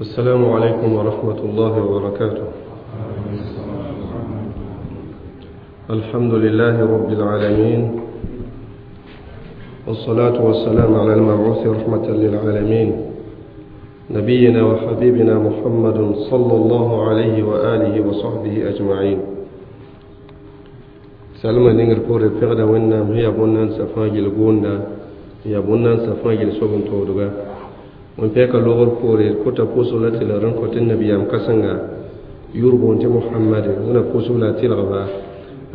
السلام عليكم ورحمة الله وبركاته. الحمد لله رب العالمين، والصلاة والسلام على المبعوث رحمة للعالمين، نبينا وحبيبنا محمد صلى الله عليه وآله وصحبه أجمعين. سلمى نينغر بوري فغدا وينام هي بونان سفاجل غوندا هي بونان سفاجل سوبن تودغا وان بيكا لوغر بوري كوتا بوسو لا تلرن كوتن نبيام كسنغا يوربون تي محمد هنا بوسو لا تلغبا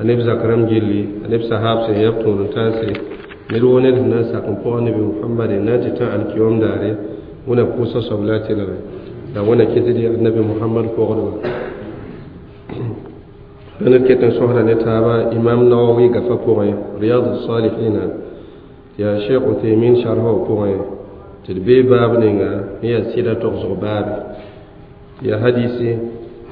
النبي زكرم جيلي النبي صحاب سي يبتون تاسي ندو ند هنا ساكن بو النبي محمد ناتي تا الكيوم داري هنا بوسو سبلا تلغ دا هنا كتدي النبي محمد فوغدو أنا كتن سهرة نتابع إمام نووي غفا بوغي رياض الصالحين يا شيخ عثيمين شرحه بوغي تدبي باب نيغا هي سيدة تغزغ باب يا حديثي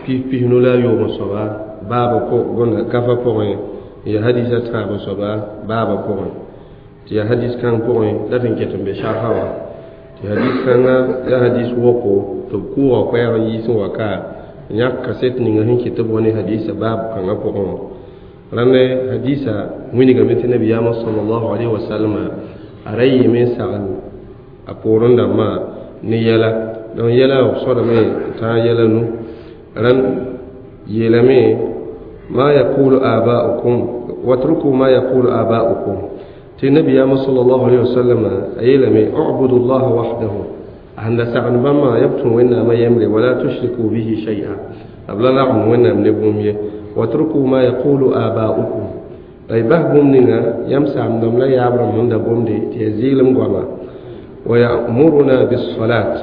في في نولا يوم صبا باب بوغ غفا بوغي يا حديثة تابع صبا باب بوغي يا حديث كان بوغي لا تنكتن بشرحه يا حديث كان يا حديث وقو تبقوا وقيا يسوع وكا yãk kaset ninga sẽn kɩ tɩ b wa ne hadisa baab kãngã pʋgẽ wã rãnd hadisa wilgame tɩ nabiyaamã sallallahu alaihi wasallam a ra yɩɩme n sagl a poorẽ dãmbã ne yɛla donc yɛla b soadame n tãag yɛla nu rãnd yeelame ma yaqulu aba'ukum watruku ma yaqulu aba'ukum tɩ nabiyaamã sallallahu alaihi wasallam a yeelame ubudu llaha wahdahu عند سعن بما يبتون وإن ما يمري ولا تشركوا به شيئا أبلا لعن وإن من واتركوا ما يقول آباؤكم أي بهبم نينا يمسع من دم لا يعبر من دم دي تيزيل مغواما ويأمرنا بالصلاة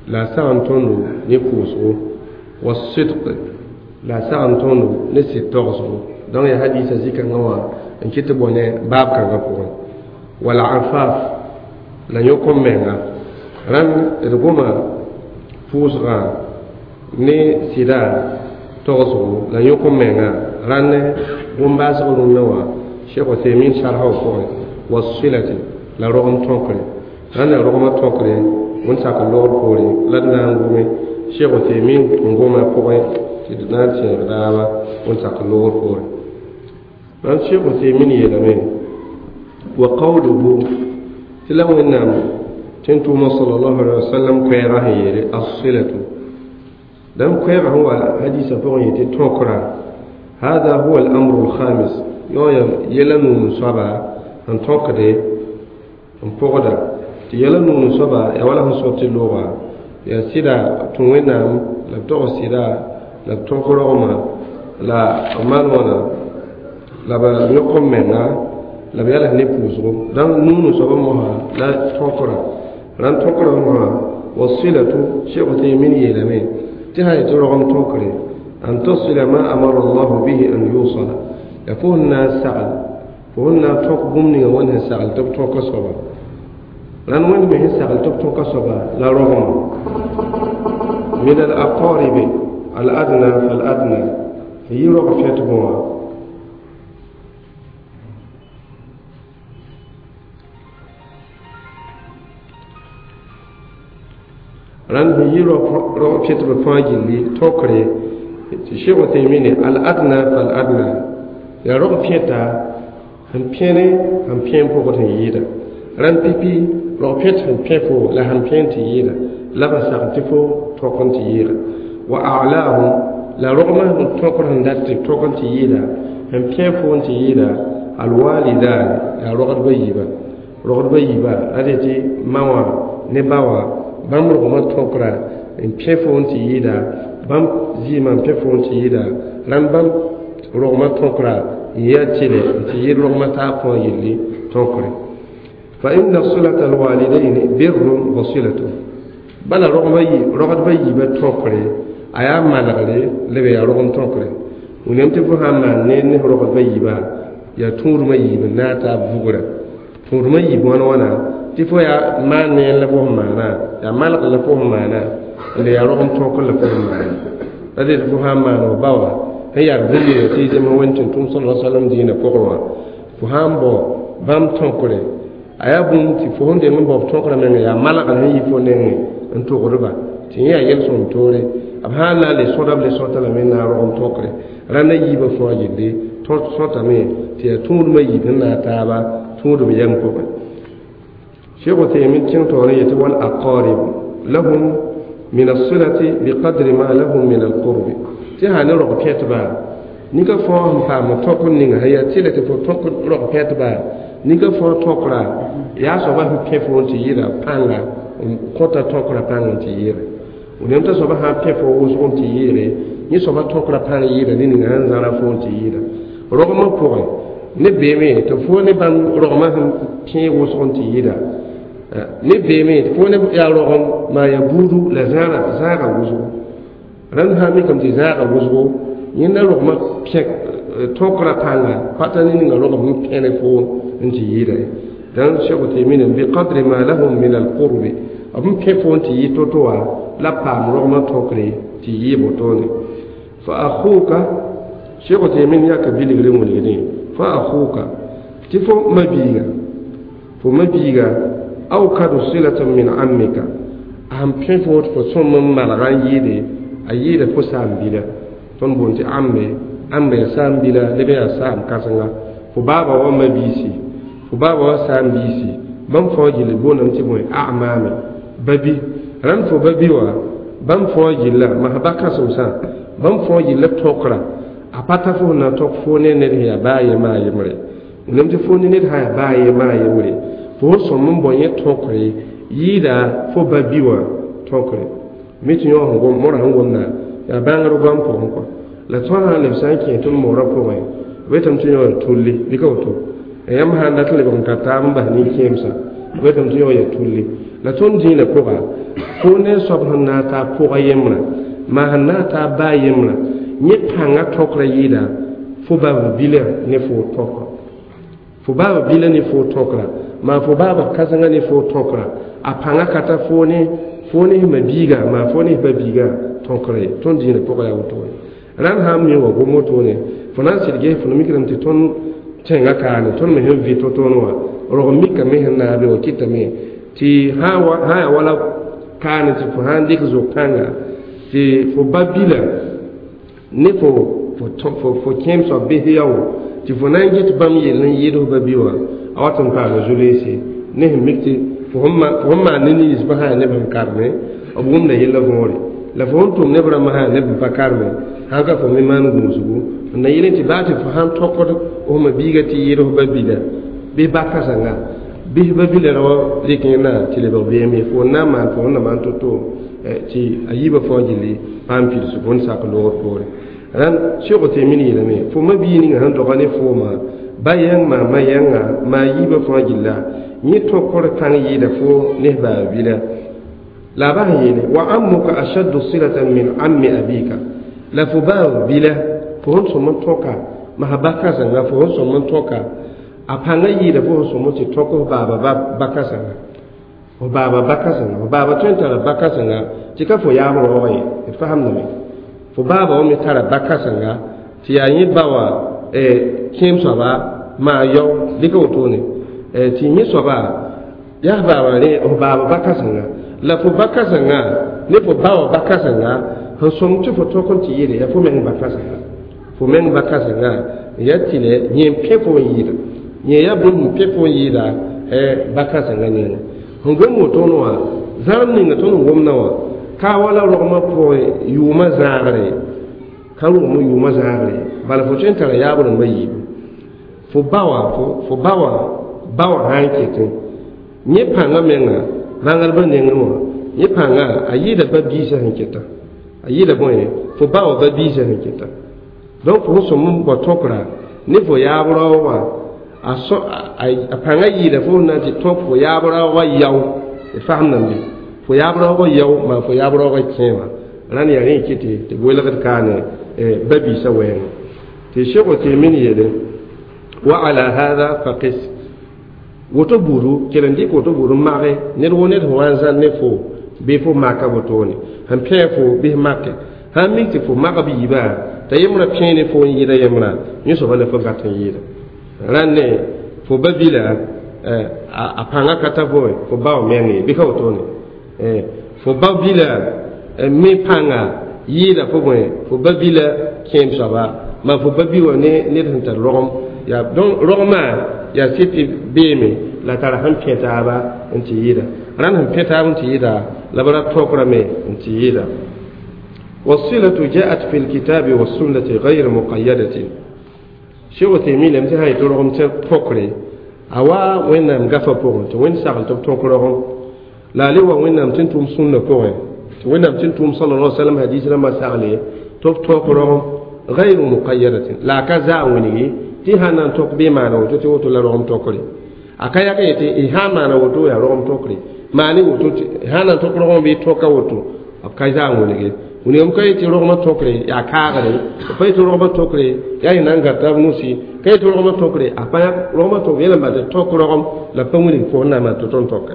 لا سعن تندو نفوسه والصدق لا سعن تندو نسي تغسو دون يحديث زيكا نوا إن كتبونه باب كان غفور والعفاف لا يكون منها rãnd d goma pʋʋsgã ne sɩda togsgo la yõk n menga rãnd bũmb-baasg rũnnã wã Cheikh Uthaymin sharha pʋgẽ wasilati la rogem tõkre rãnd la rogmã tõkre wẽn-sak n logr poore la d na n gome Cheikh Uthaymin n goma pʋgẽ tɩ d na n tẽeg daaba wẽn-sak n logr poore rãnd Cheikh Uthaymin yeelame wa qawluhu tɩ la Wẽnnaam تنتم صلى الله عليه وسلم كيره يري الصلة دم كيره هو حديث فوق تنكرا هذا هو الأمر الخامس يلنو نصبا أن تنكري أن فوقدا يلنو نصبا يولا صوت اللغة يا سيدا تنوينام لا تغ سيدا لا تنكرهما لا أمانونا لا بنقوم منا لا بياله نبوزو دم نونو صبا مها لا تنكرا ران تقرأها والصلة شيخ تيمين يلمي تهاي ترغم تقرأ أن تصل ما أمر الله به أن يوصل يفوهنا سعل فهنا تقبمني وانها سعل تبتوك صبا لأن وين به سعل تبتوك صبا لا رغم من الأقارب الأدنى فالأدنى هي رغم فيتبوها rãnd sẽn yi rog pɩtb fãa gilli tõkre tɩ Cheikh Uthaymin al-adna fal-adna yaa rog pẽta sẽn pẽne sẽn pẽ pʋgd sẽn yɩɩda rãnd pipi rog pẽt sẽn pẽ fo la sẽn pẽ tɩ yɩɩda la b sagn tɩ fo tõk n tɩ yɩɩga wa a'laahum la rogmã sẽn tõkr sẽn dat tɩ tõk n tɩ yɩɩda sẽn pẽ fo n tɩ yɩɩda alwalidan yaa rogdbã yiiba rogdbã yiiba la dee tɩ ma wã ne ba wã bãmb rogmã tõkra n pẽ fo n tɩ yɩɩda bãmb zɩɩmã n pẽ fo n tɩ yɩɩda rãnd bãmb rogmã tõkra n yaa tɩlɛ n tɩ yɩɩd rogmã taab fãa yelli tõkre fa inna silata alwalidaini birrun wa silatu bala rogdbã yiibã tõkre a yaa manegre la b yaa rogem tõkre william tɩ fo sãn maan ne rogdbã yiibã yaa tũudmã yiib n naag taab vugra tũudmã yiib wãn wãna tɩ fo yaa maan neen la fo sẽn maana yaa malg la fo sẽn maana la yaa rogem tõkr la fo sẽn maana la dee tɩ fo sãn maan f ba wã sẽn yaa bũmb ninga tɩ y zems wẽnd tɩ tʋm sala salam diinã pʋgẽ wã fo sãn bao bãmb tõkre a yaa bũmb tɩ fo sẽn deng n bao b tõkrã menga yaa malgr sẽn yi fo nengẽ n togdba Tɩ yẽ yaa yel-sõm toore b sã n na n le sõda b le sõta lame n na n rogem tõkre rãnd a yiibã fãa gilli sõtame tɩ yaa tũudmã yiib sẽn na a taaba tũudum yɛm pʋgẽ Cheikh Uthaymin kẽng taoor n yetɩ wal aqarib lahum min as-silati biqadri ma lahum min al-qurbi tɩ sã ne rog pẽtba nika fãa sẽn paam tõk n ninga sẽn yaa tɩlɛ tɩ fo tõk rog pẽtba nika fãa tõkra yaa soaba sẽn pẽ fo n tɩ yɩɩda pãnga n kõta tõkra pãng n tɩ yɩɩre wẽnnaam t'a soaba sã n pẽ fo wʋsg n tɩ yɩɩre yẽ soaba tõkra pãng yɩɩda ne ninga sẽn zãra fo n tɩ yɩɩda rogmã pʋgẽ ne beeme tɩ fo ne bãmb rogmã sẽn kẽeg wʋsg n tɩ yɩɩda ne beeme tɩ fo ne yaa rogem maa yaa buudu la zãaga wʋsgo rãnd sã n mikame tɩ zãaga wʋsgo yẽnda rogmã pẽk tõkra pãnga pata ne ninga rogem sẽn pẽ ne fo n tɩ yɩɩda ye dãn Cheikh Uthaymin biqadri ma lahum min alqurbi b n pẽ fo n tɩ yɩ to-to wã la paam rogmã tõkre tɩ yɩ wotone fa akhuka Cheikh Uthaymin yaka bilgre wilgdẽ fa akhuka tɩ fo mabiiga awkadu silatan min ammika a sẽn pẽ fo tɩ fo sõm n malga n yɩɩde a yɩɩda fo saam-bila tõnd boond tɩ ambe ambe yaa saam-bila leb yaa saam kãsenga fo baaba wa mabiisi fo baaba wa saam-biisi bãmb fãa gilli boondame tɩ bõe amaame babi rãnd fo babi wã bãmb fãa gilla masã ba kãsemsã bãmb fãa gilla tõkra a pa ta fo sẽn na n tõk fo ne ned sẽn yaa baa a yembã a yembre wẽnnaam tɩ fo ne ned sã yaa baa a yembã a yembre fo sẽn sõm n bao yẽ tõkre yɩɩda fo ba bi wã tõkre mi tɩ yõ sẽn gom mora sẽn gomda yaa bãngr goam pʋgẽ kɔa la tõnd sã n leb sã n kẽ tõnd moorã pʋgẽ b yetame tɩ yõ yaa tulli bɩ ka woto yãmb sã n dat n lebg n ka taab n bas nin-kẽemsã b yetame tɩ yõ yaa tulli la tõnd dĩinã pʋga fo ne soab sẽn na n taa pʋga yembrã maa sẽn na n taa baa yembrã yẽ pãngã tõkrã yɩɩda fo baaba bila ne fo tõkra fo baaba bila ne fo tõkra maa fo baaba kãsengã ne fo tõkra a pãngã ka ta fo ne ma biiga maa fo ne ba biiga tõkra ye tõnd dĩinã pʋga yaa woto ye rãnd sã n mi wa gom wotone fo na n sɩd ges fo mikrame tɩ tõnd tẽngã kaane tõnd me sẽn vɩ to-toone wã rog mikame sẽn na n be wã kɩtame tɩ sã yaa wala kaane tɩ fo sã n dɩk zok-kãnga tɩ fo ba bila ne fo kẽem soab bɩs yao tɩ fo na n get bãmb yell n yɩɩd f ba bi wã a wat n paama zu-leese ne sẽn mik tɩ fo sẽn maan ne ninsbã sã yaa neb sẽn karme b wʋmda yella võore la fo sẽn tʋm neb rãmbã sã yaa neb n pa karme sãn ka fo me maan gũusgu n na yɩl tɩ baa tɩ fo sãn tõkd f ma biiga tɩ yɩɩd f ba bila bɩ ba kãsenga bɩs ba bila ra wa rɩk yẽna tɩ lebg beeme fo n na n maan fo sẽn na maan to-to tɩ a yiibã fãa gilli paam pidsg n sak loogr poore rãnd Cheikh Uthaymin yeelame fo ma-bii ninga sẽn doga ne fooma ba yãng maa ma yãnga maa yiibã fãa gilla yẽ tõkr pãng yɩɩda fo ne f baaba bila la a bas n yeele wa ammuka ashaddu silatan min ammi abika la fo baaba bila fo sẽn sõm n tõka masã ba kãsenga fo sẽn sõm n tõka a pãngã yɩɩda fo sẽn sõm n tɩ tõk f baaba ba kãsenga f baaba ba kãsenga f baaba tõe n tara ba kãsenga tɩ ka fo yaab raoog ye d fasamdame fo baaba wã me tara ba kãsenga tɩ yaa yẽ ba wã kẽem soaba maa yao dɩka wotone tɩ yẽ soaba yaa baaba rẽ f baaba ba kãsenga la fo ba kãsenga ne fo ba wã ba kãsenga sẽn sõm tɩ fo tõk n tɩ yɩɩde yaa fo meng ba kãsenga fo meng ba kãsenga yaa tɩlɛ yẽ n pẽ fo n yɩɩda yẽ yaa bũmb n pẽ fo n yɩɩda ba kãsenga nengẽ sẽn gom wotone wã zãrem ninga tõnd n gomdã wã ka wala rogmã pʋgẽ yʋʋmã zãagre ka rogmã yʋʋmã zãagre bala fo tõe n tara yaab rãmbã yiibu fo ba wã fo ba wã ba wã sã n ketẽ yẽ pãngã menga bãngrbã nengẽ wã yẽ pãngã a yɩɩda ba biisã sẽn keta a yɩɩda bõe fo ba wã ba biisã sẽn keta donc fo sẽn sõm n bao tõkra ne fo yaab raoog wã a pãngã yɩɩda fo sẽn na n tɩ tõk fo yaab raoogã yao d fasemdame be fo yaab raoogã yao maa fo yaab raoogã kẽema rãnd yaa rẽ kɩ tɩ welgd kaane ba biisã wɛɛngẽ tɩ Cheikh Uthaymin yeele wa ala hada faqis woto buudu kell n dɩk woto buud n mage ned wo ned sẽn wa n zãn ne fo bɩ fo maka wotone sẽn pẽeg fo bɩ make sãn mik tɩ fo mag b yiibã t'a yembrã pẽe ne fo n yɩɩda yembrã yẽ soaba la fo gat n yɩɩda rãnd ne fo ba bila a pãngã ka ta fo fo ba wã meng ye bɩ ka wotone fo ba bila me pãnga yɩɩda fo bõe fo ba bila kẽem soaba ma fo ba bi wã ne ned sẽn tar rogem yaa donc rogmã yaa sɩd tɩ beeme la tara sẽn pẽ taaba n tɩ yɩɩda rãnd sẽn pẽ taab n tɩ yɩɩda la b ra tokra me n tɩ yɩɩda. والصلة جاءت في الكتاب والسنة غير مقيدة. شيخ تيمي لم تهاي ترغم تقري أوا وين نام غفا بوغن وين ساغل تقرغم لا لوا وين نام تنتم سنة بوغن وين نام تنتم صلى الله عليه وسلم حديث لما ساغلي توب تقرغم غير مقيدة لا كذا وني تهانا تقبي معنا وتوتي وتو لا رغم تقري أكايا كيتي إها معنا وتو يا رغم تقري ماني وتو هانا تقرغم بي توكا وتو أكايا وني wingame ka yetɩ rogmã tokre yaa kaagre pa yetɩ rogmã tokre yaa yẽ na n gata b nusi ka yetɩ rogmã tokre a pa rogmã tok yẽla n bal tɩ tok rogem la b pa wilg fo na maan tɩ tõnd toka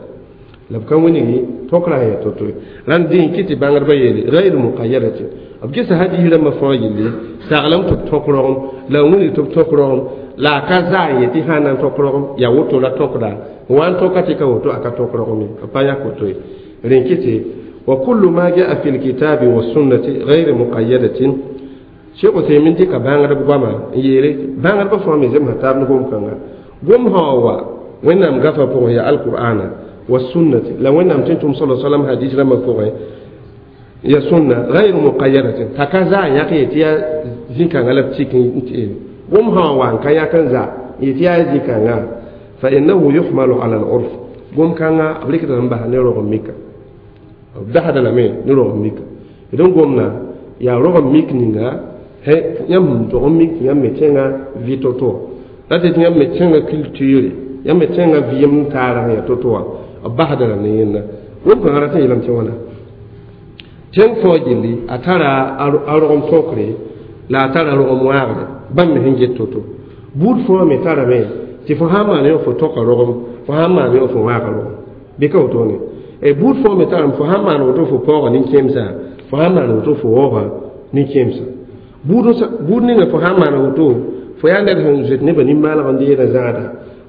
la b ka wilgi tokra sẽn yaa to-to rãnd dẽ kɩ tɩ bãngdbã yeele gayr muqayyadatin b gesa hadiis rãmbã fãa yelle saglame tɩ b tõk rogem la n wilg tɩ b tõk rogem la a ka zaa n yetɩ sã n na n tõk rogem yaa woto la tõkda n wa n tõka tɩ ka woto a ka tõk rogem ye b pa yãk woto ye rẽ kɩ tɩ وكل ما جاء في الكتاب والسنة غير مقيدة. شيخ عثيمين ديك بانغر بغاما يري بانغر بفهم زم هتاب نقوم كنا قوم هو وين نام غفا بوه يا القرآن والسنة لو وين نام تنتم صلى الله عليه وسلم حديث لما بوه يا سنة غير مقيدة تكذا يا تيا زيكا غلب تيكن قوم هو وان كيا كنزا يتيا زيكا فإنه يحمل على العرف قوم كنا أبليك تنبه نيرو ميكا basda lame ne rog mika d n gomna yaa rog n mik ninga yãmb sẽn dog n mik tɩ yãmb me tẽngã vɩ to-to la tɩ yãmb me tẽngã culture yãmb me tẽngã vɩɩm n taara sẽn yaa to-to wã b basda la ne yẽnda gom-kãngã rat n yeelame tɩ wãna tẽng fãa gilli a tara a rogem tõkre la a tara rogem wãagre bãmb me sẽn get to-to buud fãa me tarame tɩ fo sã n maan yõ fo toka rogem fo sã n maan yõ fo wãaga rogem bɩ ka wotone e buud fãa me tarame fo sã n maan woto fo paooga nin-kẽemsã fo sã n maan woto fo waooga nin-kẽemsã buud ninga fo sã n maan woto fo yaa ned sẽn zoet nebã nin-maaleg n deeda zãada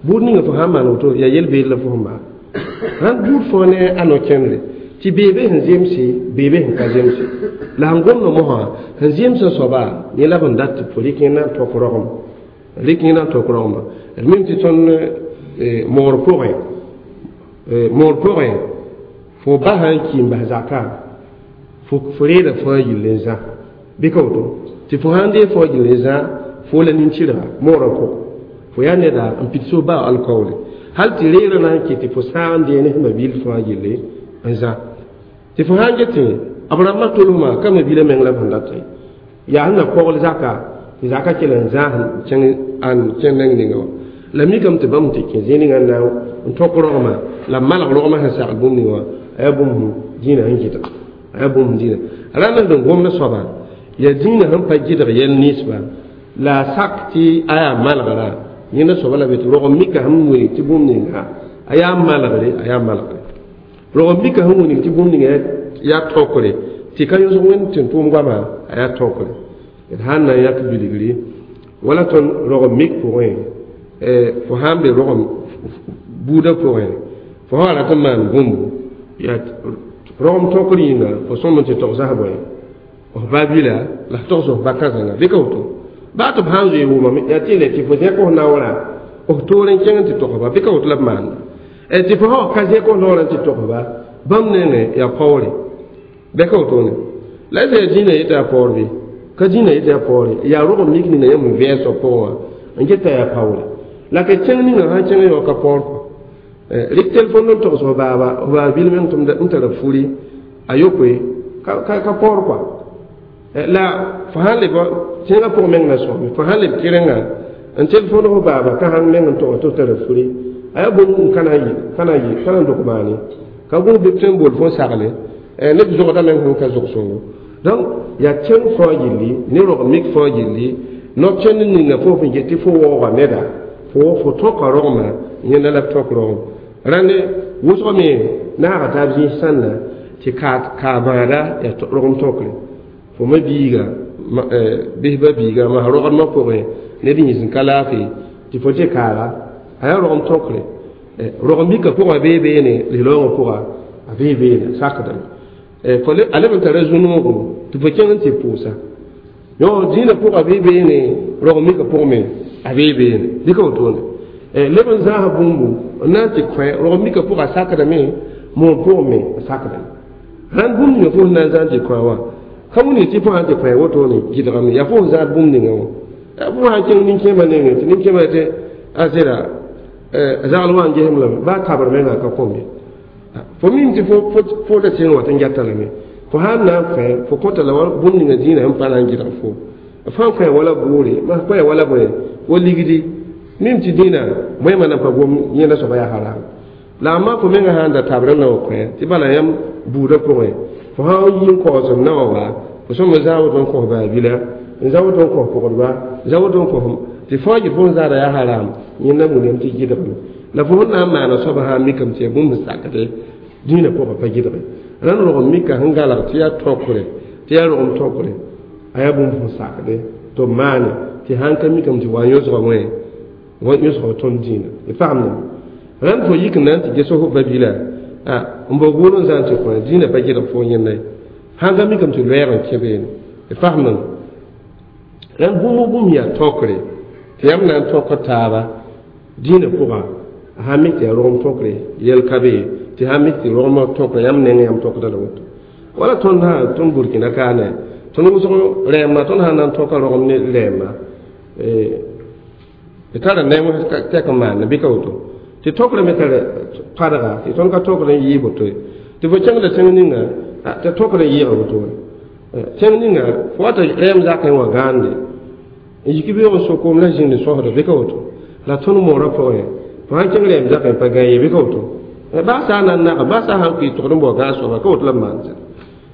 buud ninga fo sã n maan woto yaa yel-beed la fo sẽn maan rãnd buud fãa ne a no-kẽndre tɩ beebe sẽn zemse beebe sẽn ka zemse la sẽn gomdã mosã sẽn zemsã soaba yẽ la b n dat tɩ fo rɩk yẽ na n tõk rogem rɩk yẽ na n tõk rogema d mim tɩ tõnd moor pʋgẽ moor pʋgẽ fo basa n ki n bas zaka fo reeda fãa yill n zã bɩ ka woto tɩ fo sãn dee fãa yill n zã fo la nin-tɩrga moorã pʋgẽ fo yaa neda n pid so baa alkaoole hal tɩ reerã na n kɩ tɩ fo sãag n dee ne sẽn bil fãa yelle n zã tɩ fo sãn get b rãmbã tolsmã ka mabila meng la b sẽn dat yaa sẽn na kogl zaka tɩ zaka kell n zãas n kẽng neng ninga wã la mikame tɩ bãmb tɩ kẽ zĩig ninga n na n tõk rogmã la b malg rogmã sẽn sagl bũmb ninga wã a yaa bũmb dĩinã sẽn gɩdg a yaa bũmb dĩinã rãnd sẽn gomd soaba yaa dĩinã sẽn pa gɩdg yɛl ninsba la a sak tɩ a yaa malgra yẽnda soaba la be tɩ rogem mika sẽn wilg tɩ bũmb ninga a yaa malgre a yaa malgre rogem mika sẽn wilg tɩ bũmb ninga yaa tõkre tɩ ka yõsg wẽnd tɩ n tʋʋm goama a yaa tõkre d sãn na n yãk bilgri wala tõnd rogem mik pʋgẽ fo sãn be rogem buudã pʋgẽ fo sã rat n maan bũmbu yaa rogem tõkr yĩnga fo sõm n tɩ togsas bõe f ba bila la f togs f ba kãsenga bɩ ka woto baa tɩ b sãn zoe wʋmame yaa tɩ le tɩ fo zẽk f naoorã f toor n kẽng n tɩ togsba bɩ ka woto la b maanda tɩ fo sã ka zẽk f naoorã n tɩ togsba bãmb nengẽ yaa paoore bɩ ka wotone la yaa dĩinã yetɩ yaa paoor bɩ ka dĩinã yetɩ yaa paoore yaa rogem mik ninga yãmb n vẽes b pʋgẽ wã n geta yaa paoore la ka kẽng ninga sãn kẽng yao ka paoor kɔ rɩk telefon n togs f baaba f baaba bil meng tɩ n tara furi a yokoe ka paoor kɔa la fo sãn leb tẽngã pʋgẽ meng na sõame fo sãn leb kɩrenga n telefon f baaba ka sãn meng n tog tɩ f tara furi a yaa bũmb n ka na n yɩ ka na n dok maane ka gũus bɩ tõe n bool fo n sagle neb zogda meng sẽn ka zog sõngo donc yaa kẽng fãa gilli ne rog mik fãa gilli no-kẽnd ninga fo sẽn get tɩ fo waooga neda fo tõka rogmã yẽnda la b tõk rogem rãnd wʋsg me naaga taab zĩis sãnda tɩ kaa-bãada yaa rogem tõkre fo ma biiga bisba biiga masã rogdmã pʋgẽ ned yĩs n ka laafɩ tɩ fo tɩ kaaga a yaa rogem tõkre rogem mika pʋgã bee beene lislaoongã pʋga a bee beene sakdame Fo a leb n tara zu-noogo tɩ fo kẽng n tɩ pʋʋsa yõ dĩinã pʋga bɩ beene rog mika pʋgẽ me a bee beene dɩka wotone leb n zãas bũmbu n na n tɩ kõ rog mika pʋga a sakdame moon pʋgẽ me a sakdame rãnd bũmb ninga fo sẽn na n zãn tɩ kõ wã ka wilg tɩ fo sãn tɩ kõ wotone gɩdgame yaa fo sẽn zãad bũmb ninga wã fo sãn kẽng nin-kẽemã nengẽ tɩ nin-kẽemã tɩ a zẽra zagl wã n gesem lame baa tabr menga ka kõm ye fo mim tɩ fo da sẽng wa tɩ n gɛta lame fo sãn na n kõ fo kõta la bũmb ninga dĩinã sẽn pa na n gɩdg fo fãa kõ wala boore ma kõ wala bõe wa ligdi mim tɩ dĩinã bõe na pa gom yẽnda soaba yaa haram la amma fo menga sãn da tabr n na wa kõ tɩ bala yãmb buudã pʋgẽ fo sãn yi n kaoos n na wa wa fo sõma zã woto n kos baabila n zã woto n kos pʋgdba zã woto n kos tɩ fãa yɩ fo n zãada yaa haram yẽnda wilgame tɩ gɩdgame la fo sẽn na n maana soaba sã n mikame tɩ yaa bũmb sẽn sakde dĩinã pʋgã pa gɩdge rãnd rogem mika sẽn galg tɩ yaa tõkre tɩ yaa rogem tõkre a yaa bũmb sẽn sakde tɩ b maane tɩ sãn ka mikame tɩ wa yõsga wẽ wa yõsga tõnd dĩinã d fagemdame rãnd fo yik n na n tɩ ges fo babila n bao buud n zã n tɩ kõ dĩinã pa gɩdg fo yẽnda ye sãn ka mikame tɩ loɛɛg n kẽ beene d fagemdame rãnd bũmb bũmb yaa tõkre tɩ yãmb na n tõk taaba dĩinã pʋga a sãn mik tɩ yaa rogem tõkre yɛl ka be tɩ sãn mik tɩ rogmã tõkre yãmb neng yãmb tõkda la woto wala tõnd sã tõnd burkina kaane tõnd wʋsg rɛɛmba tõnd sãn na n tõka rogem ne rɛɛmba d tara neng tɛk n maande bɩ ka woto tɩ tõkrã me tar padga tɩ tõnd ka tõkr n yɩɩ woto ye tɩ fo kẽngda tẽng ninga tɩ tõkr n yɩɩga woto wã tẽng ninga fo wata rɛɛm zakẽ wã gãande n yik beoog n sokoom la zĩnd sõsda bɩ ka woto la tõnd moorã pʋgẽ fo sãn kẽng rɛɛm zakẽ pa gã ye bɩ ka woto baa sã n na n naga baa sã sãn kʋɩ togd n bao gãag soaba ka woto la b maan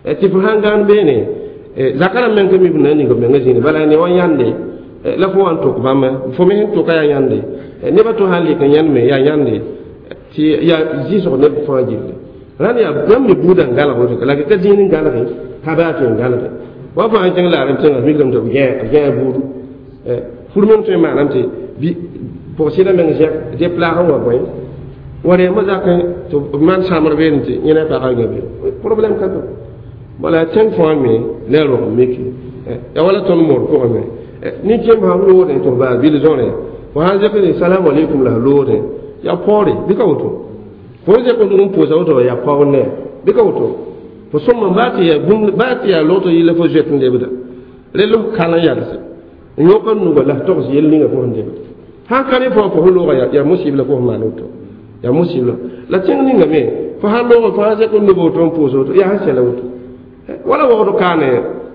tɩ fo sãn gãan beene zaka rãmb meng ka mi b na n ning b menga zĩine bala ne wa yãnde la fo wa n tok bãmba fo me sẽn toka yaa yãnde nebã to sãn lek n yãnd me yaa yãnde tɩ yaa zɩsg neb fãa gilli rãnd yaa bãmb me buudã n galg woto la ka zĩig n galge ka baa tõe n galge wa fo sãn kẽng laarem tẽngã mikrame tɩ b gãa buudu fur meng tõe n maaname tɩ pʋg-sɩdã meng zɛk deplaag n wa bõe wa rɛɛmã zakẽ tɩ b maan sãmbr beene tɩ yẽna pagã gã be problème ka be bala tẽng fãa me la rog miki ya wala tõnd moor pʋgẽ me nin-kẽemb sãn loodẽ tɩ b baa bil zõre fo sãn zẽk ne salam alaikum la loodẽ yaa paoore bɩ ka woto fo zẽk n n pʋʋsa woto yaa paoor ne bɩ ka woto fo sõma baa tɩ yaa bũmb baa tɩ yaa logto yɩla fo zoet n lebda re los kal n yalse n yõk n nuga la togs yell ninga fo sẽn lebda sãn ka rẽ fo fo sẽn looga yaa musibla fo sẽn maan woto yaa musibla la tẽng ninga me fo sãn looga fo sãn zẽk n nub woto n pʋʋs woto yaa sẽn sɛla woto wala waood kaane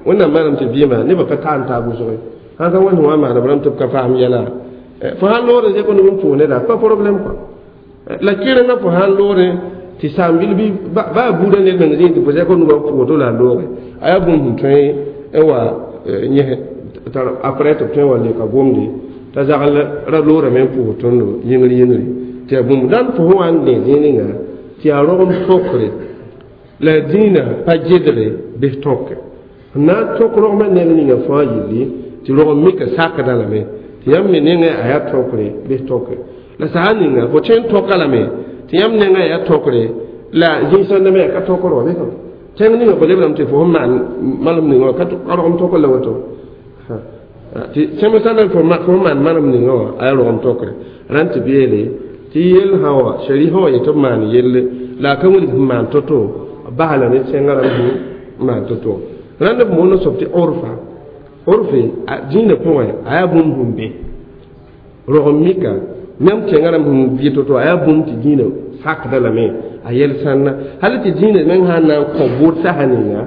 wẽnnaam maanam tɩ vɩɩmã nebã ka taam taab wʋsge sãn ka wẽnd wã maana b rãmb tɩ b ka faam yɛla fo sãn loore zẽk nub n pʋʋs neda pa problème quoi la kɩrengã fo sãn loore tɩ saam-bil bɩ baa buudã ned meng zĩig tɩ fo zẽk nubã n pʋʋs la a looge a yaa bũmb sẽn tõe n wa yẽs tar après tɩ b tõe n wa leka gomde t'a zagl ra loorame n pʋʋs tõndo yĩngr yĩngre tɩ yaa bũmb dãn fo sẽn wa n dẽ zĩig ninga tɩ yaa rogem tõkre la dĩinã pa gedre bɩ tõke n na n tõk rogmã neng ninga fãa yilli tɩ rogem mika sakdã lame tɩ yãmb me nengã a yaa tõkre bɩ tõke la sã ninga fo tõe n tõka lame tɩ yãmb nengã yaa tõkre la zĩig-sãndã me yaa ka tõkr wa bɩ tẽng ninga fo lebrame tɩ fo sẽn maan malem ninga wã ka rogem tõkr la woto tɩ sẽm sãndã fo sẽn maan malem ninga wã a yaa rogem tõkre rãnd tɩ b yeele tɩ yell sã wa shari'a wã yetɩ b maan yelle la a ka wilg sẽn maan to-to bas la ne tẽngã rãmb sẽn maan to-to rãnd b moon soab tɩ orfa orfe dĩinã pʋgẽ a yaa bũmb sẽn be rogem mika yãmb tẽngã rãmb sẽn vɩ to-to a yaa bũmb tɩ dĩinã sakda lame a yɛl sãnna hal tɩ dĩinã meng sãn na n kõ bʋʋd sasa ninga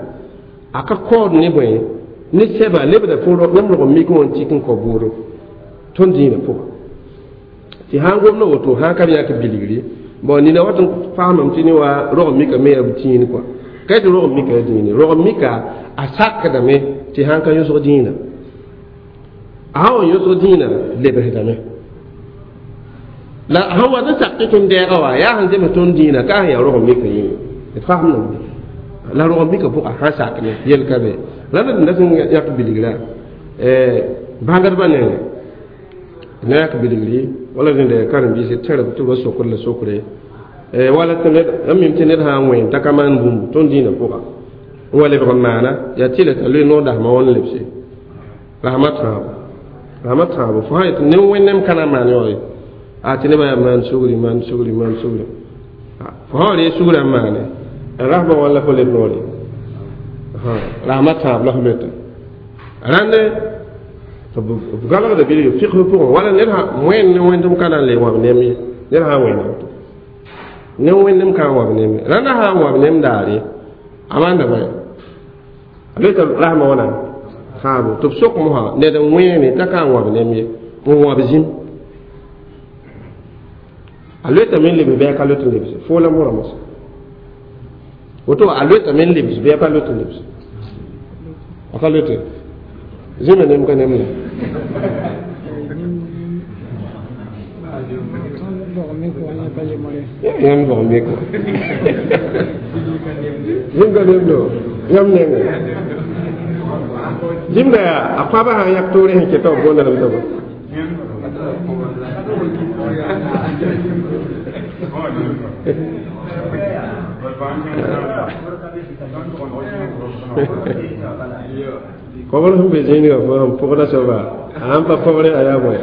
a ka kaood ne bõe ne sɛba lebda fo yãmb rogem mik wã n tik n kõ bʋʋdo tõnd dĩinã pʋga tɩ sãn gomda woto sãn ka yãk bilgri bon nina wat n faamame tɩ ne wa rogem mika me yaa b tĩin kɔa ka tɩ rogem mika yaa dĩine rogem mika a sakdame tɩ sãn ka yõsg dĩinã a sã wa yõsg dĩinã lebsdame la sãn wat n sak tɩ tõnd dɛɛga wa yaa sẽn zems tõnd dĩinã ka sẽn yaa rogem mika yĩnga d faamdame la rogem mika pʋga sãn sak ne yel ka be rãnd d dat n yãk bilgra bãngdbã nengẽ na yak bilgri wala rẽnda karen-biisã tẽrb tɩ b sokr la sokre wala tɩ ned n mim tɩ ned sã n wẽen t'a ka maan bũmb tõnd dĩinã pʋga N wa lebg n maana yaa tɩla t'a loe noor dasmã wãn lebse rasmã tãabo rasmã tãabo fo sã yetɩ ne wẽnnaam ka na n maan yaoore a tɩ nebã yaa maan sugri maan sugri maan sugri fo sã wa reeg sugrã n maane rasmã wãn la fo leb noore rasmã tãab la fo loeta rãnd b galgda bilg figsb pʋgẽ wala ned sã wẽnd ne wẽndem ka na n le wãb nem ye ned sã n wẽnda woto ne wẽndem ka n wãb nem ye rãndã sã n wãb nem daare a maanda bõe a loeta rasmã wãna tãabo tɩ b sok mosã ned n wẽene t'a ka n wãb nem ye n wãb zĩm a loetame n lebs bɩ a ka loet n lebse foo la mora mosa woto a loetame n lebs bɩ a pa loet n lebse a ka loete zĩma nem ka nem la yãmb bog mik wã zĩm ka nemdo yãmb nengẽ zĩmda yaa a koabã sã n yãk toore sẽn keta b boonda lame t'a kobr sẽn be zĩigã fo sẽn pʋgda soaba a sãn pa kobre a yaa bõe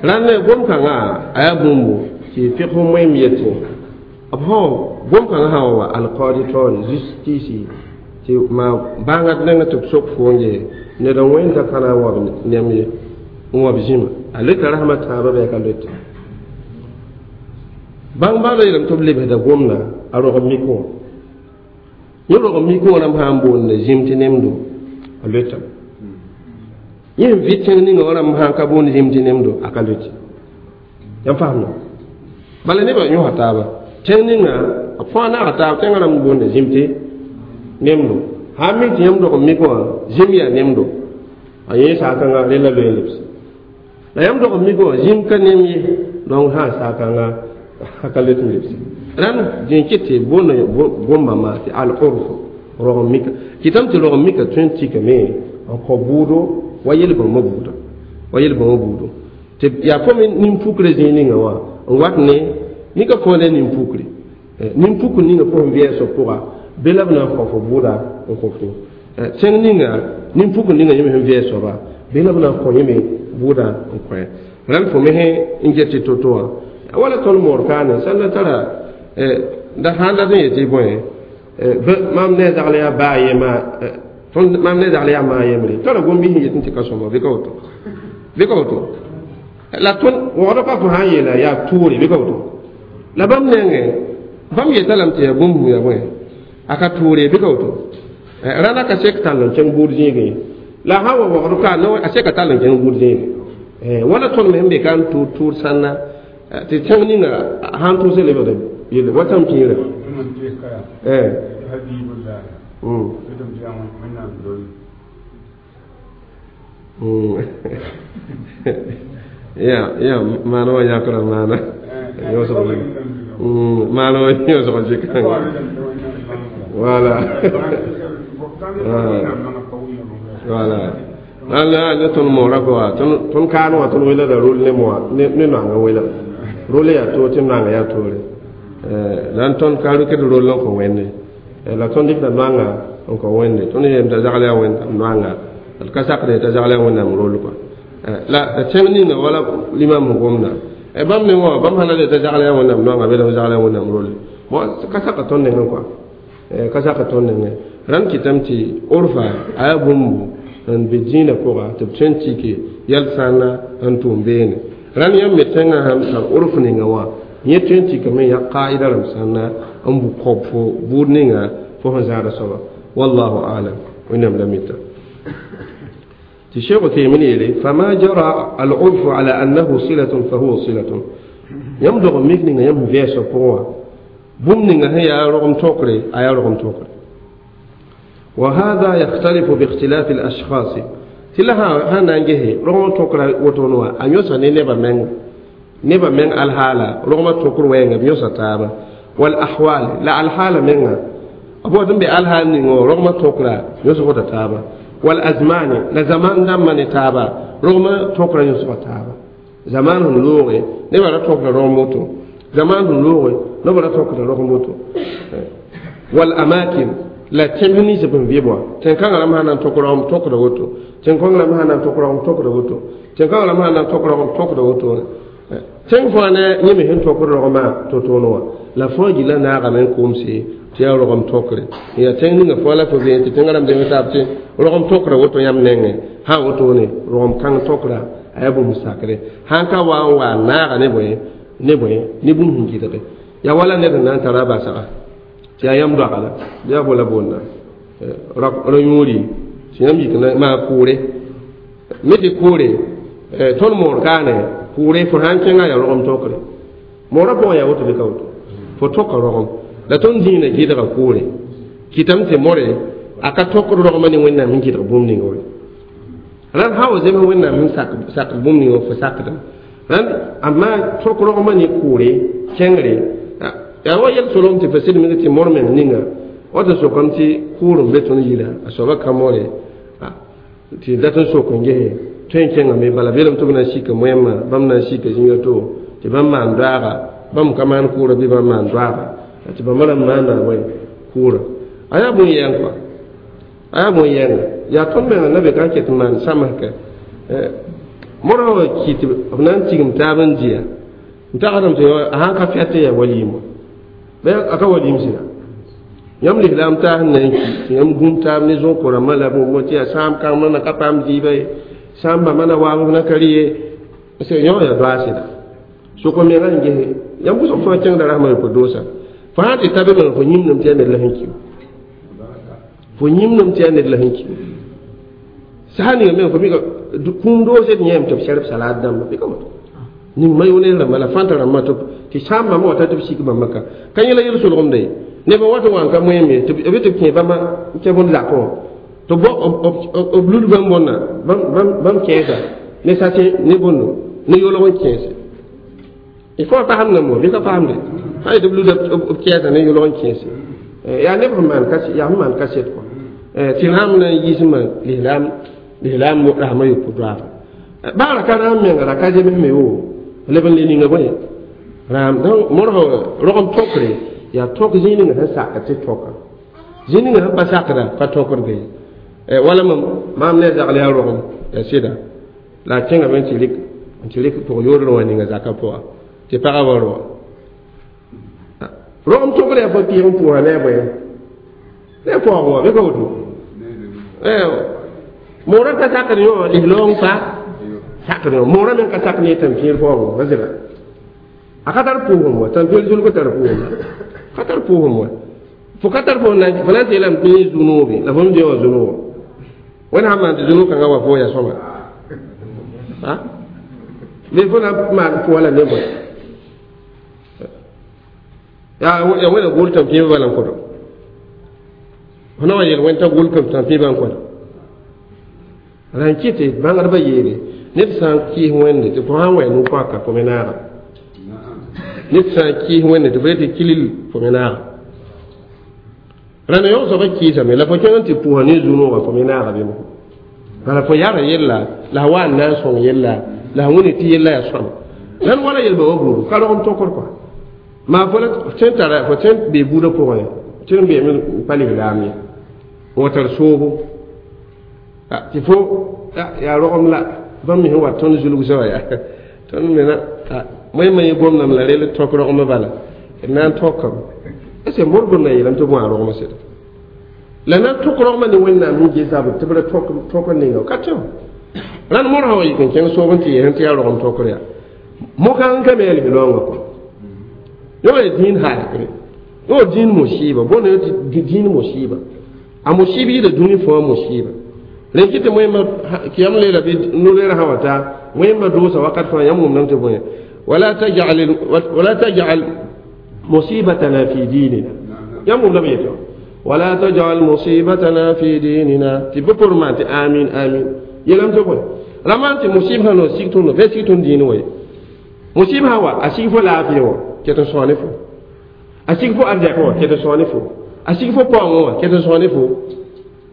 rãnd gom-kãngã a yaa bũmbu tɩ figs moeem yetẽ b sã gom-kãngã sã wa wa alqaadi taoore justice tɩ maa bãangd nengẽ tɩ b sok fo n gee ned n wẽnda ka na n wab nem ye n wab zĩma a loeta rasmã tãabã bɩ a ka loete bãng bãada yeelame tɩ b lebsda gomda a rog mik wã yẽ rog mik wã rãmb sã n boonda zĩm tɩ nemdo a loetame yẽ sẽn vɩ tẽng ninga wã rãmb sã n ka boond zĩm tɩ nemdo a ka loete yãmb faamda bala nebã yõsa taaba tẽng ninga b fãa naaga taab tẽngã rãmb boonda zĩm tɩ nemdo sã n mi tɩ yãmb dog mik wã zĩm yaa nemdo a yẽ saakãnga rela loe n lebse la yãmb dog mik wã zĩm ka nem ye donc sã n saakãnga a ka loet n lebse rãnd dẽ ket tɩ boonda gomba maa tɩ al-urf rog mika kɩtame tɩ rog mika tõe n tikame n kõ bʋʋdo wa yel-bãmbã buuda wa yel-bãmbã buudo tɩ yaa fo me nin-pukre zĩig ninga wã n wat ne nika fo ne nin-pukre nin-pukr ninga fo sẽn vɩɛɛsg pʋga be la b na n kõ fo bʋʋda n kõ fo tẽng ninga nin-pukr ninga yẽme sẽn vɩɛɛs soaba be la b na n kõ yẽme bʋʋda n kõ rãnd fo me sẽn get tɩ to-to wã wala tõnd moor kaane sãn la tara da sãn dat n yetɩ bõe mam ne zagl yaa baa yema tõnd mam ne zagl yaa maa yembre tara gom-biis n yet n tɩ ka sõma bɩ ka woto bɩ ka woto la tõnd wogd pa fo sã n yeela yaa tʋʋre bɩ ka woto la bãmb nengẽ bãmb yeta lame tɩ yaa bũmb yaa bõe a ka tʋʋre bɩ ka woto rãna ka sek tall n kẽng buud zĩigẽ la sã wa wogd ka a seka tall n kẽng buud zĩigẽ wala tõnd me sẽn be ka n tʋʋr tʋʋr sãnna tɩ tẽng ninga sãn tʋʋs lebgda yelle wa tãm pĩirã ya ya maana wã yãkra maana maana wã yõsg zɩkãnga wala wala la ne tõnd moora goa tõnd kaan wã tõnd welgda rol ne moa ne noanga wela rol yaa toor tɩ noanga yaa toore la n tõnd ka rʋkd rol n kõ wẽnde la tõnd dɩkda noanga n kõ wẽnde tõnd yeelame t'a zagl yaa wẽnnaam noanga d ka sakd t'a zagl yaa wẽnnaam rol kɔa la tẽng ninga wala limam sẽn gomda bãmb ne wã bãmb sã na le t'a zagl yaa wẽnnaam noanga bɩ la zagl yaa wẽnnaam rolle bon ka saka tõnd nengẽ kɔa ka saka tõnd nengẽ rãnd kɩtame tɩ orfa a yaa bũmbu n be dĩinã pʋga tɩ b tõe n tike yɛl sãnna n tʋʋm beene rãnd yãmb me tẽngã sãn tar orf ninga wã yẽ tõe n tikame n yaa qaida rãmb sãnna n bu kob fo buud ninga fo sẽn zãada soaba wallahu alam wẽnnaam la mita tɩ sheikh Uthaymin yeele fama jara al-urfu ala annahu silatun fahuwa silatun yãmb dog n mik ninga yãmb sẽn vɛɛsg pʋgẽ wã bũmb ninga sẽn yaa rogem tõkre a yaa rogem tõkre وهذا يختلف باختلاف الأشخاص تلها هنا نجه رغم تكر وتونوا أن يوسا نبا من نبا من الحالة رغم تكر وين يوسا تابا والأحوال لا الحالة منها أبو ذنب الحال نينو رغم تكر يوسا تابا والأزمان لا زمان دم تابا رغم تكر يوسا تابا زمان لوغي نبا تكر رغم موتو زمان لوغي Noba ra tokda rogem woto wal amakin la tẽmb nins b n vɩb wã tẽn-kãngã rãmb sã na n tok rogem tokda woto tẽn-kõng rãmb sã na n tok rogem tokda woto tẽn-kãngã rãmb sã na n tok rogem tokda woto tẽng fãa ne yẽ me sẽn tokd rogmã to-toone wã la fãa gilla naagame n komse tɩ yaa rogem tokre yaa tẽng ninga fãa la fo vẽen tɩ tẽngã rãmb zems taab tɩ rogem tokra woto yãmb nengẽ sã wotone rogem kãng tokra a yaa bũmb sakre sãn ka wa n wa naaga ne bõe ne bũmb sẽn gɩdge yaa wala ned n na n tara a basga tɩ yaa yãmb doaga la bɩ yaa bola boonna ra yũuri tɩ yãmb yik n maa kʋʋre me tɩ kʋʋre tõnd moor kaane kʋʋre fo sã n kẽnga yaa rogem tokre moorã pʋgẽ yaa woto bɩ ka woto fo toka rogem la tõnd zĩigã gɩdga kʋʋre kɩtame tɩ more a ka tokd rogmã ne wẽnnaam sẽn gɩdg bũmb ninga wã rãnd sã wa zems wẽnnaam sẽn sakd bũmb ninga fo sakdem rãnd amma tok rogmã ne kʋʋre kẽngre yaa wa yɛl solem tɩ fo sɩd meng tɩ mor meng ninga wata sokame tɩ kʋʋr n be tõnd yira a soaba ka more tɩ dat n sok n gese tõe n kẽngame bala belem tɩ b na n sika moẽmã bãmb na n sika zĩiga to tɩ bãmb maan doaaga bãmb ka maan kʋʋra bɩ bãmb maan doaaga tɩ bãmba rãmb maana bõe kʋʋra a yaa bõn-yɛng kɔa a yaa bõn-yɛnga yaa tõnd menga na be ka n ket n maan sãmsga morã wa ki tɩ b na n tigim taab n dɩya n tagsdame tɩ a sãn ka fɛt n yaa waliim wã a ka waliim sɩda yãmb lislaam taas n na n ki tɩ yãmb gũm taab ne zõ-ko-rãmbã la bũmb tɩ yaa sãam kãngmã na ka paam dɩɩba ye sãam bãmba na waam na ka rɩ ye yõ yaa doa sɩda sʋk menga n gese yãmb wʋsg fãa kẽngda rasmã yopoe doosa fo sã tɩ ta be meng fo yĩmdem tɩ yaa ned la sẽn ki fo yĩmdem tɩ yaa ned la sẽn ki sã ninga meng fo mika kũum doose d yẽem tɩ b sɛrb salad dãmba bɩ ka woto ning ma yʋne rãmba la fãnta rãmbã tɩ sãam bãmba wata tɩ b sik bãmba ka ka yẽla yel-solgemda ye neb n wat n wa n ka moẽem ye tɩ b tɩ b kẽ bãmba n kẽ bõnd zakẽ wã tɩ b lud bãmb bõnna bãmb kẽesa ne sase ne bõndo ne yolg n kẽese il faut a fasem namo bɩ ka fasemde sã yetɩ b luda b kɛɛsa ne yolg n kẽese yaa neb sẽn maan yaa sẽn maan kaset kɔ tɩ rãam na n yiismã lislaam rasmã yopoe doaaba baa ra ka rãam menga ra ka zems me woo leb n le ninga bõe rãam donc modg rogem tokre yaa tok zĩig ninga sẽn sakd tɩ toka zĩig ninga sẽn pa sakda pa tokdge ye wala maam ne zagl yaa rogem yaa sɩda la a kẽngame n tɩ rɩk pʋg yoodr wã ninga zakã pʋga tɩ pagã wa roa rogem tokr yaa fo pɩɩg n pʋʋsa ne a bõe ne a paoog wã bɩ ka woto moorã ka sakd yõ lislaoong pa sakd yõ moorã meng ka sak ne tãmpĩir paoog wã zɩla a ka tar pʋʋsem wa tãmpĩir zulg tar pʋʋsem ka tar pʋʋsem wa fo ka tar fo na n tɩ yeelame tɩ yẽ zu-noobe la fo m dẽ wã zu-noog wẽnd sãn maan tɩ zu-noog kãngã wa fo yaa sõma bɩ fo na n maan pʋʋsã la ne bõe yaa wẽna gʋl tãmpĩibã bala n kõdo fo na wa yel wẽnd t'a gʋl tãmpĩibã n kõdo la n kɩ tɩ bãngdbã yeele ned sã n kɩɩs wẽnde tɩ fo sã n wa nu-paka fo me naaga ned sã n kɩɩs wẽnde tɩ fo yetɩ kilil fo me naaga rãnd yõ soaba kɩɩsame la fo kẽng n tɩ pʋʋsa ne zu-noogã fo me naaga bɩ bala fo yara yella la a wa n na n sõng yella la a wẽne tɩ yella yaa sõama rãnd wala yelba wa buudu ka rogem tokr kɔa maa fo la tõe n tara fo tõe n bee buudã pʋgẽ tɩ n beeme n pa lislaam ye n wa tar soobo tɩ fo yaa rogem la bãmb me sẽn wa tõnd zulg soaba yaa tõnd mena moẽmã yẽ gomdame la rel tõk rogmã bala d na n tõkame est ce que mor gomdã yeelame tɩ bõa rogmã sɩda la na n tõk rogmã ne wẽnnaam sẽn ges tɩ b ra tõk n ninga ka tẽ rãnd mor sã wa yik n kẽng soob n tɩ yeesẽ tɩ yaa rogem tõkr yaa mo-kãng ka me yaa lislaoongã kɔ yõ yaa dĩin halkre yõ dĩin musiba bõn yõ tɩ dĩin musiba a musiba yɩɩda dũni fãa musiba rẽn kɩ tɩ wẽmba kɩyam leela bɩ no-leerã sã wa taa wẽmba doosa wakat fãa yãmb wʋmdame tɩ bõe wala tajal musibatana fi dinina yãmb wʋmdame yetɔ wala tajal musibatana fi dinina tɩ bɩ por maan tɩ amin amin yeelame tɩ bõe ra maan tɩ musib sã no sig tõndo bɩ sig tõnd dĩin wa ye musib sã wa a sig fo laafɩ wã ket n sõa ne fo a sig fo arzɛk wã ket n sõa ne fo a sig fo paoongã wã ket n sõa ne fo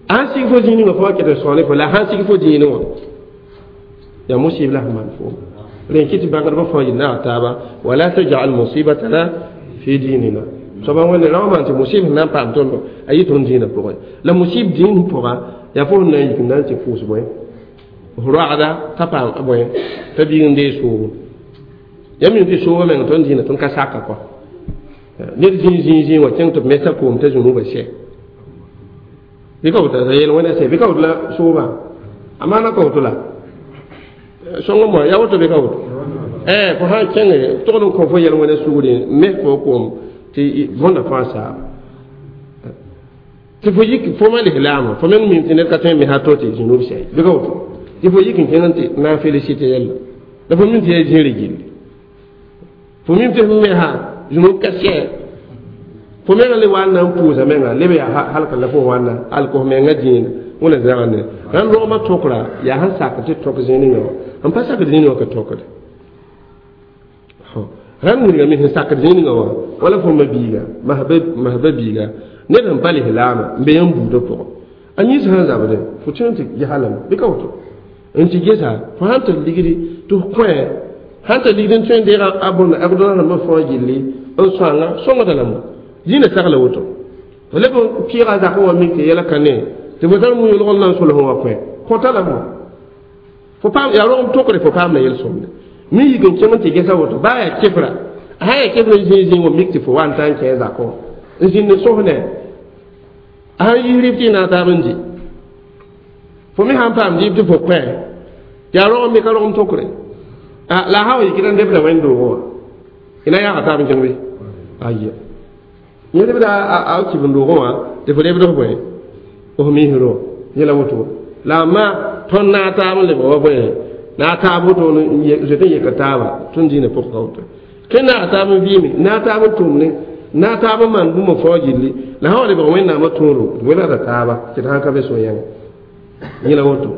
a sãn sig fo zĩig ninga fo wã ket n sõa ne fo la a sãn sig fo dĩinẽ wã yaa musib la sẽn maan foom rẽn kɩ tɩ bãngdbã fãa yel naag taaba wala tajal musibatana Fi dinina soaba wẽnde rao maan tɩ musib sẽn na n paam tõndo a yɩ tõnd dĩinã pʋgẽ la musib dĩin pʋga yaa fo sẽn na n yik n na n tɩ pʋʋs bõe f roagda t'a paam bõe t'a biig n deeg soobo ya mi tɩ soobã meng tõnd dĩinã tõnd ka saka kɔ ned zĩig zĩig zĩig wã kẽng tɩ b mesa koom t'a zũnubã sɛ bɩ ka woto a yel wẽnda sɛ bɩ ka woto la soobã a maana ka woto la sõng moa ya woto bɩ ka woto fo sã n kẽnge togd n kõ fo yɛl wẽnda sugri mes fo koom tɩ võnda fãa saaba tɩ fo yik fo ma lislaamã fo meng mim tɩ ned ka tõe n mesa to tɩ zũnub sɛ bɩ ka woto tɩ fo yik n kẽng tɩ na n félicité yɛlla la fo mim tɩ yaa zĩirã gilli fo mim tɩ f mesa zũnub ka sɛ fo menga le wa na n pʋʋsa menga leb yaa halka la fo wãnna alk f menga dĩinã wẽna zãgã ne rãnd rogmã tokra yaa sẽn sak tɩ tok zĩig ninga wã n pa sakd zĩig wã ka tokde rãnd wilgame sẽn sakd zĩig ninga wã wala fo ma biiga masba biiga ned sẽn pa lislaamã n be yãmb buudã pʋgẽ a yĩns sẽn zabde fo tõe n tɩ gesa lame bɩ ka woto n tɩ gesa fo sãn tar ligdi tɩ f kõ sãn tar ligdi n tõe n deega a bõn agdõna rãmbã fãa gilli n sõanga sõngda lame dĩinã sagla woto fo leb n pɩɩga zakẽ wã mik tɩ yɛla ka ne tɩ fo tar mu-yʋlg n na n solsẽ wã kõ kõta lame fo paam yaa rogem tokre fo paamda yel-sõmde mi yik n kẽng n tɩ gesa woto baa yaa kefra a sã yaa kefra zĩig zĩig wã mik tɩ fo wa n ta n kẽ zakẽ wã n zĩnd n sosne a sãn yis rɩb tɩ y na taab n dɩ fo me sãn paam dɩɩb tɩ fo kõ yaa rogem me ka rogem tokre la a sã wa yikd n debda wẽnd-doogẽ wã y na yaaga taab n kẽng bɩ aya yẽ lebda a kɩb n doogẽ wã tɩ fo lebd f bõe f misro yẽla woto la a ma tõnd na a taab n lebg wa bõe na a taab woto zoet n yeka taaba tõnd dĩinã pʋg ka woto tõe na a taab n vɩɩme na a taab n tʋmne na a taab n maan bũmb fãa gilli la sã wa lebg wẽnnaamã tõoro d welgda taaba tɩ d sãn ka be so-yãnga yẽla woto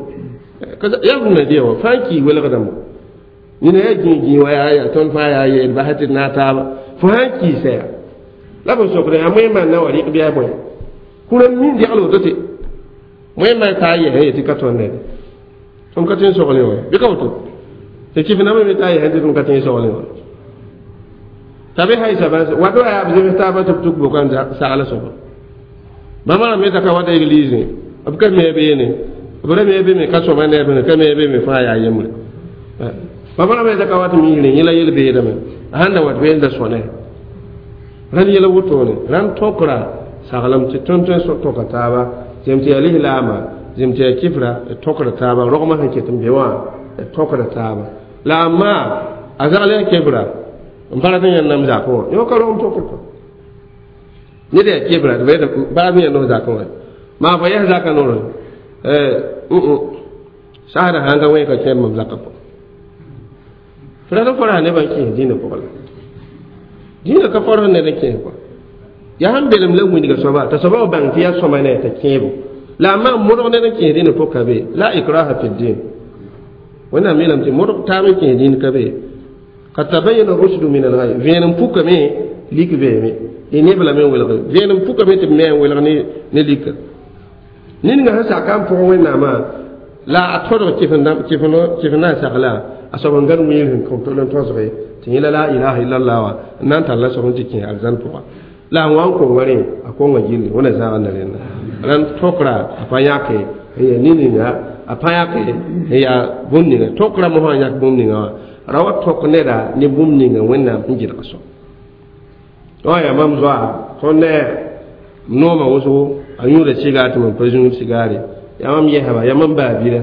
yaa bũmb na dɩa wã fãa n kii welgdame nina yaa gĩig gĩig wa yaa yaa tõnd fãa yaa yeel basɛ tɩ d na a taaba fo sãn kiisa yaa la b sokd yaa moẽmã n na wa rɩk bɩ a bõe kũrã mi n degl woto tɩ moẽmã taa yɛsẽ yetɩ ka tõnd ned tõnd ka tõe n soglẽ wã bɩ ka woto tɩ kɩf-nambã me taa yɛsẽ tɩ tõnd ka tõe n soglẽ wã t'a be haisa bãs wato yaa b zems taabã tɩ b tuk bʋka n sagla soaba bãmba rãmb me ta ka wata église b ka me beene b ra me be me ka sõma ne b ka me be me fãa yaa yembre bãmba rãmb me ta ka wat miisrẽ yẽla yel-beedame a sãn da wat been da sõne rãnd yɛla wotone rãnd tõkra saglem tɩ tõnd tõe n tõka taaba zem tɩ yaa lislaama zem tɩ yaa kifra d tõkra taaba rogmã sẽn ket n be wã d tõkra taaba la a maa a zagl yaa kefra n pa rat n yẽnd nam zakẽ wã yõ ka rogem tokr kɔ ned yaa kefra tɩ pa rat n yẽnd f zakẽ wã maa fo yɛs zakã noorẽ sasdã sãn ka wẽ ka kẽer mam zakã pʋgẽ fo rat n fo ra nebã n kẽes dĩinã pʋgẽ la dĩinã ka fõrs ned n kẽes kɔa yaa sẽn belem la wilga soaba t'a soaba wa bãng tɩ yaa sõma ne t'a kẽebo la a maan modg ned n kẽes dĩinã pʋg ka be la ikraha fi din wẽnnaam yeelame tɩ modg taab n kẽes dĩin ka be kad tabayyana rushdu min al-ghayy vẽenem pukame lik beeme y neb lame n welge vẽenem pukame tɩ b me n welg ne lika ninga sẽn saka n pʋgẽ wẽnnaamã la a tõdg kɩf n na n sagla a soab n gãd wiir sẽn kõn tol n tõsge tɩ yẽla la ilaha illallah wã n na n tall a soab n tɩ kẽ arzãn pʋga la a wã n konga rẽ a konga gilli wẽna zãganda rẽnda rãnd tokra a pa yãke n yaa nin-ninga a pa yãke n yaa bũmb ninga tokra mosã n yãk bũmb ninga wã ra wa tok neda ne bũmb ninga wẽnnaam sẽn gɩdg soab wã yaa mam zoa tõnd ne noomã wʋsgo a yũuda sigaar tɩ mam pa zũud sigaare yaa mam yɛsba yaa mam baabira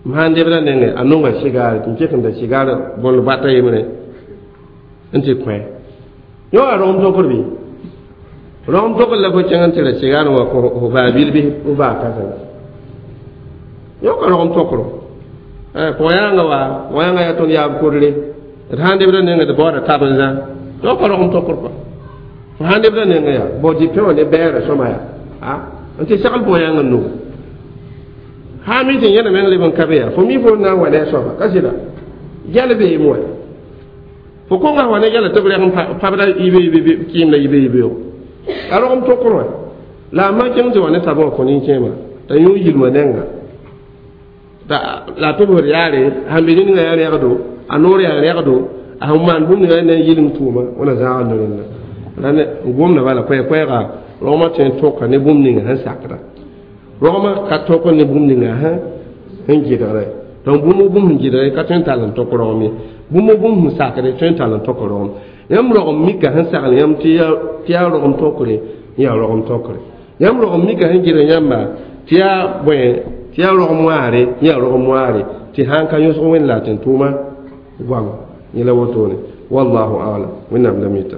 m sãn debda nengẽ a nonga sigaare tɩ m ket n da sigaar bõnd bata yembre n tɩ kõ yõ a rogem tokr bɩ rogem tokr la fo kẽng n tɩ ra sigaar wã kõ fo baabil bɩ f baa kãsenga yõ ka rogem tokro pʋgã wa wãyãngã yaa tõnd yaab kodre d sãn debda nengẽ d baooda tab n zã yõ ka rogem tokr kɔa fo sãn debda nengẽ yaa bao dɩ pẽ wã ne bɛɛra sõma yaa n tɩ sagl pʋgã nugu sã mi tɩ yẽna meng leb n ka be yaa fo mi fo na n wa ne a soaba ka sɩda gɛl beem wa fo konga wa ne gɛla tɩ b rɛg n pabda yibe kɩɩmda yibe yibeoog a rogem tokr wã la a ma kẽng tɩ wa ne tabã wã kõ nin-kẽema t'a yũ yilmã nengã la a tʋbsd yaare sãn be ninga yaa rɛgdo a noor yaa rɛgdo a sẽn maan bũmb ninga ne yɩlem tʋʋma wẽna zãagd rẽnda Rãnd gomda bala koɛɛ-koɛɛga rogmã tõe n tõka ne bũmb ninga sẽn sakda rogmã ka tõk ne bũmb ninga sẽn gɩdgre donc bũmb bũmb sẽn gɩdgre ka tõe n tall n tõk rogem ye bũmb bũmb sẽn sakre tõe n tall n tõk rogem yãmb rogem mika sẽn sagl yãmb tɩ yaa rogem tõkre yaa rogem tõkre yãmb rogem mika sẽn gɩdg yãmba tɩ yaa bõe tɩ yaa rogem wãare yaa rogem wãare tɩ sãn ka yõsg wẽnd la a tɩ n tʋʋma goama yẽla wotone wallahu alam wẽnnaam la mita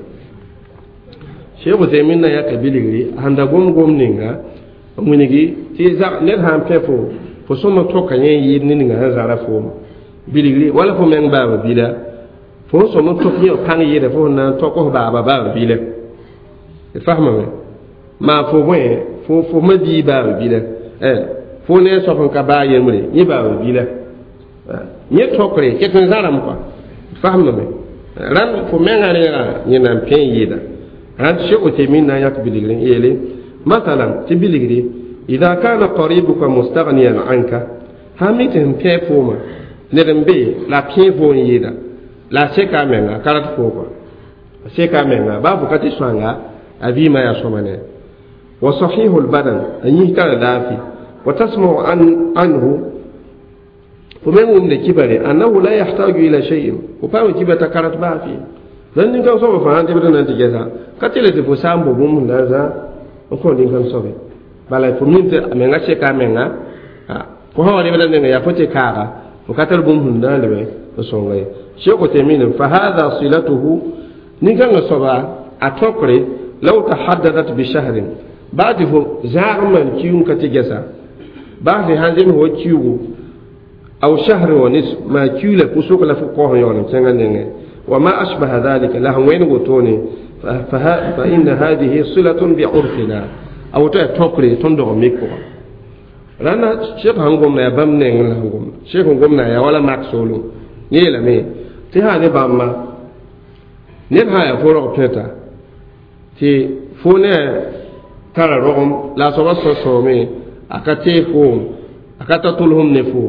Cheikh Uthaymin na yaka bilgri sãn da gom-gom ninga n wilgi tɩ ned sã n pẽ fo sõma tõka yẽ n yɩɩd ne ninga sẽn zara foom bilgri wala fo meng baaba bila fo n sõm n tõk yẽ pãng yɩɩda fo sẽn na n tõk f baaba baaba bila d fasmame maa fo bõe fo ma bii baaba bila fo ne soab sẽn ka baa yembre yẽ baaba bila yẽ tõkre ket n zãrame kɔa d fasmame rãnd fo mengã reegã yẽ na n pẽ n yɩɩda rãnd Cheikh Uthaymin na n yãk bilgri n yeele masalan tɩ bilgri ida kana qaribuka mustaghniyan anka sãn mi tɩ sẽn pẽ fooma ned n be la pẽ fo n yɩɩda la a seka a menga ka rat fo kɔa a seka a menga baa fo ka tɩ sõanga a vɩɩmã yaa sõma ne wa sahihu lbadan a yĩs tara laafɩ wa tasmau anhu fo meng wʋmde kibare annahu la yahtaju ila shay'in fo paam kiba t'a karat baa fɩ la nin-kãng soaba fãa tɩ b na n tɩ gɛsa ka tɩ le tɩ fo sã n bo bũmb sẽn na n zã n kõ nin-kãng soabe bala fo min tɩ a menga seka a menga fo sã wa rebda nenga yaa fo tɩ kaaga fo ka tar bũmb sẽn na n lebe n sõnga ye Cheikh Uthaymin fa hada silatuhu nin-kãngã soaba a tõkre law tahaddadat bi shahrin baa tɩ fo zãag n maan kiuug ka tɩ gɛsa baa tɩ sãn zems wa kiuugu aw shahr wa nisf maa kiu la pʋsg la fo kaoos n yaool n kẽngã nengẽ وما أشبه ذلك له وين وتوني فإن هذه صلة بعرفنا أو تقري تندغ ميكو رانا شيخ هنقوم يا بام نين هنقوم شيخ هنقوم يا ولا ماكسولو نيلا مي تي هذه باما نيب هاي فورو بيتا تي فوني ترى رغم لا سوى سومي أكتي فوم أكتا طولهم نفو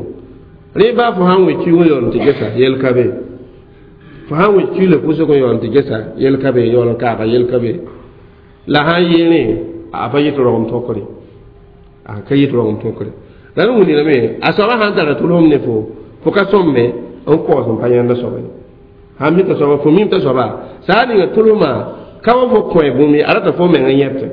ريبا فهم ويكيو يون تجسا يلكبي fo sãn wẽ kiila pʋsg n yaool tɩ gesa yel ka be yaool n kaaga yel ka be la sãn yeelẽ a pa yɩt rogem tõkre a ka yɩt rogem tõkre la n wilgame a soaba sãn tara tʋlsem ne fo ka sõmme n kaoos n pa yãnda soaba ye sãn mita soaba fo mim t'a soaba saa ninga tʋlsmã ka wa fo kõe bũmb ye a rata fo meng n yẽbtẽ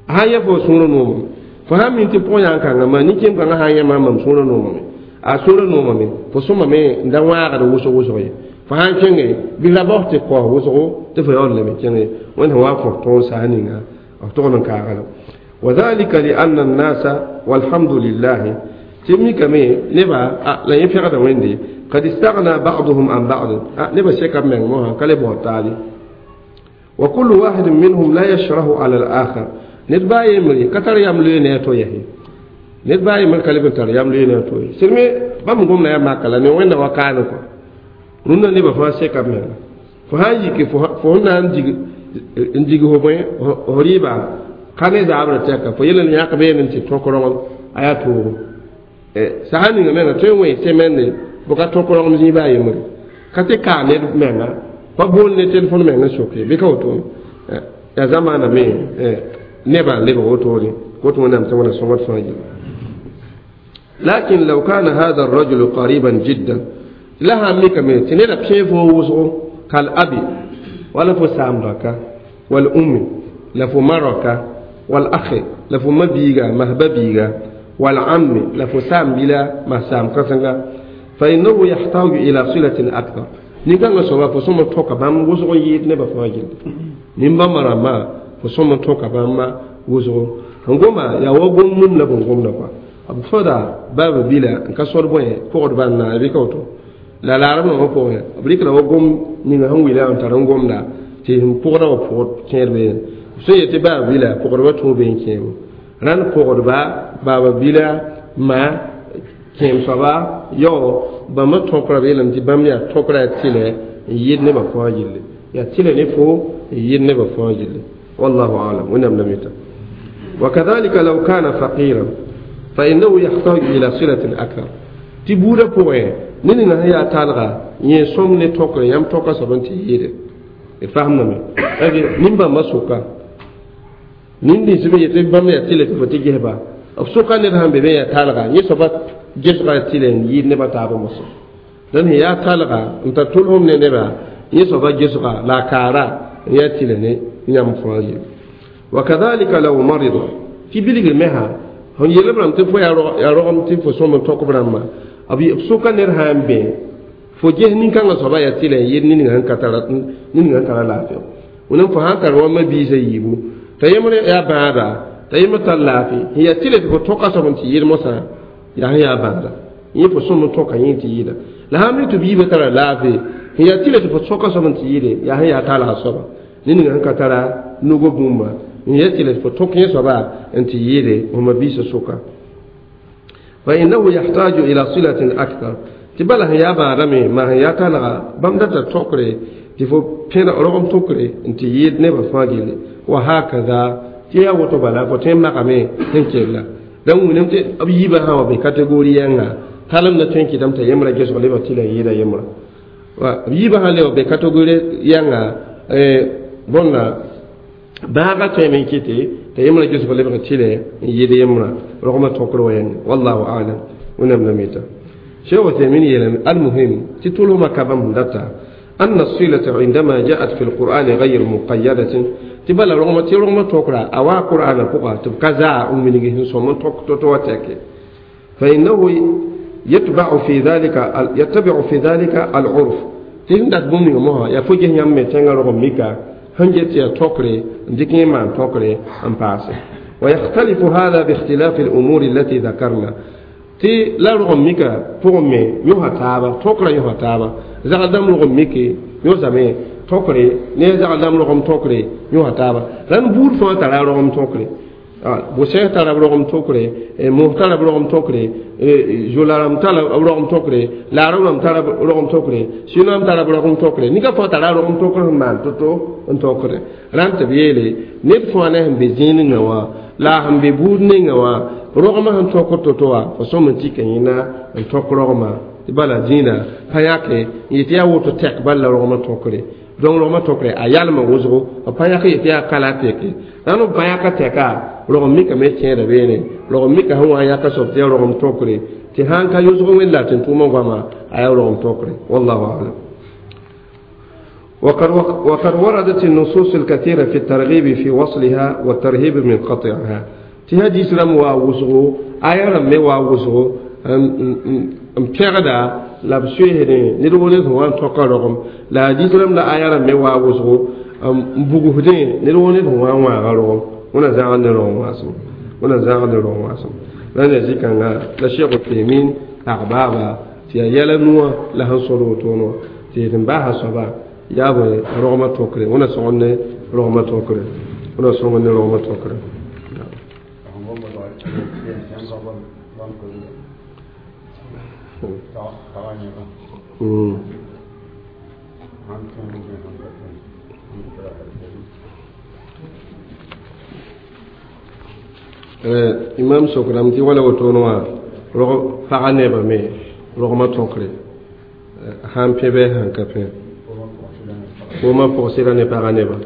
a sãn yẽ fo sũurã noomame fo sãn min tɩ pʋgã yãn kãngã maa nin-kẽem kãngã sãn yẽ maam mam sũurã noomame a sũurã noomame fo sõmame n da wãagd wʋsg wʋsg ye fo sãn kẽnge bɩ la baos tɩ kaoos wʋsgo tɩ fo yaool lame kẽnge wẽnd sẽn wa n kõ tõog saas ninga b togd n kaagla وذلك لأن الناس والحمد لله تمي نبا لا يفرق ويندي قد استغنى بعضهم عن بعض نبا شيكا من موها كلب وتالي وكل واحد منهم لا يشره على الآخر ندبا يمري كتر يملي نيتو يهي ندبا يمري كلب تر يملي نيتو سلمي بام غوم لا ما كلا ني وين وكانو rũndã nebã fãa seka b menga fo sã n yike fo sẽn na n dig fo bõe fo rɩɩba ka ne zaabrã tɛka fo yel n yãk beene n tɩ tõk rogem a yaa toogo sã ninga menga tõe n wẽ semɛnde bʋ ka tõk rogem zĩig baa yembre ka tɩ kaa ned menga pa bool ne telefon meng n soke bɩ ka wotone yaa zamaana me nebã n lebg wotone kot wẽnnaam tɩ wẽna sõngd fãa yelle lakin law kana hada الرجل قريبا جدا la sãn mikame tɩ neda pẽ fo wʋsgo kal abi wala fo saam raka wal ummi la fo ma raka wal akhi la fo ma biiga masba biiga wal ammi la fo saam bila ma saam kãsenga fa innahu yahtaju ila silatin akthar nin-kãngã soaba fo sõm n tõka bãmb wʋsg n yɩɩd nebã fãa gilli nin-bãmbã rãmbã fo sõm n tõka bãmba wʋsgo n goma yaa wa gom mum la bõn gomda kɔa b sõda baaba bila n ka sõd bõe pʋgd bãn na bɩ ka woto la laarem wã pʋgẽ b rɩkda wa gom ninga sẽn wila n tar n gomda tɩ sẽn pʋgda wã pʋgd kẽed beene b sẽn yetɩ baaba bila pʋgdbã tũu bee n kẽebo rãnd pʋgdba baaba bila ma kẽem soaba yao bãmba tõkra b yeelame tɩ bãmb yaa tõkra yaa tɩlɛ n yɩɩd nebã fãa gilli yaa tɩlɛ ne fo n yɩɩd nebã fãa gilli wallahu alam wẽnnaam la mita وكذلك لو كان فقيرا فإنه يحتاج إلى صلة أكثر tɩ buudã pʋgẽ ne ninga sẽn yaa talga yẽ sõm ne tõkre yãmb tõka soab n tɩ yɩɩde Fahamdame nin-bãmbã soka nin-dĩns me yetɩ bãmb yaa tɩlɛ tɩ fo tɩ gesba b soka ned sãn be me yaa talga yẽ soaba gesga yaa tɩlɛ n yɩɩd nebã taabã mosã dãmb sẽn yaa talga n tar tʋlsem ne neba yẽ soaba gesga la a kaara n yaa tɩlɛ ne yãmb fãa yelle wa kadhalika law marida tɩ bilgr me sã sẽn yel b rãmb tɩ fo yaa rogem tɩ fo sõm n tõk b rãmbã b soka ned sã n bẽ fo ges nin-kãngã soaba yaa tɩlɛ n yɩɩd ninga sẽn tara laafɩ wẽnnaam fo sãn tar wa ma-biisã yiibu t'a yembr yaa bãada t'a yembr tar laafɩ sẽn yaa tɩlɛ tɩ fo tõka soab n tɩ yɩɩd mosã yaa sẽn yaa bãada yẽ fo sõm n tõka yẽ tɩ yɩɩda la sãn mi tɩ b yiibã tara laafɩ sẽn yaa tɩlɛ tɩ fo tõka soab n tɩ yɩɩde yaa sẽn yaa talga soaba ninga sẽn ka tara nugo bũmba n yaa tɩlɛ tɩ fo tõk yẽ soaba n tɩ yɩɩde fo ma-biisã sʋka fa innahu yahtaju ila silatin akthar tɩ bala sẽn yaa bãadame maa sẽn yaa talga bãmb data tõkre tɩ fo pẽd rogem tʋkre n tɩ yɩɩd nebã fãa gilli wa hakada tɩ yaa woto bala fo tõe n makame sẽn kella dãmb wilame tɩ b yiibã sã wa be kategori yãnga talem na tõe n kɩtame t'a yembra gesg lebg tɩ la yɩɩda yembra b yiibã sã le wa be kategori yãnga bõnda bãaga tõeme n kɩte t'a yembra gesg lebg tɩ la n yɩɩd yembra rogmã tõkr wa yãnga wallahu alam wẽnnaam la mita شيخ عثيمين يلم المهم تطولهما كبام دتا أن الصلة عندما جاءت في القرآن غير مقيدة تبلا رغم ترغم تقرأ أو قرآن فوق تبقى زاء من صوم تك فإنه يتبع في ذلك العرف تهندت بومي مها يفوجه يم تنغ رغم ميكا هنجت يا تقري ديكي ما تقري أم باسي ويختلف هذا باختلاف الأمور التي ذكرنا tɩ la rogem mika pʋgẽ me yõsa taaba tõkrã yõsa taaba zagl dãmb rogem mike yõsame tõkre ne zagl dãmb rogem tõkre yõsa taaba rãnd buud fãa tara rogem tõkre bʋsɛs tara b rogem tõkre mos tara b rogem tõkre zola rãmb tara b rogem tõkre laarb rãmb tara b rogem tõkre sɩnoam tara b rogem tõkre nika fãa tara rogem tõkr sẽn maan to-to n tõkre rãnd tɩ b yeele ned fãa ne sẽn be zĩig ninga wã la sẽn be buud ninga wã rogmã sẽn tõkr to-to wã fo sõm n tika yẽna n tõk rogmã tɩ bala zĩigã pa yãke n yetɩ yaa woto tɛk bal la rogmã tõkre donc rogmã tõkre a yalmã wʋsgo b pa yãk yetɩ yaa kala tɛke rãnd b pa yãka tɛka rogem mikame kẽeda beene rogem mika sẽn wa n yãka soab tɩ yaa rogem tõkre tɩ sãn ka yʋsg wẽnd la tɩ n tʋʋmã goama a yaa rogem tõkre wallahu alam وقد وردت النصوص الكثيرة في الترغيب في وصلها والترهيب من قطعها tɩ hadis rãmb waa wʋsgo aya rãmb me waa wʋsgo n pɛgda la b soeesdẽ ned wo ned sẽn wa n tõka rogem la hadis rãmb la aya rãmb me waa wʋsgo n bugsdẽ ned wo ned sẽn wa n wãaga rogem wẽna zãgd ne rogem waasem wẽna zãgd ne rogem waasem rãnd yaa zĩ-kãnga la Cheikh Uthaymin pag baaba tɩ yaa yɛla nuwã la sẽn sõd wotone wã tɩ yetɩ n baasa soaba yaa bõe rogmã tõkre wẽna sõgd ne rogmã tõkre wẽna sõgd ne rogmã tõkre imam sokram tɩ wala wotone wã rog pagã nebã me rogmã tõkre sãn pẽ bɩ sãn ka pẽ foomã pʋgsɩda ne pagã nebã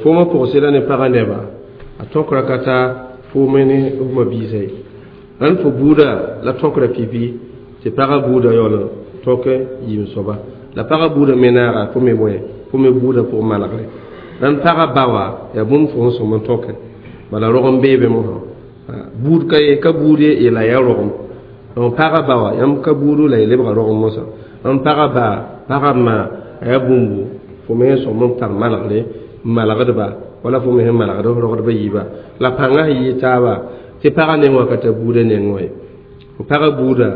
foomã pʋgsɩda ne pagã neba a tõkra ka ta foome ne f ma-biisã ye rãnd fo buuda la tõkra pipi tɩ pagã buuda yaool n tõk yiim soaba la pagã buuda me naaga fo me bõe fo me buuda pʋgẽ malgre rãnd pagã ba wã yaa bũmb fo sẽn sõm n tõke bala rogem beebe mosã buud ka ye ka buud ye la yaa rogem donc pagã ba wã yãmb ka buudu la y lebga rogem mosã rãnd pagã ba pagã ma a yaa bũmbu fo me sẽn sõm n tar malgre n malgdba wala fo me sẽn malgd f rogdba yiiba la pãngã sẽn yɩ taaba tɩ pagã neng wã ka tar buudã neng wã ye fo pagã buuda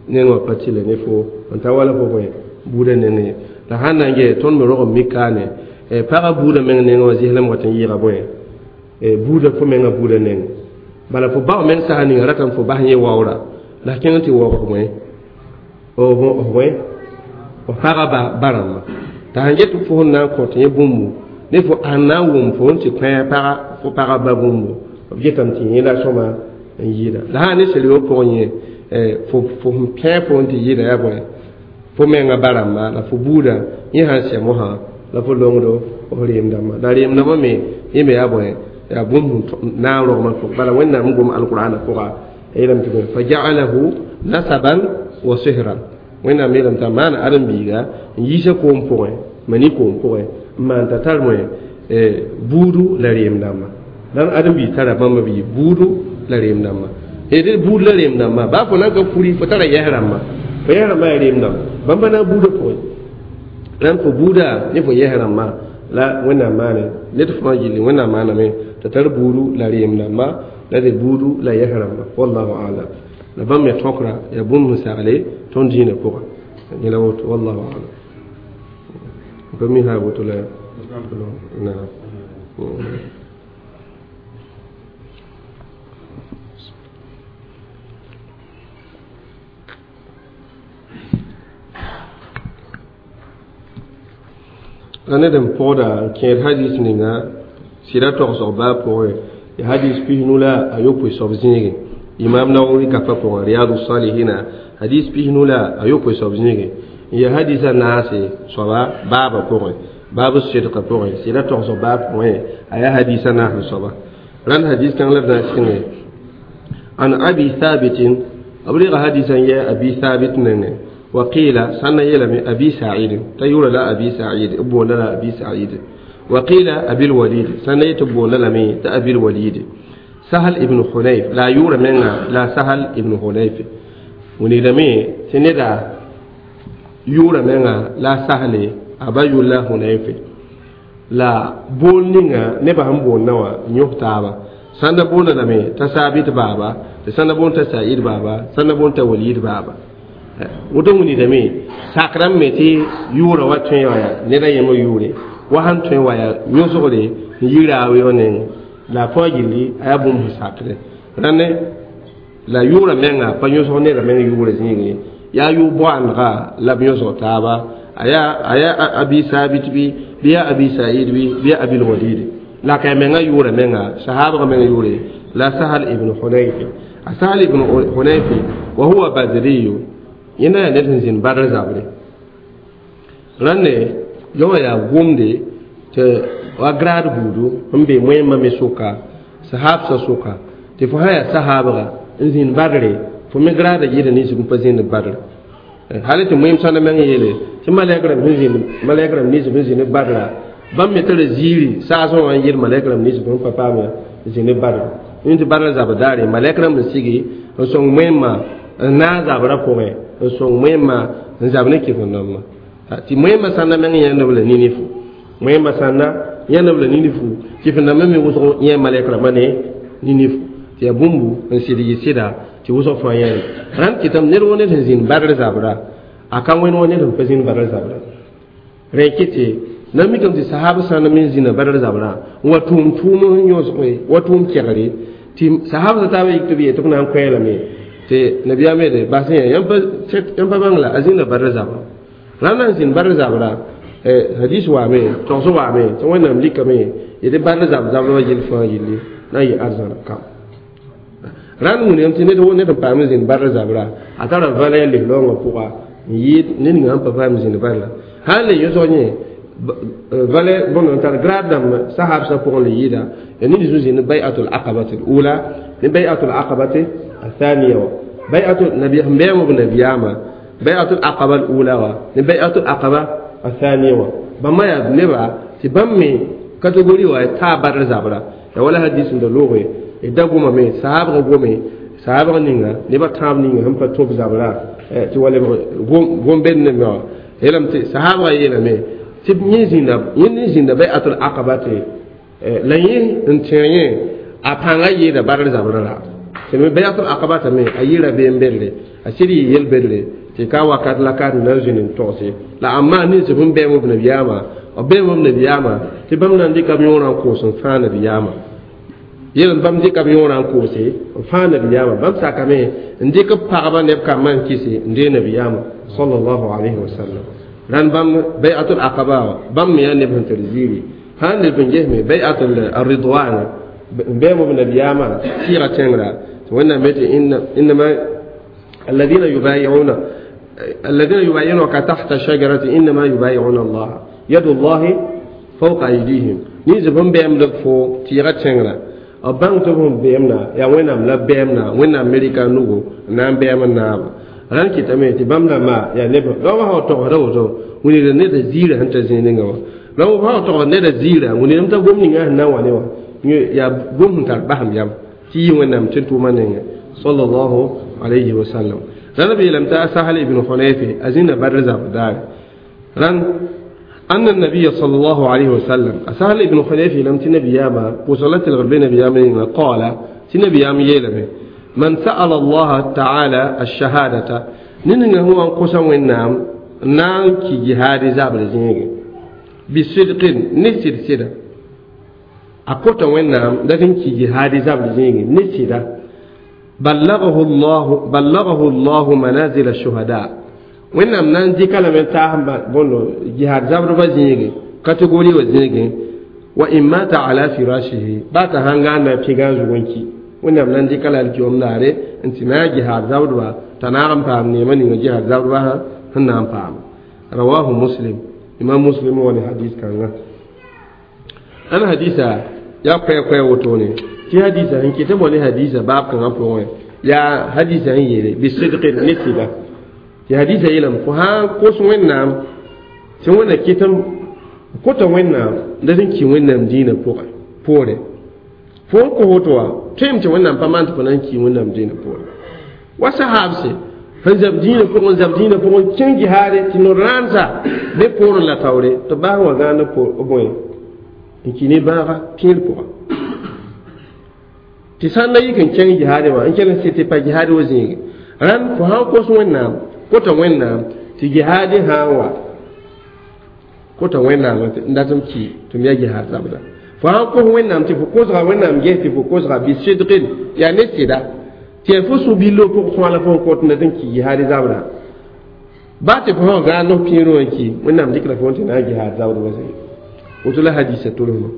neng wã pa tɩlɛ ne fo n ta wala fo bõe buudã neng ye la sãn na n gee tõnd me rogem mikaane pagã buudã meng neng wã zɩslem wat n yɩɩga bõe buudã fo menga buudã neng bala fo bao meng sã ninga ratame fo bas yẽ waoora la kẽng tɩ waoog bõe bõe f pagã ba rãmba t'a sãn get fo sẽn na n kõt yẽ bũmbu ne fo sãn na n wʋm fo n tɩ kõ fo pagã ba bũmbu b getame tɩ yẽla sõma n yɩɩda la sã ne serio pʋgẽ yẽ fo sẽn pẽ fo n tɩ yɩɩda yaa bõe fo menga ba rãmba la fo buudã yẽ sãn sɛ mosã La fo longdo f reem dãmbã la reem dãmbã me yẽ me yaa bõe yaa bũmb na n rogmã pʋg bala Wẽnnaam n gom alqur'ana pʋga yeelame tɩ fa ja'alahu nasaban wa sihran Wẽnnaam yeelame t'a maana ãdem-biiga n yiisa koom pʋgẽ mani koom pʋgẽ n maan t'a tar bõe buudu la reem dãmbã la ãdem-biig tara bãmba b yɩ buudu la reem dãmbã d buud la reem dãmbã baa fo na n ka kuri fo tara yɛs rãmba fo yɛs rãmbã yaa reem dãmba bãmba na n buudã pʋgẽ rãnd fo buuda ne fo yɛs rãmbã la Wẽnnaam maane ned fãa gilli Wẽnnaam maaname t'a tar buudu la reem dãmba la d buudu la yɛs rãmba wallahu alam la bãmb me tõkra yaa bũmb sẽn sagle tõnd dĩinã pʋga yẽla woto wallahu alam pa mi sã woto la naam. La ned n pʋgda n kẽed hadis ninga sɩda togsg baa pʋgẽ ya hadis pisnu la a yopoe soab zĩige Imam Nawawi gapa pʋgẽ Riyadu Salihina hadis pisnu la a yopoe soab zĩige n ya hadisa naase soaba baaba pʋgẽ baabu sidqa pʋgẽ sɩda togsg baa pʋgẽ a yaa hadisa naas soaba rãnd hadis kãng la d na n sɩngẽ an Abi Thabitin b reega hadisã n yɛ Abi Thabit nengẽ وقيل سنة يلم أبي سعيد تيور لا أبي سعيد أبونا لا أبي سعيد وقيل أبي الوليد سنة يتبونا لمي تأبي الوليد سهل ابن حنيف لا يور منا لا سهل ابن حنيف ونلمي سندا يور منا لا سهل أبا يولا حنيف لا بولنينا نبهم بولنا نيوتابا سنة بولنا لمي تسابيت بابا سنة بولنا تسعيد بابا سنة بولنا وليد بابا woto wilgame sak rãmb me tɩ yʋʋrã wa tõe wã yaa ned a yembr yʋʋre wa sãn tõe wa yaa yõsgre n yi raoeeg nengẽ la a fãa gilli a yaa bũmb sẽn sakdẽ rãnd la yʋʋrã menga pa yõsg nedã meng yʋʋrã zĩigẽ yaa yʋ-boandga la b yõsg taaba a yaa Abi Sabit bɩ bɩ yaa Abi Said bɩ bɩ yaa Abil Walid la ka menga yʋʋrã menga sahabga meng yʋʋre la Sahal ibn Hunayf a Sahal ibn Hunayf wa huwa badriyu yẽnda yaa ned sẽn zĩnd badr zabre rãnde yõ yaa gomde tɩ wa grad buudu n be wẽmba me sʋka sahabsã sʋka tɩ fo sã yaa sahabga n zĩnd badre fo me grada yɩɩda ninsb n pa zĩnd badr hal tɩ wẽm sãnda meng yeele tɩ malɛk rãmb sẽn zĩnd malɛk rãmb ninsb sẽn zĩnd badra bãmb me tara ziiri saasẽ wã n yɩɩd malɛk rãmb ninsb sẽn pa paam zĩnd badr yẽ tɩ badr zabr daare malɛk rãmb n sigi n sõng wẽmma n naag zabrã pʋgẽ n sõng wẽmma n zab ne kɩf-n-dãmbã tɩ wẽmba sãnda meng yãnd b la nini fu wẽmba sãnda yãnd b la nini fu kɩf-n-dãmbã me wʋsg yẽ malɛk rãmbã ne nini fu tɩ yaa bũmbu n sɩd yɩ sɩda tɩ wʋsg fãa yãe rãnd kɩtame ned woo ned sẽn zĩnd badr zabra a ka wẽnd wã ned sẽn pa zĩnd badr zabra rẽ kɩ tɩ na mikame tɩ sahab sãnda me zĩnda badr zabra n wa tʋʋm tʋʋm n yõsge wa tʋʋm kɛgre tɩ sahab sã taaba yik tɩ b yee tɩ b na n koɛɛlame tɩ nabiyaam yeele bas yã yãmb pa bãng la a zĩnda badr zabra rãnd na n zĩnd badr zabra hadis waame togs waame tɩ Wẽnnaam likame yetɩ badr zab zabrã wã yell fãa yelle na n yɩ arzãna kam rãnd wilgame tɩ ned woo ned n paam n zĩnd badr zabra a tara valɛ n lis-raoongã pʋga n yɩɩd ned ninga sẽn pa paam n zĩnd badra sã n le yõsg yẽ valɛ bõnd n tar grad dãmb sahabsã pʋgẽ le yɩɩda ya ned sẽn zĩnd bay'atul aqabati ula ne bay'atul aqabati الثانية بيعة النبي بيعة النبي بيعة العقبة الأولى بيعة العقبة الثانية بما يا نبا تبمي كاتيجوري واي تابر زابرا يا ولا حديث عند لوغي إذا قوم مي صحاب قومي صحاب نينا نبا تاب نينا هم فتوب زابرا تي ولا قوم بين نبا يلم تي صحاب يلم تبني زينب يني زينب بيعة العقبة لا ين انتين أبانا يدا بار زابرا tɩ me bayatul aqaba me a yɩɩra beem bedre a sɩd yɩ yel bedre tɩ ka wakat la ka na n zĩnd n togse la amma nins sẽn bɛm b nabiyaamã b bɛm b nabiyaamã tɩ bãmb na n dɩka b yõorã n koos n fãa nabiyaamã yel bãmb dɩka b yõorã n koose n fãa nabiyaamã bãmb sakame n dɩk b pagba neb kambã n kɩse n dee nabiyaamã sallallahu alayhi wa sallam rãnd bãmb bayatul aqaba bãmb me yaa neb sẽn tar ziiri sã n leb n gesme bayatul ridwan n bɛm b nabiyaamã sɩɩga tẽngra وإنما إنما الذين يبايعون الذين يبايعونك تحت الشجرة إنما يبايعون الله Yadullahi fawqa aydihim. Ni zibum bɛm de fo tɩɩga tẽngrã b bãng tɩ b sẽn bɛɛmda yaa Wẽnnaam la bɛɛmda Wẽnnaam Amerika nugu n na n bɛɛm n naaba rãnd kɩtame tɩ bãmb rãmba yaa neb raoã sã wa togsda woto wilgd neda ziirã sẽn ta zĩig ninga wã raoã sã wa togsd neda ziirã wilgdame t'a gom ninga sẽn na n wa ne wã yaa gom sẽn tar basem yam tɩ yɩ Wẽnnaam tɩ tʋʋmã nengẽ sallallahu alayhi wa sallam rãnd b yeelame t'a Sahal ibn Hunayfi a zĩnda Badr zabr daare rãnd أن النبي صلى الله عليه وسلم سهل ابن حنيفة لم تنبي ياما وصلت الغربين نبي قال تنبي ياما يلمي من سأل الله تعالى الشهادة ننغ هو أنقصا وإنام نانكي جهاد زابر زينيغي بصدق نسير سيدا أقوتا وإنام لكن كي جهاد زابر زينيغي نسيدا بلغه الله منازل الشهداء Wẽnnaam na n dɩka lame taas bõndo jihaad zabrba zĩige kategori wa zĩigẽ wa in mata ala firashihi baa t'a sãn gãanda pɩgã zug n ki Wẽnnaam na n dɩka la alkiom daare n tɩ na a jihaad zabdba t'a naag n paam neemã ninga jihaad zabdba sẽn na n paam. Rawahu Muslim, Imam Muslim wa ne hadis kãnga. Ãn hadisa yaa koɛ-koɛ wotone tɩ hadisa sẽn kɩt tɩ ne hadisa baab kãngã pʋgẽ yaa hadisa sẽn yeele bisidqin ne sɩda tɩ hadisa yeelame fo sã n kos Wẽnnaam tɩ Wẽnna kɩtem kota Wẽnnaam la sẽn ki Wẽnnaam dĩinã pʋgẽ poore fo n kos woto wã tõem tɩ Wẽnnaam pa maan tɩ fo na n ki Wẽnnaam dĩinã poore wa sahaabse sẽn zab dĩinã pʋgẽ zab dĩinã pʋgẽ kẽng jihaade tɩ no-rãansa be poorẽ la taoore tɩ baas wã gãand bõe n ki ne bãaga pẽed pʋga tɩ sã n na yik n kẽng jihaade wã n kell n sɩ tɩ pa jihaade wa zĩige rãnd fo sã n kos Wẽnnaam kota Wẽnnaam tɩ jihaadɩ sã n wa kota Wẽnnaam n dat m ki tɩ m yaa jihaad zabda fo sã n kos Wẽnnaam tɩ fo kosga Wẽnnaam ges tɩ fo kosga bisidqin yaa ne sɩda tɩ yaa fo sũ-billo pʋg sõala fo n kot n dat n ki jihaadɩ zabda baa tɩ fo sã n gãand f pĩirẽ wã n ki Wẽnnaam dɩkra fo n tɩ na n jihaad zabdba zĩig woto la hadisa tʋlsmã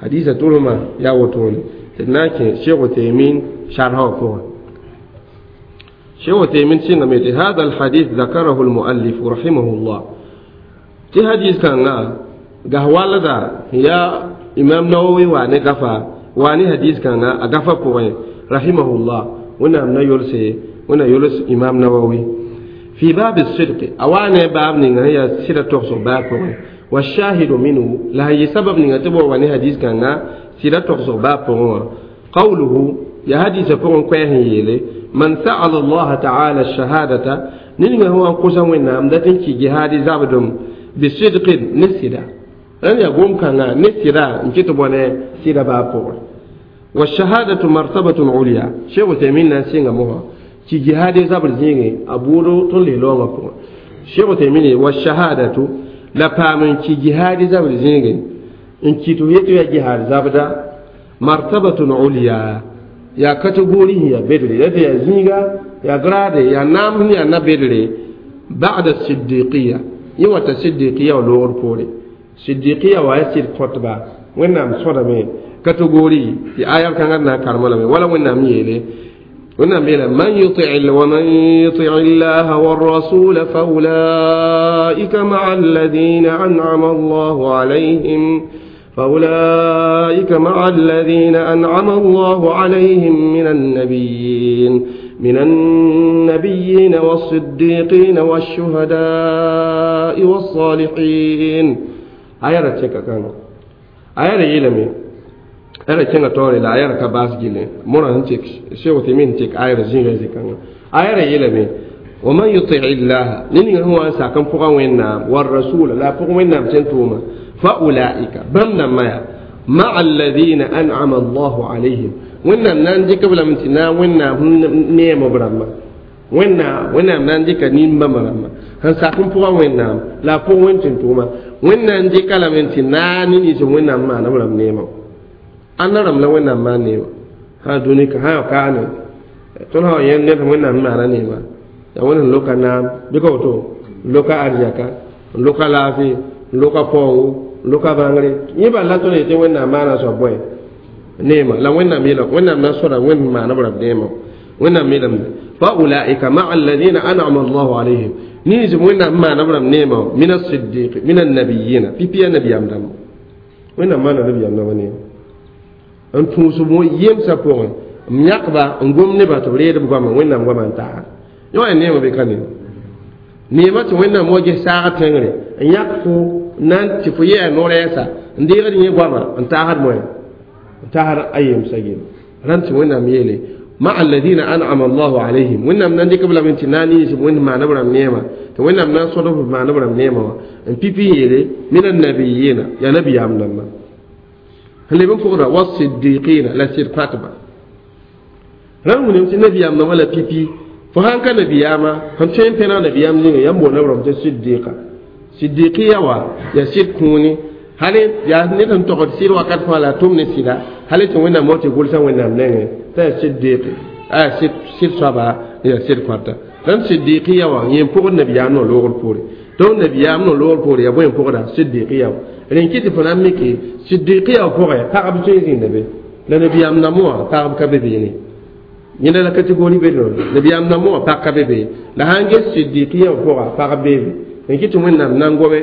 hadisa tʋlsmã yaa wotone tɩ d na n kẽ Sheikh Uthaymin sharha wã pʋgẽ. شيخ عثيمين سينغميتي هذا الحديث ذكره المؤلف رحمه الله تي حديث كان قهوالدا يا إمام نووي واني غفا واني حديث كان غفا بوين رحمه الله ونعم نيولسي ونا يولس إمام نووي في باب الصدق أواني باب نيغا هي سيرة تخصو باب بوين والشاهد منه لا هي سبب نيغا تبو واني حديث كان سيرة تخصو باب بوين قوله يا حديث بوين كوين يلي من سأل الله تعالى الشهادة نينغا هو أنقصا وينام داتن كي جهادي زابدم بصدق نسيدا أن يقوم كان نسيدا نكتب وانا سيدا بابور والشهادة مرتبة عليا شيخ تيمين نسينا موها كي جهادي زابد زيني أبورو تولي لونغا بور شيخ تيمين والشهادة لپامن كي جهادي زابد زيني إن كي تهيتو يا جهاد زابدا مرتبة عليا ya kategori ya bedre ya zinga ya grade ya nam ya na bedre ba'da siddiqiyya yiwata siddiqiyya wa lor pore siddiqiyya wa yasir khutba wennam soda me kategori ti ayar kan na karmala me wala wennam yele wennam yele man yuti' wa man yuti' Allah war rasul fa ulaika ma'a alladhina an'ama Allahu alayhim فأولئك مع الذين أنعم الله عليهم من النبيين والصديقين والشهداء والصالحين. آية تشيكا كانوا آية يلمي آية كنا توري لا آية كباس جيلي مرة هنتك شو تمين تك آية زين زي كانوا آية يلمي ومن يطيع الله نين هو أنسى كم فوق وينام والرسول لا فوق وينام تنتوما فأولئك بمنا ما مع الذين أنعم الله عليهم وإن نانجي قبل من تنا وإن نيم برما وإن نانجي كنيم برما هنساكم فوق وإن لا فوق وإن تنتوما وإن نانجي كلا من تنا نيجي وإن ما نبرم نيم أنا رم لا وإن ما نيم ها دوني كها كانوا تنها ين نيم وإن ما نيم وإن لوكا نام بيكوتو لوكا أرجاكا لوكا لافي لوكا فونغو loka bãngre yẽ bal la tõnd yetɩ Wẽnnaam maana soab bõe neema la Wẽnnaam yeela Wẽnnaam na sõda Wẽnd maana b rab neema Wẽnnaam yeelame fa ulaika maa alladina an'ama Allahu alayhim Niis wẽnnaam maana b rãmb neema min asiddiq min annabiyina pipi ya nabiyaam dãmba wẽnnaam maana nabiyaam dãmba neema n tũusb yemsã pʋgẽ m yãkba n gom nebã tɩ b reed b goamã wẽnnaam goamã n taagd yõ yaa neema be ka neema neema tɩ wẽnnaam wa ges saagd tẽngre n yãk fo na n tɩ fo yɛa no-rɛɛsa n deegd yẽ goamã n taasd moɛ n taasd a yemsã gel rãnd tɩ wẽnnaam yeele مع الذين أنعم الله عليهم. وإنهم نندك بلا من تناني وإن ما نبرم نعمة. وإنهم نصرف ما نبرم نعمة. إن بيبي من النبيين. يا نبي عمنا ما اللي بنفقنا والصديقين. لا سير فاطمة. رغم أن النبي عمنا ولا بيبي. فهان كان نبي عما هم شيء بينا نبي عمنا يمو نبرم صديقة. صديقية وا. يا سير كوني. هل يا نتن تقعد سير وقت فلا تمني سيدا. هل تقول موت يقول سوين وإنهم نعمة. Ta siddiq a sid sid soaba ya sid kõta rãmb siddiqiya wã yẽ pʋgd nabiyaam no loogr poore donc nabiyaam no loogr poore ya bõe n pʋgda siddiqiya wã rẽn kɩ tɩ fo na n mike siddiqiya wã pʋgẽ pagb tõe n zĩnda be la nabiyaam namo wã pagb ka be beene yẽnda la kategori be nabiyaam namo wã pag ka be be la sãn ges siddiqiya wã pʋga pagb beebe rẽn kɩ tɩ wẽnnaam na n gome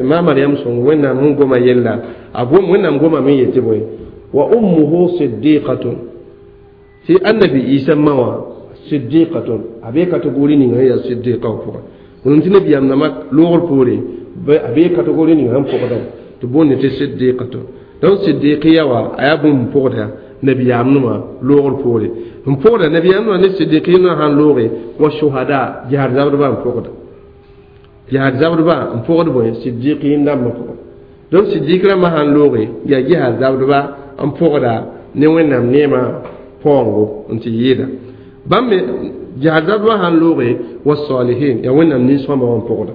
ma mariam sõng wẽnnaam sẽn goma yella a gom wẽnnaam gomame n yetɩ bõe wa ummuhu siddiqatun tɩ annabi isa ma wã siddiqatun a bee kategori ninga yaa siddiqa wã pʋgẽ wẽnnaam tɩ nabiyaam nambã loogr poore a bee kategori ninga sẽn pʋgda tɩ boonde tɩ siddiqatun donc siddiqiya wã a yaa bũmb n pʋgda nabiyaam nẽmã loogr poore n pʋgda nabiyaam nẽmã ne siddiqiya nẽmã sãn looge wa shuhada jihaad zabdbã n pʋgda jihaad zabdbã n pʋgd bõe siddiqiyin dãmbã pʋgẽ donc siddiq rãmbã sãn looge yaa jihaad zabdbã n pʋgda ne wẽnnaam neemã paoongo n tɩ yɩɩda bãmb me jihaad zabdbã sãn looge wa salihin yaa wẽnnaam nin-sõma wã n pʋgda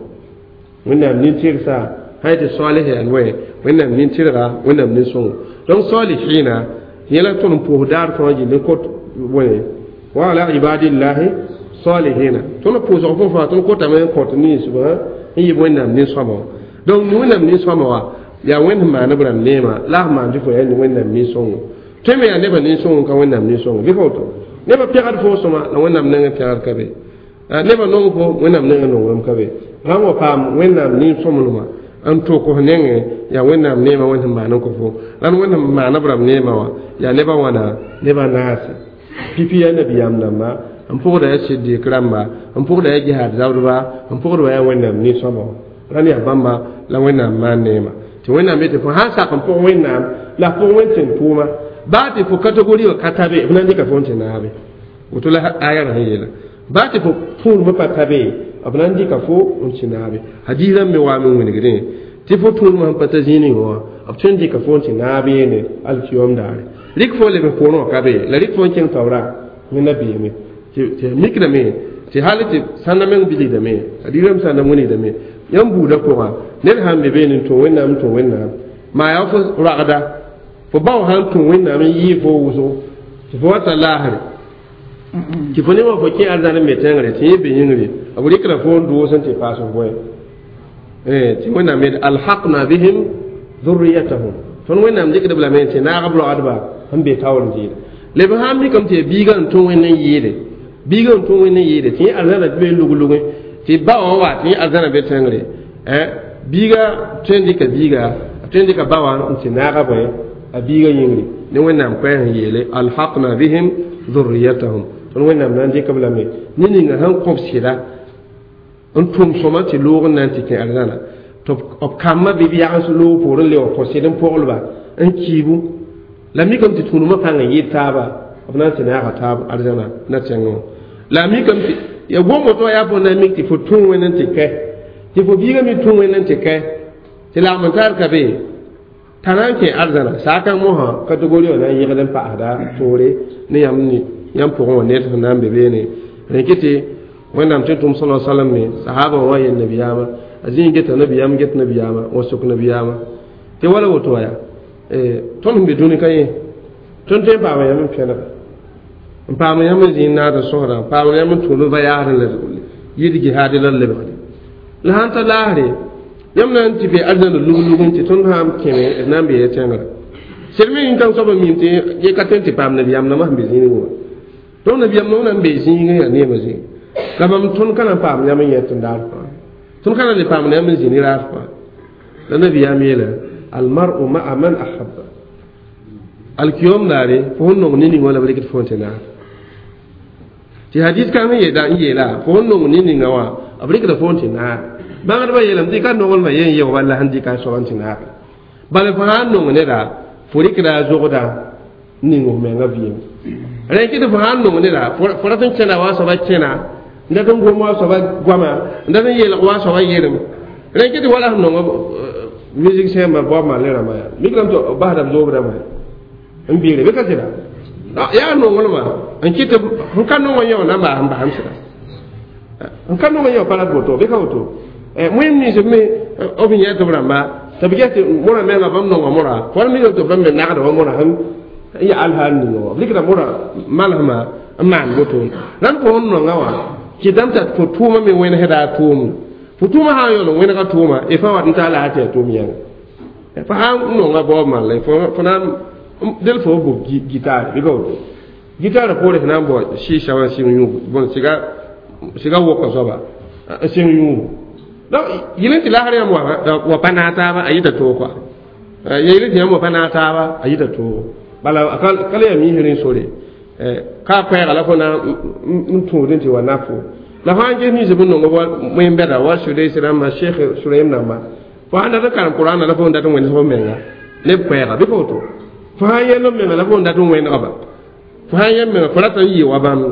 wẽnnaam nin-tɩrsa sã yetɩ salih yaa wẽ wẽnnaam nin-tɩrga wẽnnaam nin-sõngo donc salihina yẽla tõnd n pʋʋs daar fãa gill n kot bõe wa ala ibadillahi salihina tõnd pʋʋsg fõ fãa tõnd kotame n kõt ninsbã n yɩ wẽnnaam nin-sõma wã donc wẽnnaam nin-sõma wã yaa wẽnd sẽn maan b rãmb neema la f maan tɩ fo yaa wẽnnaam nin-sõngo tõe me yaa nebã nin-sõngo ka wẽnnaam nin-sõngo bɩ ka woto nebã pɛgd fo sõma la wẽnnaam nengẽ pɛgd ka be nebã nong fo wẽnnaam nengẽ nonglem ka be sãn wa paam wẽnnaam nin-sõmblmã n tʋk f nengẽ yaa wẽnnaam neemã wẽnd sẽn maan n kõ fo la wẽnd sẽn maan b rãmb neemã wã yaa nebã wãna nebã naase pipi yaa nabiyaam dãmba n pʋgda yaa siddiq rãmba n pʋgda yaa jihaad zabdba n pʋgdba yaa wẽnnaam nin-sõma wã rãnd yaa bãmba la wẽnnaam maan neema tɩ wẽnnaam yetɩ fo sãn sak n pʋg wẽnnaam la pʋg wẽn tẽn tʋʋma baa tɩ fo kategori wã ka ta be b na n dɩka fo n tɩ naabe woto la aya sẽn yeela baa tɩ fo tũudmã pa ta be b na n dɩka fo n tɩ naabe hadiis rãmb me waame n wilgdẽ tɩ fo tũudmã sẽn pa ta zĩig wã b tõe n dɩka fo n tɩ naab yeene alkiyom daare rɩk fo leb poorẽ wã ka be la rɩk fo n kẽng taoora wẽnna beeme tɩ mikdame tɩ hal tɩ sãnda meng bilgdame hadiis rãmb sãnda wilgdame yãmb buudã pʋgã ned sãn be beene n tũ wẽnnaam n tũ wẽnnaam maa yaa fo ragda fo bao sãn tũ wẽnnaam n yɩɩ fo wʋsgo tɩ fo wa ta laasre tɩ fo ne wã fo kẽ arzãn n be tẽngre tɩ yẽ be yĩngre b rɩkra fo n doos n tɩ paas f bõe tɩ wẽnnaam yeel alhaqna bihim dhurriyatahum tõnd wẽnnaam dɩkd b lame tɩ naag b roagdba sẽn be taoor n zɩɩda leb sãn mikame tɩ biigã n tũ wẽnd n yɩɩde biigã n tũ wẽnd n yɩɩde tɩ yẽ arzãna be lug-lugẽ tɩ ba wã wa tɩ yẽ arzãna be tẽngre biiga tõe n dɩka biiga tõe n dɩka ba wã n tɩ naaga bõe a biiga yĩngre ne wẽnnaam koɛɛs n yeele alhaqna bihim dhurriyatahum tõnd wẽnnaam na n dɩk b lame ne ninga sẽn kõb sɩda n tʋm sõma tɩ loog n na n tɩ kẽ arzãna tɩ b kambã bɩ b yagens loog poor n le wa kõ sɩd n poglba n kiibu la mikame tɩ tũudmã pãng n yɩɩd taaba b na n tɩ naaga taab arzãna na tẽngẽ wã la mikame tɩ ya gom woto yaa fo na n mik tɩ fo tũ wẽnd n tɩ kɛ tɩ fo biigã me tũ wẽnd n tɩ kɛ tɩ lagm n tar ka be t'a na n kẽ arzãna saakãng mosã kategori wã na n yẽgd n paasda toore ne yãmb pʋgẽ wã ned sẽn na n be beene rẽ kɩ tɩ wẽnnaam tɩ tʋm sala salam me sahaba wã yel nabiyaamã a zĩig geta nabiyaam get nabiyaamã wa sok nabiyaamã tɩ wala woto wa yaa tõnd sẽn be dũni ka yẽ tõnd tõe n paama yãmb n pẽnega n paam yãmb n zĩig naad n sõsda n paam yãmb n tũud va yaasd la yɩɩd jihaad la lebgde la sãn ta laasre yãmb na n tɩ be arzãna lug-lug n tɩ tõnd sãn kẽme d na n bee tẽngrã sed me yĩn-kãng soab n mim tɩ ye ka tõe n tɩ paam nabiyaam nambã sẽn be zĩigẽ wã donc nabiyaam nambã na n bee zĩigẽ yaa neemã zĩig La bãmb tõnd ka na n paam yãmb n yẽ tɩ n daar fãa tõnd ka na n le paamd yãmb n zĩ ne raar fãa la nabiyaam yeela almaru maa man ahabba alkiyom daare fo sẽn nong ne ning wã la b rɩkd fo n tɩ naar tɩ hadis kãng n yeela fo sẽn nong ne ninga wã b rɩkda fo n tɩ naar bãngdbã yeelame tɩ ka nonglmã yen yeo bala sẽn dɩka a soab n tɩ naag bala fo sã n nong neda fo rɩkda a zogda n ning f menga vɩɩm rẽ kɩ tɩ fo sã n nong neda fo rat n kẽna wa a soaba kẽna n dat n gom wa a soaba goama n dat n yeelg wa a soaba yeelem rẽ kɩ tɩ wala sẽn nong musicien ma Bob Marley rãmbã yaa mikrame tɩ basda b zoobdãmbã n biire bɩ ka sɩda yaa nonglmã n kɩ tɩ n ka nong n yão na n baas n basem sɩda n ka nong n yão pa rat woto bɩ ka woto wẽnd nins b me b yẽ tɩ b rãmba tɩ b ges tɩ mora menga bãmb nonga mora fo ra mikame tɩ bãmb me nagda wa mora sẽn n ya alhaal ninga wã b rɩkda mora malsmã n maan woto rãnd fo sẽn nonga wã kɩtame t'a fo tʋʋmã me wẽnesda a tʋʋmd fo tʋʋmã sã n yaool n wẽnega tʋʋma y fãa wat n taa la a tɩ yaa tʋʋm yãnga fo sã n nonga Bob Marley fo na del fo bʋ gitaare bɩ ka woto gitaarã poore sẽn na n bao sɩɩsa wã n sɩng yũubu bõn sɩga woka soaba n sɩng yũubu donc yɩl tɩ lasr yãmb wa pa naag taaba a yita toog kɔa yɩl tɩ yãmb wa pa naag taaba a yita toogo bala ka le yaa miisr n sore ka koɛɛga la fo na n tũud n tɩ wa nafo la fãa n ges ninsb n nong wẽn-bɛda wa sudaisi rãmba sheikh suraim rãmba fo sãn dat n karem qur'ana la fo n dat n wẽns fo menga neb koɛɛga bɩ ka woto fo sãn yɛl f menga la fo n dat n wẽnegba fo sãn yɛl menga fo rata n yɩ wa bãmb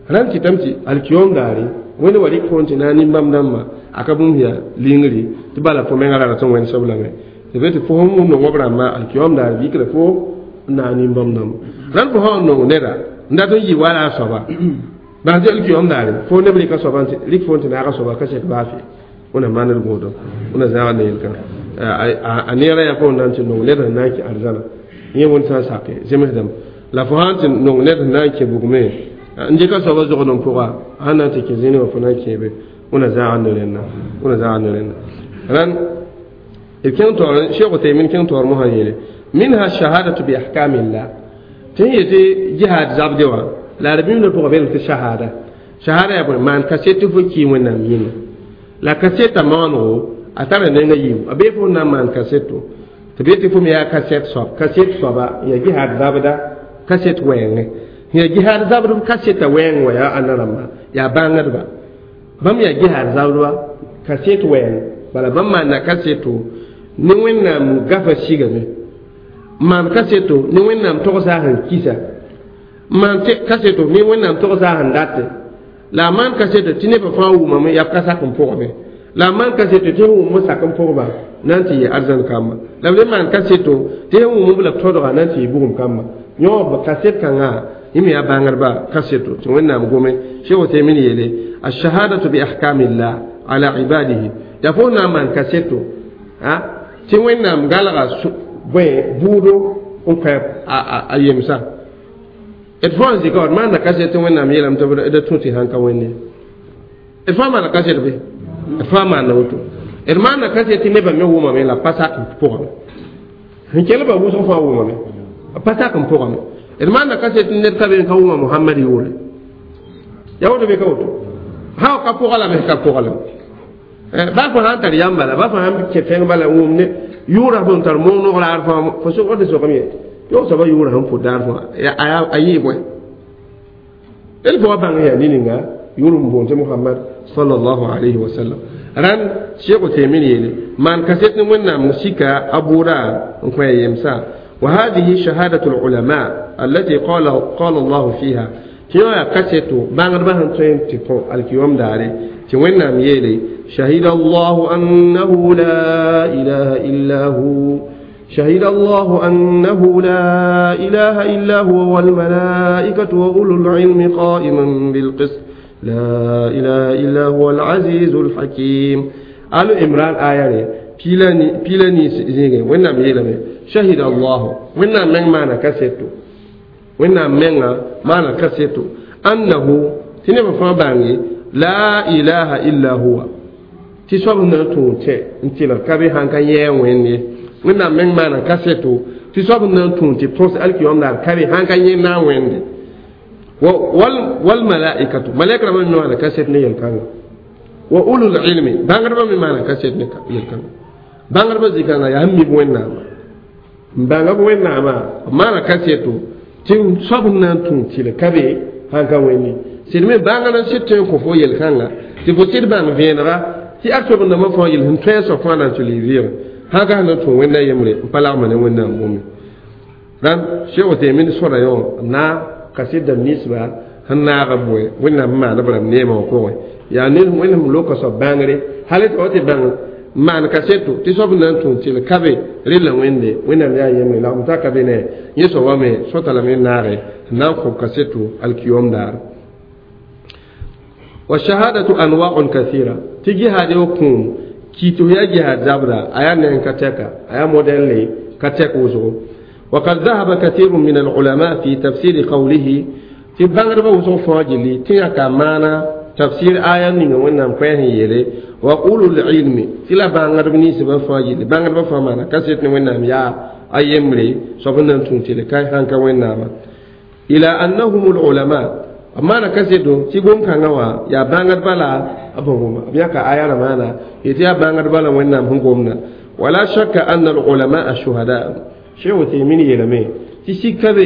rãnd kɩtame tɩ alkiyom daare wẽnd wa rɩk fo n tɩ na n nin-bãmb dãmbã a ka bũmb yaa lingri tɩ bala fo menga ra rat n wẽnsb lame tɩ be tɩ fo sẽn nong b rãmbã alkiyom daare vikra fo n na n nin-bãmb dãmba rãnd fo sã n nong neda n dat n yɩ wala a soaba bas tɩ alkiyom daare fo neb rɩka soaba rɩk fo n tɩ naaga soaba ka sek baa fɩ wẽna maand gõodo wẽna zãag ne yel-kãnga a neerã yaa fo n na n tɩ nong ned sẽn na n kẽ arzãna yẽ wẽnd sã n sake zemsdame la fo sã n tɩ nong ned sẽn na n kẽ bugme n dɩka soaba zogd n pʋga sãn na n tɩ kẽ zĩni wã fo na n kẽebe wẽna zãag ne rẽnna wẽna zãag ne rẽnna rãnd b kẽng taoor Cheikh Uthaymin kẽng taoor mosã yeele minha shahadatu bi ahkamillah tɩ n yetɩ jihad zabde wã la d bĩmdã pʋgã belem tɩ shahada shahada yaa bõe maan kaset tɩ fo kii wẽnnaam yĩnga la kaseta maanego a tara nenga yiibu a bee fo na n maan kaseto tɩ bee tɩ fo me yaa kaset soab kaset soaba n yaa jihad zabda kaset wɛɛngẽ n yaa jihad zabdb kaseta wɛɛng wa yaa ãnda rãmba yaa bãngdba bãmb yaa jihad zabdba kaset wɛɛng bala bãmb maanda kaseto ne wẽnnaam gafa sigame maan kaseto ne wẽnnaam togsa sẽn kisa maan kaseto ne wẽnnaam togsa sẽn date la a maan kaseto tɩ nebã fãa wʋmame yaa ka sak n pʋgame la a maan kaseto tɩ sẽn wʋm sak n pʋgba na n tɩ yɩ arzãn kamba la b le maan kaseto tɩ sẽn wʋm la b tõdga na n tɩ yɩ bugum kamba yõ kaset kãngã yẽ me yaa bãngdba kaseto tɩ wẽnnaam gome Cheikh Uthaymin yeele alshahadatu bi ahkamillah ala ibadihi yaa fo na n maan kaseto tɩ wẽnnaam galga bõe buudo n kõ a yemsã d fãa n zɩka wa d maanda kaset tɩ wẽnnaam yeelame tɩ d tũ tɩ sãn ka wẽnde d fãa maanda kaset bɩ d fãa maanda woto d maanda kaset tɩ nebã me wʋmame la pa sak n pʋgame sẽn kelba wʋsg fãa wʋmame pa sak n pʋgame d maanda kaset tɩ ned ka be n ka wʋma Mohamad yʋʋre yaa woto bɩ ka woto sã ka pʋga lame ka pʋga lame baa fo sã n tar yãmb bala baa fo sãn kẽ tẽng bala wʋm ne yʋʋra fo n tar moog noglaar fãa fo sʋgd tɩ sokame ye yõ soaba yʋʋra sẽn pʋd daar fãa a yɩɩ bõe d fo wa bãng yaa ne-ninga yʋʋr n boond tɩ Mohamad sallallahu alayhi wa sallam rãnd Cheikh Uthaymin yeele maan kaset ne wẽnnaam sika a bʋʋda n kõ a yemsã wa hadihi shahadatu lulama allati qala Allah fiha tɩ yõ yaa kaseto bãngdbã sẽn tõe n tɩ kõ alkiyom daare tɩ wẽnnaam yeele شهد الله أنه لا إله إلا هو شهد الله أنه لا إله إلا هو والملائكة وأولو العلم قائما بالقسط لا إله إلا هو العزيز الحكيم آل عمران آية بيلاني زيغي وين يلمي شهد الله وين من مانا كاسيتو وين من مانا كاسيتو أنه تنبا فما لا إله إلا هو tɩ soab na n tũud tẽ n tɩlg ka be sãn ka yɛɛ wẽnd ye wẽnnaam meng maana kaseto tɩ soab n na n tũud tɩ põs alkiyom daar ka be sãn ka yẽ na n wẽnde Wal malaikatu malaika ma mi maana kaset ne yel-kãnga wa ulul ilmi bãngdbã me maana kaset ne yel-kãnga bãngdbã zĩ-kãngã yaa n mib wẽnnaamã n bãnga b wẽnnaamã b maana kaseto tɩ soab n na n tũ tɩl ka be sãn ka wẽnde sɩd me bãngr n sɩd tõe n kõ fo yel-kãnga tɩ fo sɩd bãng vẽenega tɩ a soab n dãmbã fãa yel sẽn tõe a soab fãa na n tɩ lɩ vɩɩg sãn ka sẽn na n tũ wẽnda yembre n pa lagma ne wẽnnaam bũmb rãnd Cheikh Uthaymin sõda yõ na kaset dãmb ninsba sẽn naag b bõe wẽnnaam n maan b rãmb neemã wã pʋgẽ yaa ned wẽnnaam loka soab bãngre hal tɩ wa tɩ bãng maan kaseto tɩ soab n na n tũ tɩl ka be rella wẽnde wẽnnaam yaa yembre lagm ta ka be ne yẽ soabã me sõta lame n naage n na n kõb kaseto alkiyom daar wa shahadatu anwa'un kathira tɩ jihaad yo kũum kiitf yaa jihaad zabra a yaa neng ka tɛka a yaa modɛlle ka tɛk wʋsgo وقد ذهب كثير من العلماء في تفسير قوله في بانغربا وسو فاجلي تيا كمانا تفسير آية نيغا وينام كوين يلي وقول العلم تلا بانغرب ني سبا فاجلي بانغربا فمانا كاسيت ني وينام يا ايمري سوبنان تونتي كاي هانكا وينام إلى أنهم العلماء أما أنا كاسيتو تي غوم كانوا يا بانغربا لا أبوهما أبياك آية رمانا يتيا بانغربا لا وينام هم غومنا ولا شك أن العلماء الشهداء Cheikh Uthaymin yeelame tɩ sika be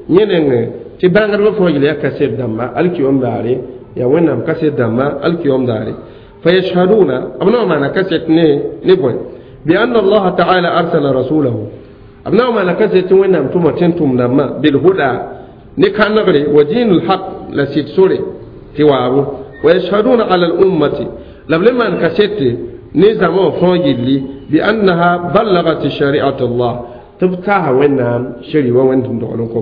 yẽ nengẽ tɩ bãngdbã fãa yel yaa kaset dãmba alkiyom daare yaa wẽnnaam kaset dãmba alkiyom daare fayashhaduna b na n maana kaset ne bõe bianna allaha taala arsala rasulahu b na n maana kaset tɩ wẽnnaam tʋma tẽn-tʋm dãmbã bilhuda ne kãnegre wa diin lhaq la sɩd sore tɩ waabo wa yashhaduna ala lummati la b le maan kasete ne zãma wã fãa yelli biannaha ballagat shariat allah tɩ b taasa wẽnnaam shari wa wẽnd tɩ dogl n kõ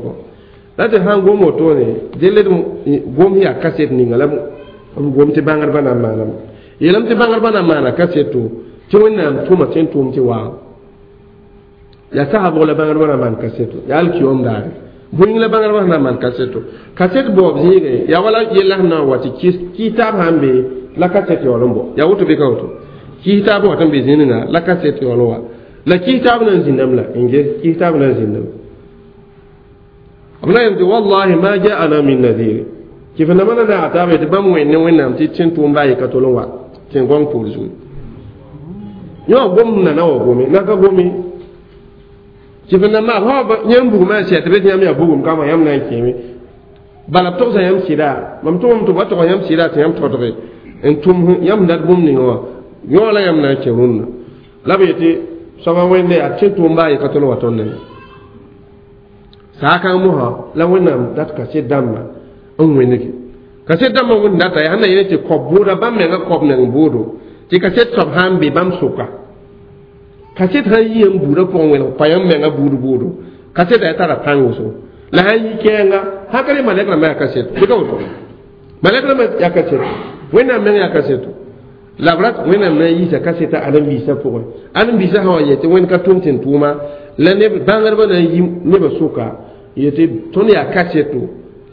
la tɩ sãn gom wotone delle gom yaa kaset ninga la b gom tɩ bãngdbã na n maaname yeelame tɩ bãngdbã na n maana kaseto tɩ wẽnnaam tʋma tɩ n tʋʋm tɩ waa yaa sasa bʋg la bãngdbã na n maan kaseto yaa alkiyom daare bũing la bãngdbã sẽn na n maan kaseto kaset baoob zĩige yaa wala yella sẽn na n wa tɩ kɩɩtaab sãn be la kaset yaool n bɔ yaa woto bɩ ka woto kɩɩtaab wat n be zĩnga la kaset yaool wa la kɩɩtaab na n zĩndame la n ges kɩɩtaab na n zĩndame b na yem tɩ wallahi ma jaana min nadir tɩ fo nama na naag taaba tɩ bãmb wẽnd ne wẽnnaam tɩ tẽn-tʋʋm baa yɩ ka tol n wa tẽn-gõng poor zugu yõ gom nana wa gome na ka gome tɩ fo na maag yãmb bugmã n sɛ tɩ be tɩ yãmb yaa bugum kama yãmb na n kẽeme bala b togsa yãmb sɩda mam tʋgame tɩ b wa tog yãmb sɩda tɩ yãmb todge n tʋm yãmb dat bũmb ninga wã yõ la yãmb na n kẽ rũnnã la b yetɩ soaba wẽnde yaa tẽn-tʋʋm baa yɩ ka tol n wa tõnd nengẽ saakãng mosã la wẽnnaam dat kaset dãmbã n wẽnege kaset dãmbã wẽnd data yaa sẽn na yẽne tɩ kob bʋʋda bãmb menga kob neng bʋʋdo tɩ kaset soab sã n be bãmb sʋka kaset sãn yi n buudã pʋgẽ wẽneg pa yãmb menga buud bʋʋdo kaset yaa tara pãng wʋsgo la sãn yi kɛɛnga sãn ka re malɛk rãmbã yaa kaseto bɩ ka woto malɛk rãmbã yaa kaseto wẽnnaam meng yaa kaseto la b rat wẽnnaam na n yiisa kaseta ãdem-biisã pʋgẽ ãdem-biisã sã wa yɛ tɩ wẽnd ka tʋm tɩ n tʋʋma la neb bãngdbã na n yi nebã sʋka yetɩ tõnd yaa kaseto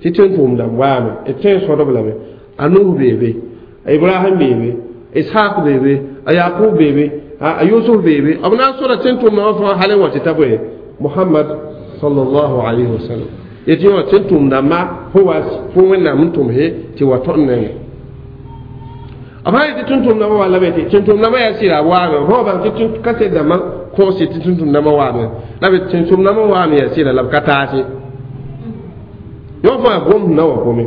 tɩ tẽn-tʋʋm dãmb waame d tõe n sõdb lame a Nuh beebe a Ibrahim beebe Ishaq beebe a Yaqub beebe a Yusuf beebe b na n sõda tẽn-tʋʋmdã wã fãa hal n wa tɩ ta bõe Muhammad sallallahu alayhi wa sallam yetɩ yõ tẽn-tʋʋm dãmba fo wa fo wẽnnaam n tʋmse tɩ wa tõnd nengẽ b sã yetɩ tẽn-tʋʋm dãmbã wa la be tɩ tẽn-tʋʋm dãmbã yaa sɩda waame fo bãng tɩ kaset dãmbã kõose tɩ tẽn-tʋʋm dãmbã waame la be tẽn-tʋʋm dãmbã waame yaa sɩda la b ka taase yõ fãa gom na wa gome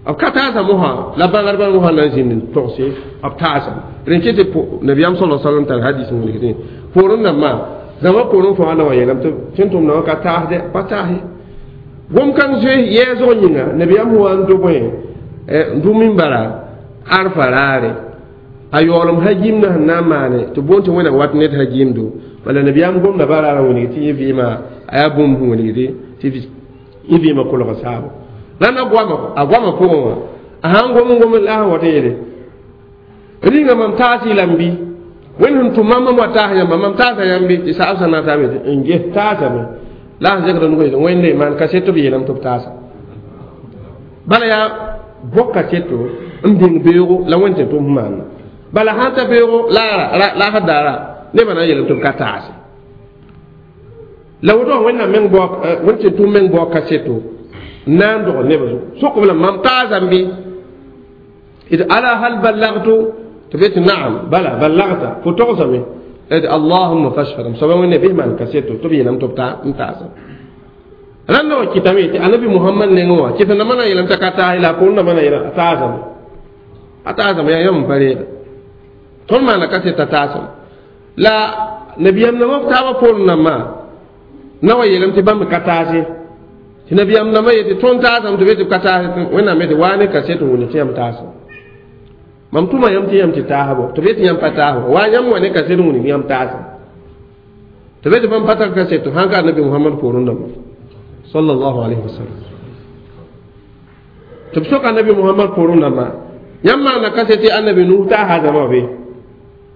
b ka taasa mosã la bãngdbã mosã na n zĩnd n togse b taasame rẽn kɩ tɩ nabiyaam sala sallam tar hadis n wilgdẽ poorẽ dãmbã zãma poorẽ fãa na wa yeelame tɩ tẽn-tʋʋm dãmbã ka taasdɛ pa taase gom kãng zoe yɛɛsg yĩnga nabiyaam sẽn wa n do bõe n dʋ mimbara arfa raare a yaoolem hajim na sẽn na n maane tɩ boond tɩ wẽnnaam wat ned hajimdo bala nabiyaam gomda ba raarã wilg tɩ yẽ vɩɩmã a yaa bũmb sẽn wilgde tɩ yẽ vɩɩmã kolg saabo la na goama a goamã pʋgẽ wã a sãn gom n gom la sẽn wat n yeele rĩnga mam taas-y lame bɩ wẽnd sẽn tʋm mam mam wa taas yãmba mam taasa yãmb bɩ tɩ saab sã na n taame n ges taasame la sẽn zẽkda nugã yetɩ wẽnde maan kaseto b yeelame tɩ b taasa bala yaa bõk kaseto n bĩng beoogo la wẽnd tɩ tʋm sẽn maana bala sãn ta beoogo la sã daara nebã na n yeelame tɩ b ka taase la woto wẽnnaam meng bao wẽnd tɩ tʋm meng bao kaseto Na n dogl neb zugu sokb la mam taasame bɩ d ala hal ballagtu tɩ b yetɩ naam bala ballagta fo togsame d allahumma fashhad m soaba wẽnde bɩs maan kaseto tɩ b yeelame tɩ b n taasa rãnda wa kɩtame tɩ anabi muhammad nengẽ wã kɩt nambã na n yeelame t'a ka taas la a poor nambã na yeela a taasame a taasame yaa yãmb n pa reega tõnd maana kaset t'a taasame la nabiyam nambã b taabã poorẽ nambã na wa yeelame tɩ bãmb ka taase tɩ nabiyam nambã yetɩ tõnd taasame tɩ b yetɩ b ka taase wẽnnaam yetɩ waa ne kaset n wilg tɩ yãmb taasame mam tʋma yãmb tɩ yãmb tɩ taasbo tɩ b yetɩ yãmb pa taasbo waa yãmb wa ne kaset n wilg yãmb taasame tɩ b yetɩ bãmb pa tar kaset sãn ka nabi muhammad poorẽ dãmba sallallahu alayhi wa sallam tɩ b soka nabi muhammad poorẽ dãmba yãmb maana kaset tɩ annabi nuh taasa zãma be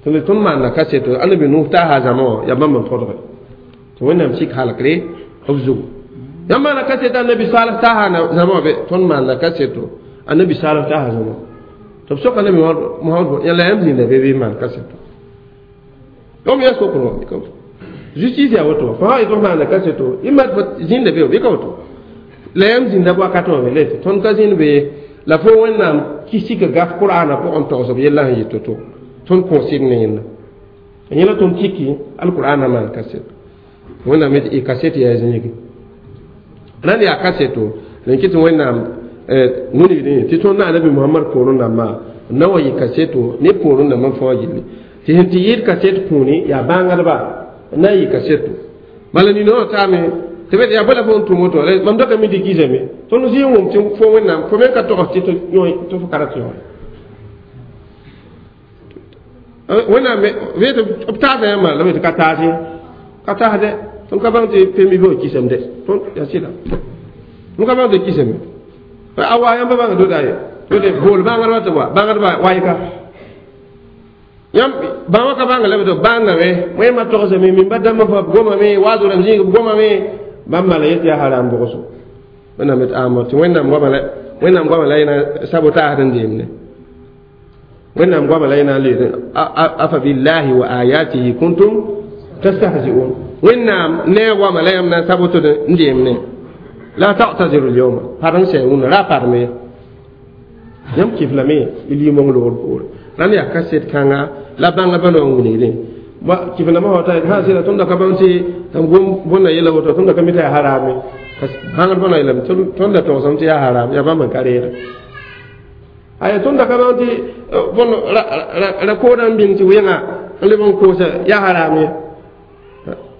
tɩ tõnd maana kaseto annabi nuh taasa zãma wã yaa bãmb n tõdge tɩ wẽnnaam sik halkre b zugu yãmb maana kaset annabi salh taasa zãma wã be tõnd maana kaseto annabi salh taasa zãma tɩ b soka nabi muhammad yãla yãmb zĩnda be bɩ maan kaseto yom ya sokr wã justice yaa woto fo sã yetɩ f maana kaseto y mat fo zĩnda be bɩ ka woto la yãmb zĩnda wakat wã be la tɩ tõnd ka zĩnd be la fo wẽnnaam kisika gaf qur'ana pʋgẽ togs b yella sẽn yɩ to-to tõnd kõosɩd ne yẽnda yẽla tõnd kiki alqur'ana maan kaseto wẽnnaam y kaset yaa zĩigi rãnd yaa kaseto n kɩ tɩ wẽnnaam wilgdẽ tɩ tõnd na anabi muhammad poorẽ dãmbã na wa yɩ kaseto ne poorẽ dãmbã fãa gilli tɩ sẽn tɩ yɩɩd kaset kũuni yaa bãngdba na yɩ kaseto bala nina wã taame tɩ b yaa bala fo n tʋm woto mam daka mi tɩ kisame tõnd zĩ n wʋm tɩ fo wẽnnaam fo me ka togs tɩ fo ka ra tɩ yõore wẽnnaam b taasa yãmba la b tɩ ka taase ka taasdɛ tõnd ka bãng tɩ pembi bɩ kisame dɛ tõnd yaa sɩda tõnd ka bãng tɩ kisame a wa yãmba bãnga doda ye tɩ bool bãngdbã tɩ wa bãngdbã wayka yãmb bãmba ka bãnga la b tɩ bãngame wẽmba togsame mimba dãmbã fa b gomame waado rãmb zĩig b gomame bãmb la yetɩ yaa haram bʋgso wẽnnaam yetɩ ãamba tɩ wẽnnaam goama la wẽnnaam goama la yẽna sabotaasd n deemde wẽnnaam goama la yẽna n leed afa billahi wa ayatihi kuntum tastahzi'un wẽnnaam ne a goama la yãmb na n sabotd n deemne la ta'taziru lyawma parem sɛ wũnã ra parme yãmb kɩf lame y limong loogr poore rãnd yaa kaset kãnga la bãnga bãna wã wilgdẽ kɩf nambã wa ta sã sɩda tõnd da ka bãng tɩ tɩ gom bõnda yɛla woto tõnd da ka mi t'a yaa harame bãngd bõna yeelame tõnd da togsame tɩ yaa haram yaa bãmb n ka reega aya tõnd da ka bãng tɩ bõn ra koodã n bĩng tɩ wẽnga n leb n koosa yaa haram ye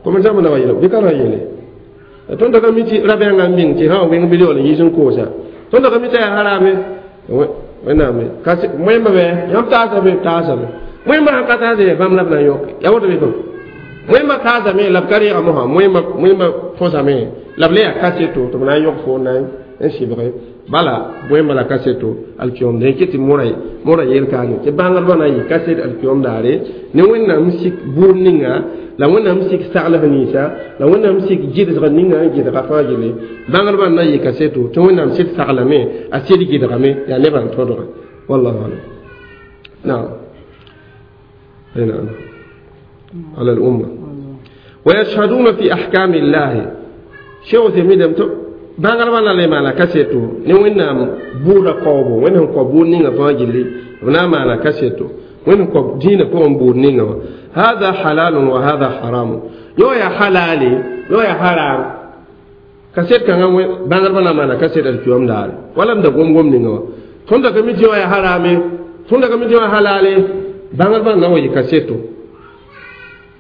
kom zãmb na wa yeele bɩ ka ra yeele tõnd da ka mi tɩ ra-bẽngã n bĩng tɩ sã wa wẽng bɩ yaool n yiis n koosa tõnd da ka mi t'a yaa harame wẽnnaam wẽmba bɛ yãmb taasame taasame wẽmba sãn ka taase bãmb la b na n yõke yaa woto bɩ tõnd wẽmba taasame la b ka reega mosã wẽmba fõsame la b le yaa kaseto tɩ b na n yõk fo na n sɩbge bala wẽmba la kaseto alkiyom dẽ kɩ tɩ mora yel kaane tɩ bãngdbã na n yɩ kaset alkiyom daare ne wẽnnaam sik buud ninga la wẽnnaam sik saglg ninsã la wẽnnaam sik gɩdsg ninga n gɩdga fãa gilli bãngdbã na n yɩ kaseto tɩ wẽnnaam sɩd saglame a sɩd gɩdgame yaa nebã n tõdge wallahu alam naam نعم على الأمة ويشهدون في أحكام الله شو تميدم bãngdbã na le maana kaseto ne wẽnnaam buudã kaoobo wẽnd sẽn kao buud ninga fãa gilli b na n maana kaseto wẽnd sẽn kao dĩinã pʋgẽ buud ninga wã hada halalun wa hada haramun yõ yaa halale yõ yaa haram kaset kãngã bãngdbã na n maana kaset alkiyom daare wala m da gom-gom ninga wã tõnd da ka mi tɩ yõ yaa harame tõnd da ka mi tɩ yõ yaa halale bãngdbã na wa yɩ kaseto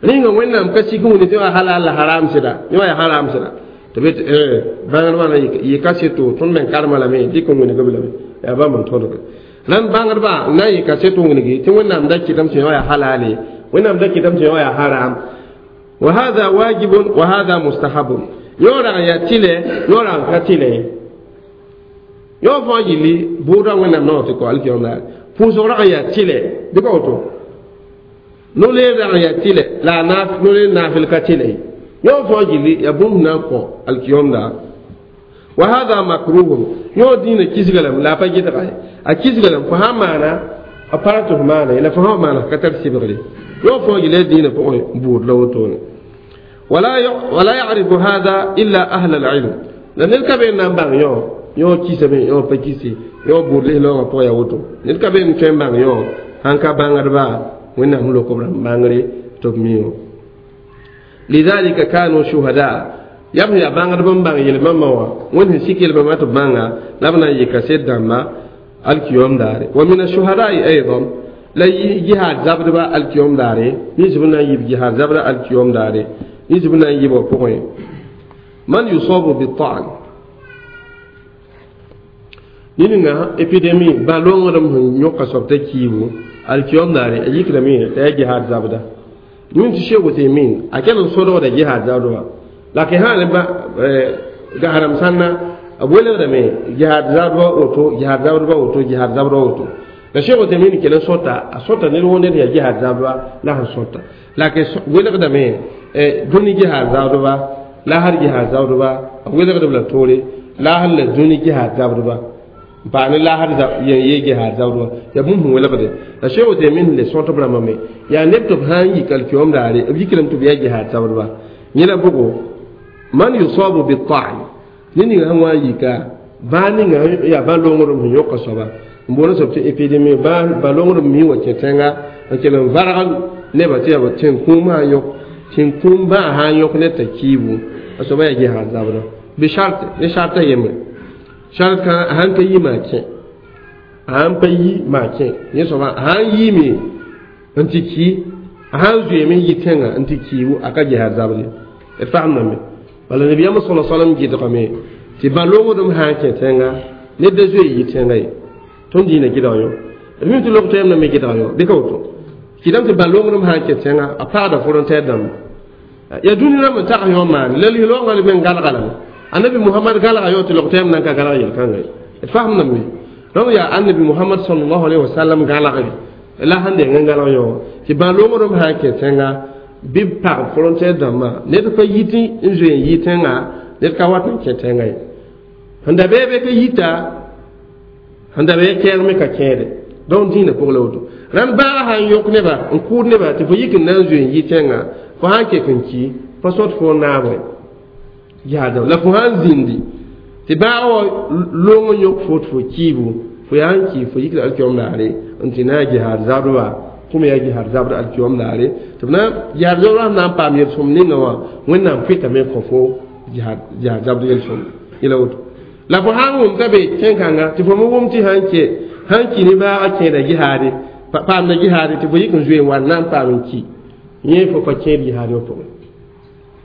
rĩnga wẽnnaam ka sik n wilg tɩ yõ yaa halal la haram sɩda yõ yaa haram sɩda tɩ b bãngdbã na yɩ kaseto tõnd meng karema lame dɩk n wilg b lame yaa bãmb n tõdge rãnd bãngdbã na n yɩ kaseto wilgi tɩ wẽnnaam da kɩtame tɩ yõ yaa halale wẽnnaam da kɩtame tɩ yõ yaa haram wa hada wajibun wa hada mustahabun yõ rag n yaa tɩlɛ yõ rag n ka tɩlɛ ye yõ fãa yilli buudã wẽnnaam naoor tɩ kɔ alkiyom daare pʋʋsg rag n yaa tɩlɛ bɩ ka woto no-leer rag n yaa tɩlɛ la a no-leer naafɩl ka tɩlɛ ye yõ fãa gilli yaa bũmb na n kõ alkiyom daar wa hada makruhun yõ dĩinã kisga lame la a pa gɩdga ye a kisga lame fo sãn maana a pa ra tɩ fo maana ye la fo sã maana ka tar sɩbgre yõ fãa gilli yaa dĩinã pʋgẽ buud la wotone ولا يعرف هذا إلا أهل العلم La ned ka be n na n bãng yõ yõ kisame yõ pa kisi yõ buud lis-laoongã pʋgã yaa woto ned ka be n tõe n bãng yõ sãn ka bãngdba wẽnnaam lok b rãmb bãngre tɩ b mi lidhalika kanu shuhada yaa b yaa bãngdb n bãng yel-bãmbã wã wẽnd sẽn sik yel-bãmbã tɩ b bãnga la b na n yɩ kaset dãmba alkiyom daare wa min ashuhadai aidan la jihad zabdba alkiyom daare nins b na n yɩb jihad zabda alkiyom daare nins b na n yɩbã pʋgẽ man yusabu bitan ninga épidémie ba-longrem sẽn yõka soab t'a kiibu alkiyom daare a yikdame t'a yaa jihad zabda yũn tɩ Sheikh Uthaymin a kell n sodgda jihad zabdba la ke sã ne gahrem sãnna b welgdame jihad zabdba woto jihad zabdba woto jihad zabdba woto la Sheikh Uthaymin kell n sõta a sõta ned woo ned yaa jihad zabdba la sẽn sõta la ke welgdame dũni jihad zabdba la har jihad zabdba a welgdb la toore la har la dũni jihad zabdba n paam ne laasd yen yee jihaad zabdba yaa bũmb sẽn welgde la Sheikh Uthaymin le sõt b rãmbame yaa neb tɩ b sã n yik alkiyom daare b yikrame tɩ b yaa jihaad zabdba yẽla bʋgo man yusabu bitan ne ninga sẽn wa n yika bãa ninga yaa bã-longrem sẽn yõka soaba n boond soab tɩ épidémie bã-longrem mi wa kẽ tẽnga n kell n varg nebã tɩ yaa tẽn-kũum sã n yõk tẽn-kũum bãa sã n yõk ned t'a kiibu a soaba yaa jihaad zabda bɩ shart ne sharta yembre shart kã a sãn ka yi maa kẽ a sãn pa yi maa kẽ yẽ soaba a sãn yiime n tɩ ki a sãn zoeeme n yi tẽngã n tɩ kiibu a ka jihaad zabde d fagemdame bala nabiyaam sala salam gɩdgame tɩ bã-longdem sã n kẽ tẽnga ned da zoe yi tẽnga ye tõnd dĩinã gɩdg yõ d mim tɩ log toɛɛm me gɩdg yõ bɩ ka woto kɩdame tɩ bã-longdem sã n kẽ tẽnga a pagda frontière dãmba yaa dũni rãmb n tags yõ maane la lis-loongã me n galga lame annabi muhammad galga yõ tɩ log toɛɛm nan ka galg yel-kãnga ye d fagemdame donc yaa annabi muhammad sallallahu alaihi wasallam galgre la sãn deng n galg yõ tɩ bã-longdem sã n kẽ tẽnga bɩ b pag frontière dãmbã ned pa yit n zoe n yi tẽnga ned ka wat n kẽ tẽnga ye sẽn da bɩ ka yita sẽn da bɩ kɛɛg me ka kẽede donc dĩinã pʋg la woto rãnd baaga sã n yõk neba n kʋʋd neba tɩ fo yik n na n zoe n yi tẽnga fo sã n kek n ki pa sõt fo naabẽ jihaad la fo sã n zĩndi tɩ baaga wa long n yõk fo tɩ fo kiibu fo yaa n ki fo yikda alkiyom daare n tɩ na n jihaad zabdba kʋm yaa jihaad zabd alkiyom daare tɩ b na jihaad zabdba sẽn na n paam yel-sõm ninga wã wẽnnaam pɩtame kõ fo jihaad zabd yel-sõm yẽla woto la fo sã n wʋm t'a be tẽn-kãnga tɩ fo me wʋm tɩ sã n ki ne baaga kẽeda jihaade paamda jihaade tɩ fo yik n zoe n wa n na n paam n ki yẽ fo pa kẽed jihaad wã pʋgẽ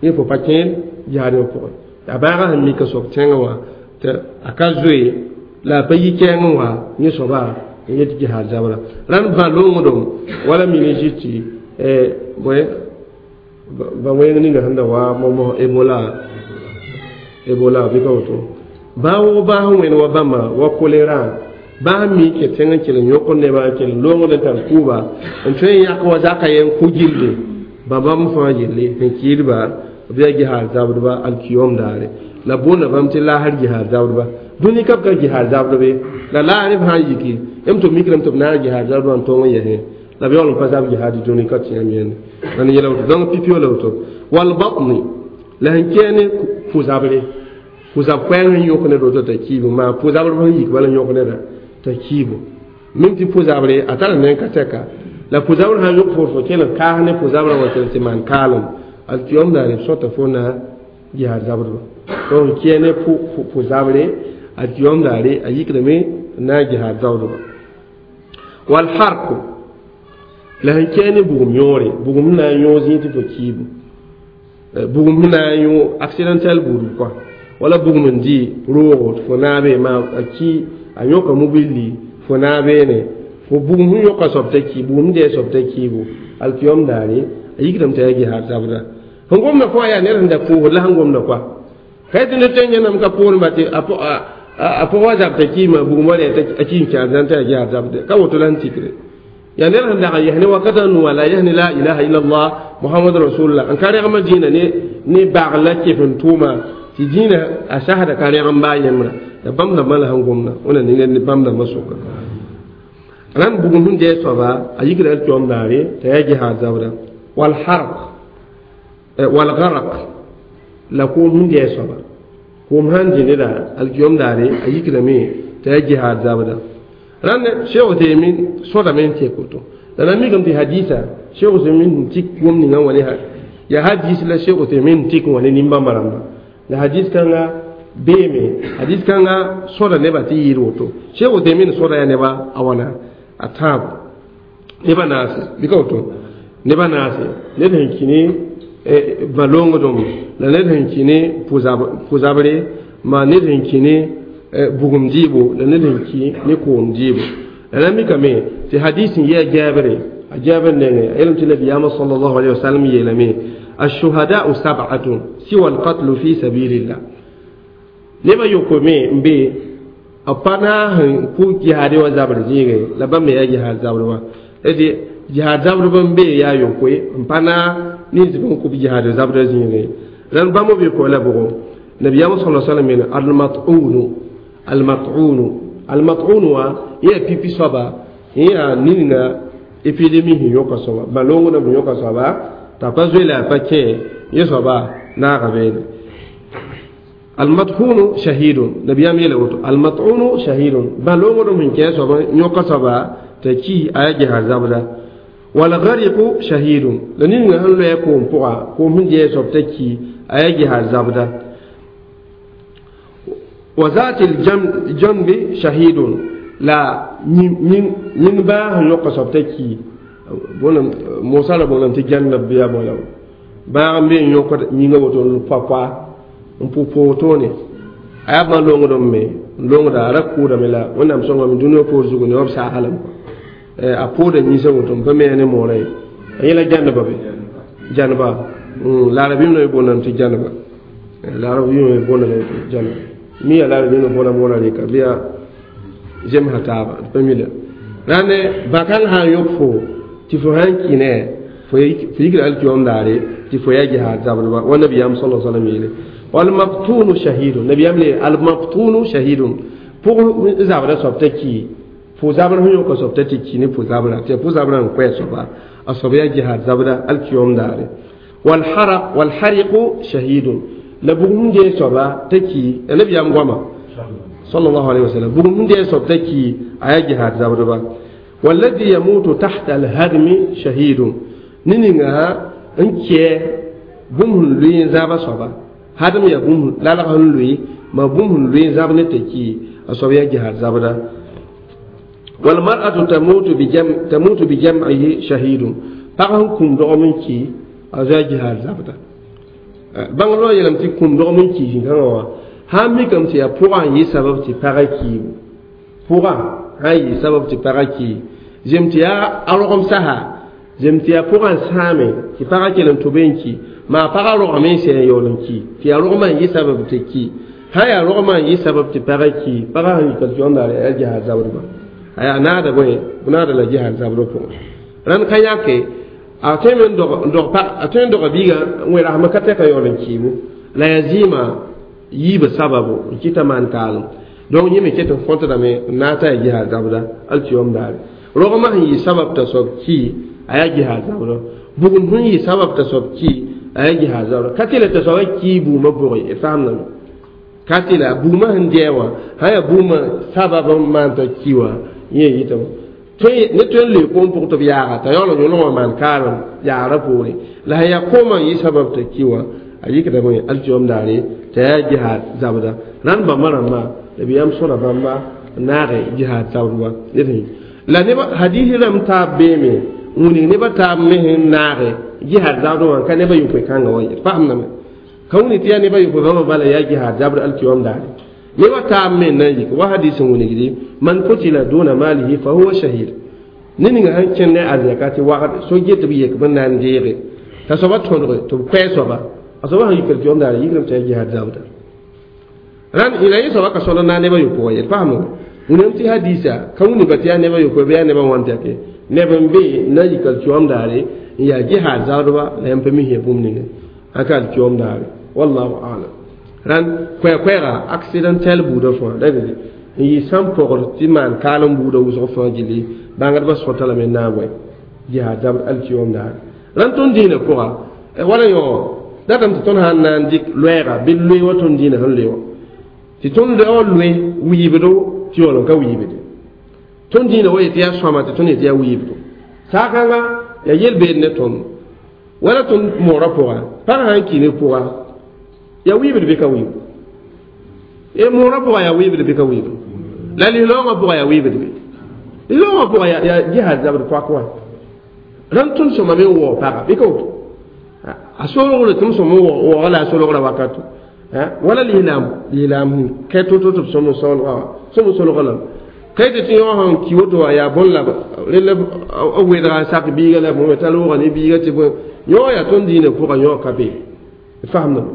yẽ fo pa kẽed jihaad wã pʋgẽ a baaga sẽn mika soab tẽngã wã tɩ a ka zoe la a pa yi kɛɛng wã yẽ soaba n yet jihaad zabra rãnd bã-longdem wala méningite bõe ba wẽng ninga sẽn da wa momo ebola bɩ ka woto bãa wʋg bãas n wẽnd wa bãmba wa choléra bãas n mi kẽ tẽng n kell n yõk nebã n kell n longd n tar kʋʋba n tõe n yãk wa zaka yen kʋ gilde bãmb fãa yelle sẽn kiidba b yaa jihaad zabdba alkiyom daare la boonda bãmb tɩ laasr jihaad zabdba dũni ka b ka jihaad zabdbe la laasr b sã n yiki m tɩ b mikrame tɩ b naag jihaad zabdba n tõng n yɛsẽ la b yaool n pa zab jihaad dũni ka tɩ yãmb yẽnde la yɛla woto donc pipi la woto walbatni la sẽn kɛɛ ne pʋ-zabre pʋ-zab koɛɛg sẽn yõk ned woto t'a kiibu maa pʋ-zabr sẽn yik bala yõk neda t'a kiibu mim tɩ pʋ-zabre a tara nen ka tɛka la pʋ-zabr sã n yõk fo fo kell n kaas ne pʋ-zabrã wa kell tɩ maan kaalem alkiyom daare b sõta fo na jihaad zabdba donc kɛɛ ne pʋ-zabre alkiyom daare a yikdame na jihaad zabdba walharku la sẽn kɛɛ ne bugum yõore bugum na n yõ zĩig tɩ fo kiibu bugum sẽn na n yõ accidentel buudb kɔa wala bugum n dɩ roogo tɩ fo naabe maa a ki a yõka mobilli fo naabeene fo bugum sẽn yõka soab t'a ki bugum dɩ a soab t'a kiibu alkiyom daare a yikdame t'a yaa jihaad zabda sẽn gomda fo yaa ned sẽn da pʋʋsd la sẽn gomda koa ka tɩ ned tõe n yẽnam ka pʋʋrẽ ba tɩ a pʋgã wa zab t'a kiima bugum wa rɛ a ki n kẽer zãn t'a yaa jihaad zabde ka woto la sẽn tikre yaa ned sẽn dag n yɛs ne wakatã nua la yɛs ne la ilaha illallah muhammad rasulullah n ka rẽgmã dĩinã ne bagl la kef n tʋʋma tɩ dĩinã a sasda ka rẽgem baa yẽmbra la bãmb dãmbã la sẽn gomda wẽna ninga ne bãmb dãmbã sʋka rãnd bugum sẽn dɩ soaba a yikda alkiyom daare t'a yaa jihaad zabda walharq walgarq la koom sẽn dɩ soaba Koom sãn dĩ neda alkiyom daare a yikdame t'a yaa jihaad zabda. Rãnd Cheikh Uthaymin sõdame n tek woto. La na mikame tɩ hadisa Cheikh Uthaymin n tik gom ninga wã ne yaa hadis la Cheikh Uthaymin n tik wã ne nin-bãmba rãmba. La hadis kãnga beeme, hadis kãnga sõda nebã tɩ yɩɩd woto. Cheikh Uthaymin sõda yaa neba a wãna a tãabo neba naase bɩ ka woto neba naase ned sẽn kĩ ne bã-loongdem la ned sẽn kĩ ne pʋ-zabre maa ned sẽn kĩ ne bugum dɩɩbo la ned sẽn kĩ ne koom dɩɩbo. La na mikame tɩ hadis n yɩ a Jaabere a Jaabir nengẽ a yeelame tɩ nabiyaamã sallallahu alayhi wa sallam yeelame الشهداء سبعة سوى القتل في سبيل الله. Nebã yokoe n be b pa naas n kʋ jihaade wã zabr zĩigẽ la bãmb me yaa jihaad zabr wã tɩ jihaad zabr n be yaa yokoe n pa naag nins b n kʋ jihaad zabra zĩigẽ. Rãnd bãmb b yokoe la bʋgo nabiyaamã sala sallam yeele almat'unu almat'unu almat'un wã yã pipi soaba yã ninga épidémie sẽn yõka soaba bã-loongdã sẽn yõka soaba t'a pa zoe la a pa kẽ yẽ soaba naaga beene. Almat'unu shahidun nabiyaam yeela woto almat'unu shahidun bã-loongdem sẽn kẽ soaba yõka soaba t'a ki a yaa jihaad zabda. Walgariqu shahidun la ninga sẽn loɛ koom pʋga koom sẽn dɩ soab t'a ki a yaa jihaad zabda. Wa zati ljambi shahidun la yĩng bãag sẽn yõka soab t'a ki mosã la booname tɩ jannab bɩ yaa bõe la bãag n be n yõkd yĩnga woto n pa n pʋ wotone a yaa bã-loongdem me n loongda a ra kʋʋdame la wẽnnaam sõngame dũniyã poor zugu ne b saasa lame a pʋʋda yĩnsã woto n pa me ne moorã ye a yẽla jannaba be janneba la arabim no booname tɩ janneba la arabim no booname tɩ janneba mi ya la arabim no boona moorã reka bɩ yaa zemsã taaba d pa mi la rãnd bãkãng sã n yõk fo tɩ fo sãn kĩ ne fo yikra alkiyom daare tɩ fo yaa jihaad zabdba wa nabiyaam sala sallam yeele walmaktunu shahidun nabiyaam le almaktunu shahidun pʋg zabra soab t'a ki pʋ zabr sẽn yõka soab t'a tɩ ki ne pʋ zabra tɩ pʋ zabra n koɛɛ soaba a soab yaa jihaad zabda alkiyom daare. Walhariqu shahidun la bugum sẽn dee soaba t'a ki nabiyaam goama sallallahu alayhi wa sallam bugum sẽn dee soab t'a ki a yaa jihaad zabdba. والذي يموت تحت الهدم شهيد نينغا n kɛ bũmb sẽn lʋɩ n zaaba soaba hadem yaa bũmb lalg sẽn lʋɩ ma bũmb sẽn lʋɩ n zab ne t'a ki a soab yaa jihaad zabda. Walmar'atu tamutu bijam'ihi shahidun pag sẽn kũm dogem n ki a zoa jihaad zabda. Bãng loa yeelame tɩ kũm dogem n ki zĩ-kãngã wã sã n mikame tɩ yaa pʋgã n yɩ sabab tɩ pagã kiibu pʋgã sã n yɩ sabab tɩ pagã ki zem tɩ yaa a rogem sasa zem tɩ yaa pʋgã n sãame tɩ pagã kell n tʋbe n ki maa pagã rogame n sɛ n yaool n ki tɩ yaa rogmã n yɩ sabab tɩ ki sã yaa rogmã n yɩ sabab tɩ pagã ki pagã sẽn yikal tɩ yaa jihaad zabdba a yaa naada bõe naada la jihaad zabdba pʋgẽ. Rãnd ka yãke a tõe me n dog a biigã wẽrasmã ka tɛka yaool n kiibu la yaa zɩɩmã yiibã sababo n kɩta maan kaalem donc yẽ me ket n kõtdame n na n t'a yaa jihaad zabda alkiyom daare. Rogmã sẽn yɩ sabab t'a soab ki a yaa jihaad zabda bugum sẽn yɩ sabab t'a soab ki a yaa jihaad zabda ka tɩ la t'a soabã ki buumã pʋgẽ d faamdame ka tɩ la buumã sẽn dɛɛ wã sã yaa buumã sabab n maan t'a ki wã yẽ yɩtame ne tõe n loe koom pʋg tɩ b yaaga t'a yaool n yõlg wã maan kaalem yaagrã poore la sẽn yaa koomã n yɩ sabab t'a ki wã a yikdame alkiyom daare t'a yaa jihaad zabda. Rãnd bãmba rãmba nabiyaam sõda bãmba n naage jihaad zabdba la neba hadisi rãmb taab beeme n wilg nebã taab me sẽn naage jihaad zabd wã ka nebã yopoe kãngã wã d faamdame ka wilg tɩ yaa nebã yopoe bãmba bala yaa jihaad zabd alkiyom daare nebã taab me n na n yik wa hadis n wilgdi man kutila duna malihi fa huwa shahid ne ninga sẽn kẽnd ne arzɛka tɩ wagd so get b yek b n na n deege t'a soaba tõdge tɩ b koɛɛ soaba a soaba sẽn yik alkiyom daare yikrame tɩ yaa jihaad zabda. Rãnd la yẽ soaba ka sõd n na nebã yopoe wã yel faamdame wẽnnaam tɩ hadisa ka wilg tɩ yaa nebã yopoe bɩ yaa nebã wãn tɛke neb n be na yik alkiyom daare n yaa jihaad zabdba la yãmb pa mis bũmb ninga ãn ka alkiyom daare wallahu alam. Rãnd koɛɛ-koɛɛga accidentel buudã fãa la n yɩ sãn pɔgd tɩ maan kaalem buudã wʋsg fãa gilli bãngdbã sõta lame n naag wɛ jihaad zabd alkiyom daare. Rãnd tõnd dĩinã pʋga wala yõ datame tɩ tõnd sã n na n dɩk loɛɛga bɩ loe wa tõnd dĩinã sẽn loe wã Tɩ tõnd wa loe wiibdo tɩ yaool n ka wiibde. Tõnd dĩinã wa yetɩ yaa sõama tɩ tõnd yetɩ yaa wiibdo. Saakãnga yaa yel-beed ne tõnd. Wala tõnd moorã pʋga, pag sã n ki ne pʋga, yaa wiibd bɩ ka wiibd? E moorã pʋga yaa wiibd bɩ ka wiibd? La lislaoongã pʋga yaa wiibd bɩ? Lislaoongã pʋga yaa jihaad zabd poak wã. Rãnd tõnd sõmame n waoog paga bɩ ka woto? A solgre tɩ m sõm n waooga la a solgra wakato. Wala lislaam kɛ to-to tɩ b sõm n solga sõm n solga lame. Ka yetɩ tɩ yõ sẽn ki woto wã yaa bõn la rel b wedga n sak biiga la bõe t'a loogã ne biiga tɩ bõe yõ yaa tõnd dĩinã pʋga yõ ka be. Fasemdame.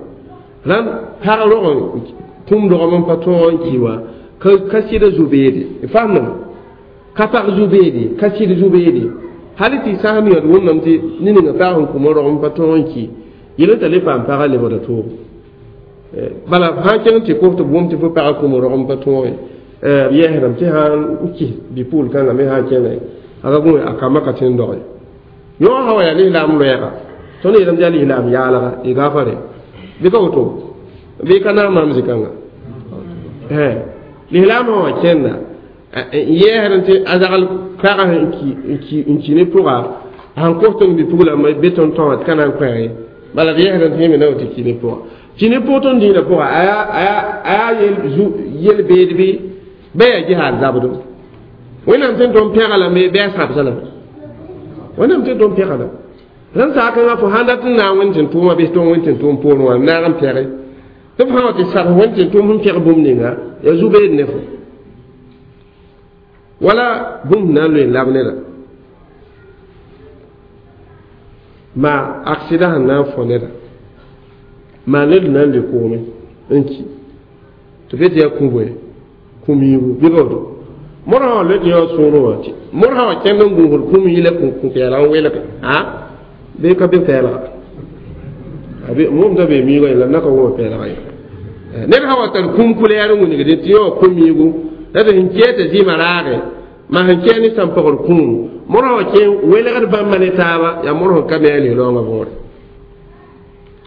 Rãnd pag rog kũum dogem n pa tõog n ki wã ka sɩda zu-beede. Fasemdame. Ka pag zu-beede, ka sɩd zu-beede. Hal tɩ sãsem yõd wʋmdame tɩ ned ninga pag sẽn kũmã rog n pa tõog n ki yel t'a le paam pagã lebgda toogo. Bala sã n kẽng tɩ kos tɩ b wʋm tɩ fo pagã kũum rog n pa tõog ye b yɛɛsdame tɩ sã n kis bi-pugl kãngã me sã n kẽnga a ka gũ a kambã ka tẽ n doge. Yõ sã wa yaa lislaam loɛɛga tõnd yeelame tɩ yaa lislaam yaalga y gaafare bɩ ka woto bɩ ka naam maam zĩ-kãnga. Lislaam sã wã kẽnda yɛɛsd tɩ a zagl pagã n ki ne pʋga sãn kos tõnd bi-puglã be tõnd tõa tɩ ka na n kõ ye bala d yɛɛsd tɩ yẽ me na tɩ ki ne pʋga. Ki ne pʋg tõnd dĩinã pʋga a yaa yel-beed bɩ bɩ yaa jihaad zabdo. Wẽnnaam sẽn tõnd pẽga lame bɩ a sãbsa lame. Wẽnnaam sẽn tõnd pẽga lame. Rãnd saakãngã fo sãn dat n naag wẽnd tɩ tʋʋma bɩ tõng wẽnd tɩ tʋʋm poorẽ wã naag n pɛge tɩ f sã wa tɩ sabs wẽnd tɩ tʋʋm sẽn pɛg bũmb ninga yaa zu-beed ne fo. Wala bũmb na n loe n lab neda. Maa aksida sẽn na n fõ neda. Maa ned na n le koome n ki. Tɩ be tɩ yaa kũ bõe kũ-miigu bɩ ka woto. Modã wã loe tɩ yõ sũurẽ wã tɩ modã wã kẽnd n gũusd kũ-mii la kũ-pɛɛlg n welge a bɩ ka be pɛɛlga. Wʋmda bee miigã ye la na ka wʋma pɛɛlga ye. Ned sã wa tar kũm kulɛɛr n wilgdẽ tɩ yõ kũ-miigu la tɩ sẽn kɛɛ tɩ zɩɩmã raage ma sẽn kɛɛ ne sãn-pagr kũum modã wã kẽ welgd bãmba ne taaba yaa modã sẽn ka me a lislaoongã võore.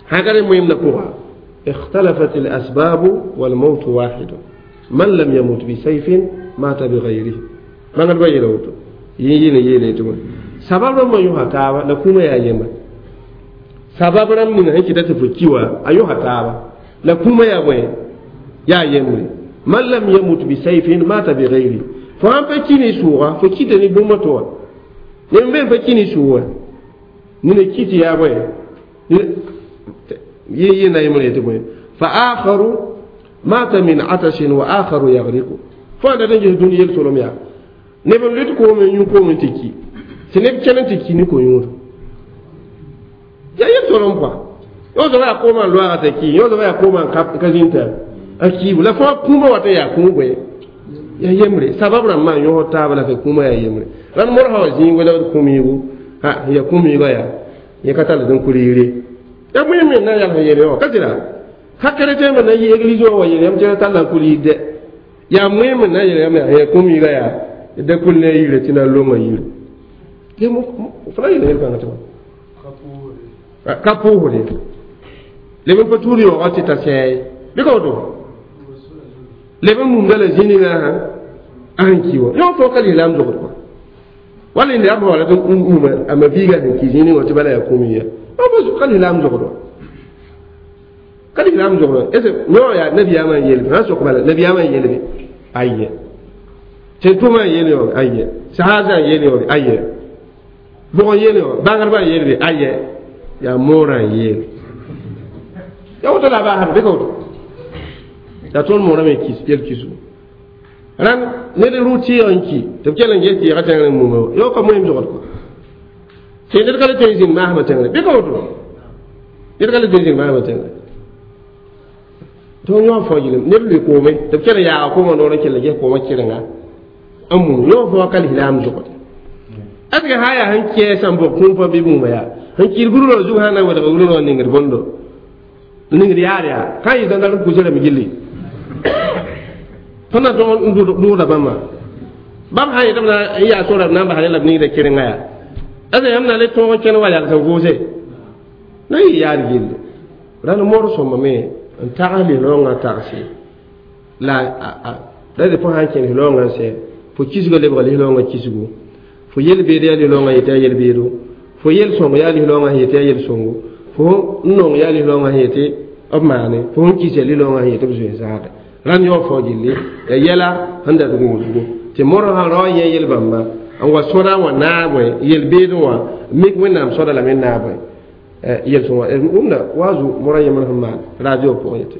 Sã ka rẽ moẽmdã pʋga اختلفت الأسباب والموت واحد من لم يمت بسيف مات بغيره. ما قال بيي لوتو يي يي يي تما سبب ما يوها تابا لا كوما يا يما سبب رام من هيك تفكيوا ايوها تابا لا كوما يا بوي يا يمري من لم يمت بسيف مات بغيره. فان فكيني سورا فكيتني بومتوا نيم فكيني سورا ني كيتي يا بوي يي يي نايمري تبوي فآخر مات من عطش وآخر يغرق. فأنا نجي الدنيا يلتولم يا نبي ليت كوم ينكو من تكي سنب كلن تكي نكو يور يا يلتولم با يوزا يا كوما لوا تكي يوزا يا كوما كازينتا أكي ولا فا كوما واتا يا كوما يا يمري سبب رما يوه تابلا في كوما يا يمري لأن مرها زين ولا كوميغو ها يا كوميغو يا يا كتال دون كوريري يا مهم نا يا يري كثيرا ka chrétien me na yi église wa yele yam tɩ talla kul yɩ ya moẽm na yele yam ya kũm yɩga yaa da kul ne yire tɩ na longa yire fo na yele yel-kãngã tɩ ka pʋʋsde leb n pa tuud yaoogã tɩ ta sɛɛ bɩ ka woto leb n mumda la zĩ-ningã a sẽn ki wã yõ fo ka lislaam zogd kɔa wala lislaam sã wala tɩ muma a ma biiga sẽn ki zĩ-ning wã tɩ bala yaa kũm yã ka lislaam zogd wã ka lislaam zogd est ce yõ yaa nabiyaamã n yeel sã sok bala nabiyaamã n yeelbe aye tɩ tʋmã n yeel yõ aye sahaazã n yeel yõ aye bʋg n yeel yõ bãngdbã n yeelbe aye yaa moorã n yeel ya woto la baasd bɩ ka woto yaa tõnd moorã me yel kisu rãnd ned rʋ tɩɩg n ki tɩ b kell n ges tɩɩgã tẽngr n muma yo ka moeem zogd kɔ tɩ ned ka le tõe n zĩnd maasmã tẽngre bɩ ka woto ned ka le tõe n zĩnd maasmã tẽngre tõnd yõ fao yɩlem neb lʋɩ koome tɩ b kell n yaaga koomã noor n kell n ges koomã kɩrenga n mum yõ fao ka lislaam zogd est ce que sã yaa sẽn kɛɛ sãn bʋg kũum fãa bɩ muma yaa sẽn kɩɩd gũrã zug sã na n wedga gũrã ningd bõndo ningd yaar yaa ka yɩ dãndar n kusrame gilli tõnd na tõg n dʋʋda bãmba bãmb sã yetɩ b na n yaa sora b na n bas la b ningda kɩrenga yaa est ce que yãmb na le tõog n kẽn wa yags n vʋʋse na yɩ yaar gilli rãnd moor sõma me n tags lislaoongã tagse La la de fo sã n kẽnes loongã n sɛ fo kisgã lebga lislaoongã kisgo fo yel-beed yaa lislaoongã yetɩ yaa yel-beedo fo yel-sõng yaa lislaoongã sẽn yetɩ yaa yel-sõngo fo n nong yaa lislaoongã sẽn yetɩ b maane fo sẽn kis yaa lislaoongã sẽn yetɩ b zoe zaade rãnd yao fao gilli yaa yɛla sẽn dat gũudgo tɩ modg sã rao n yẽ yel-bãmba n wa sõda wã naabẽ yel-beedẽ wã mik wẽnnaam sõda lame n naabẽ yel-sõng wã wʋmda wa zu modã yembr sẽn maan radio pʋgẽ yetɩ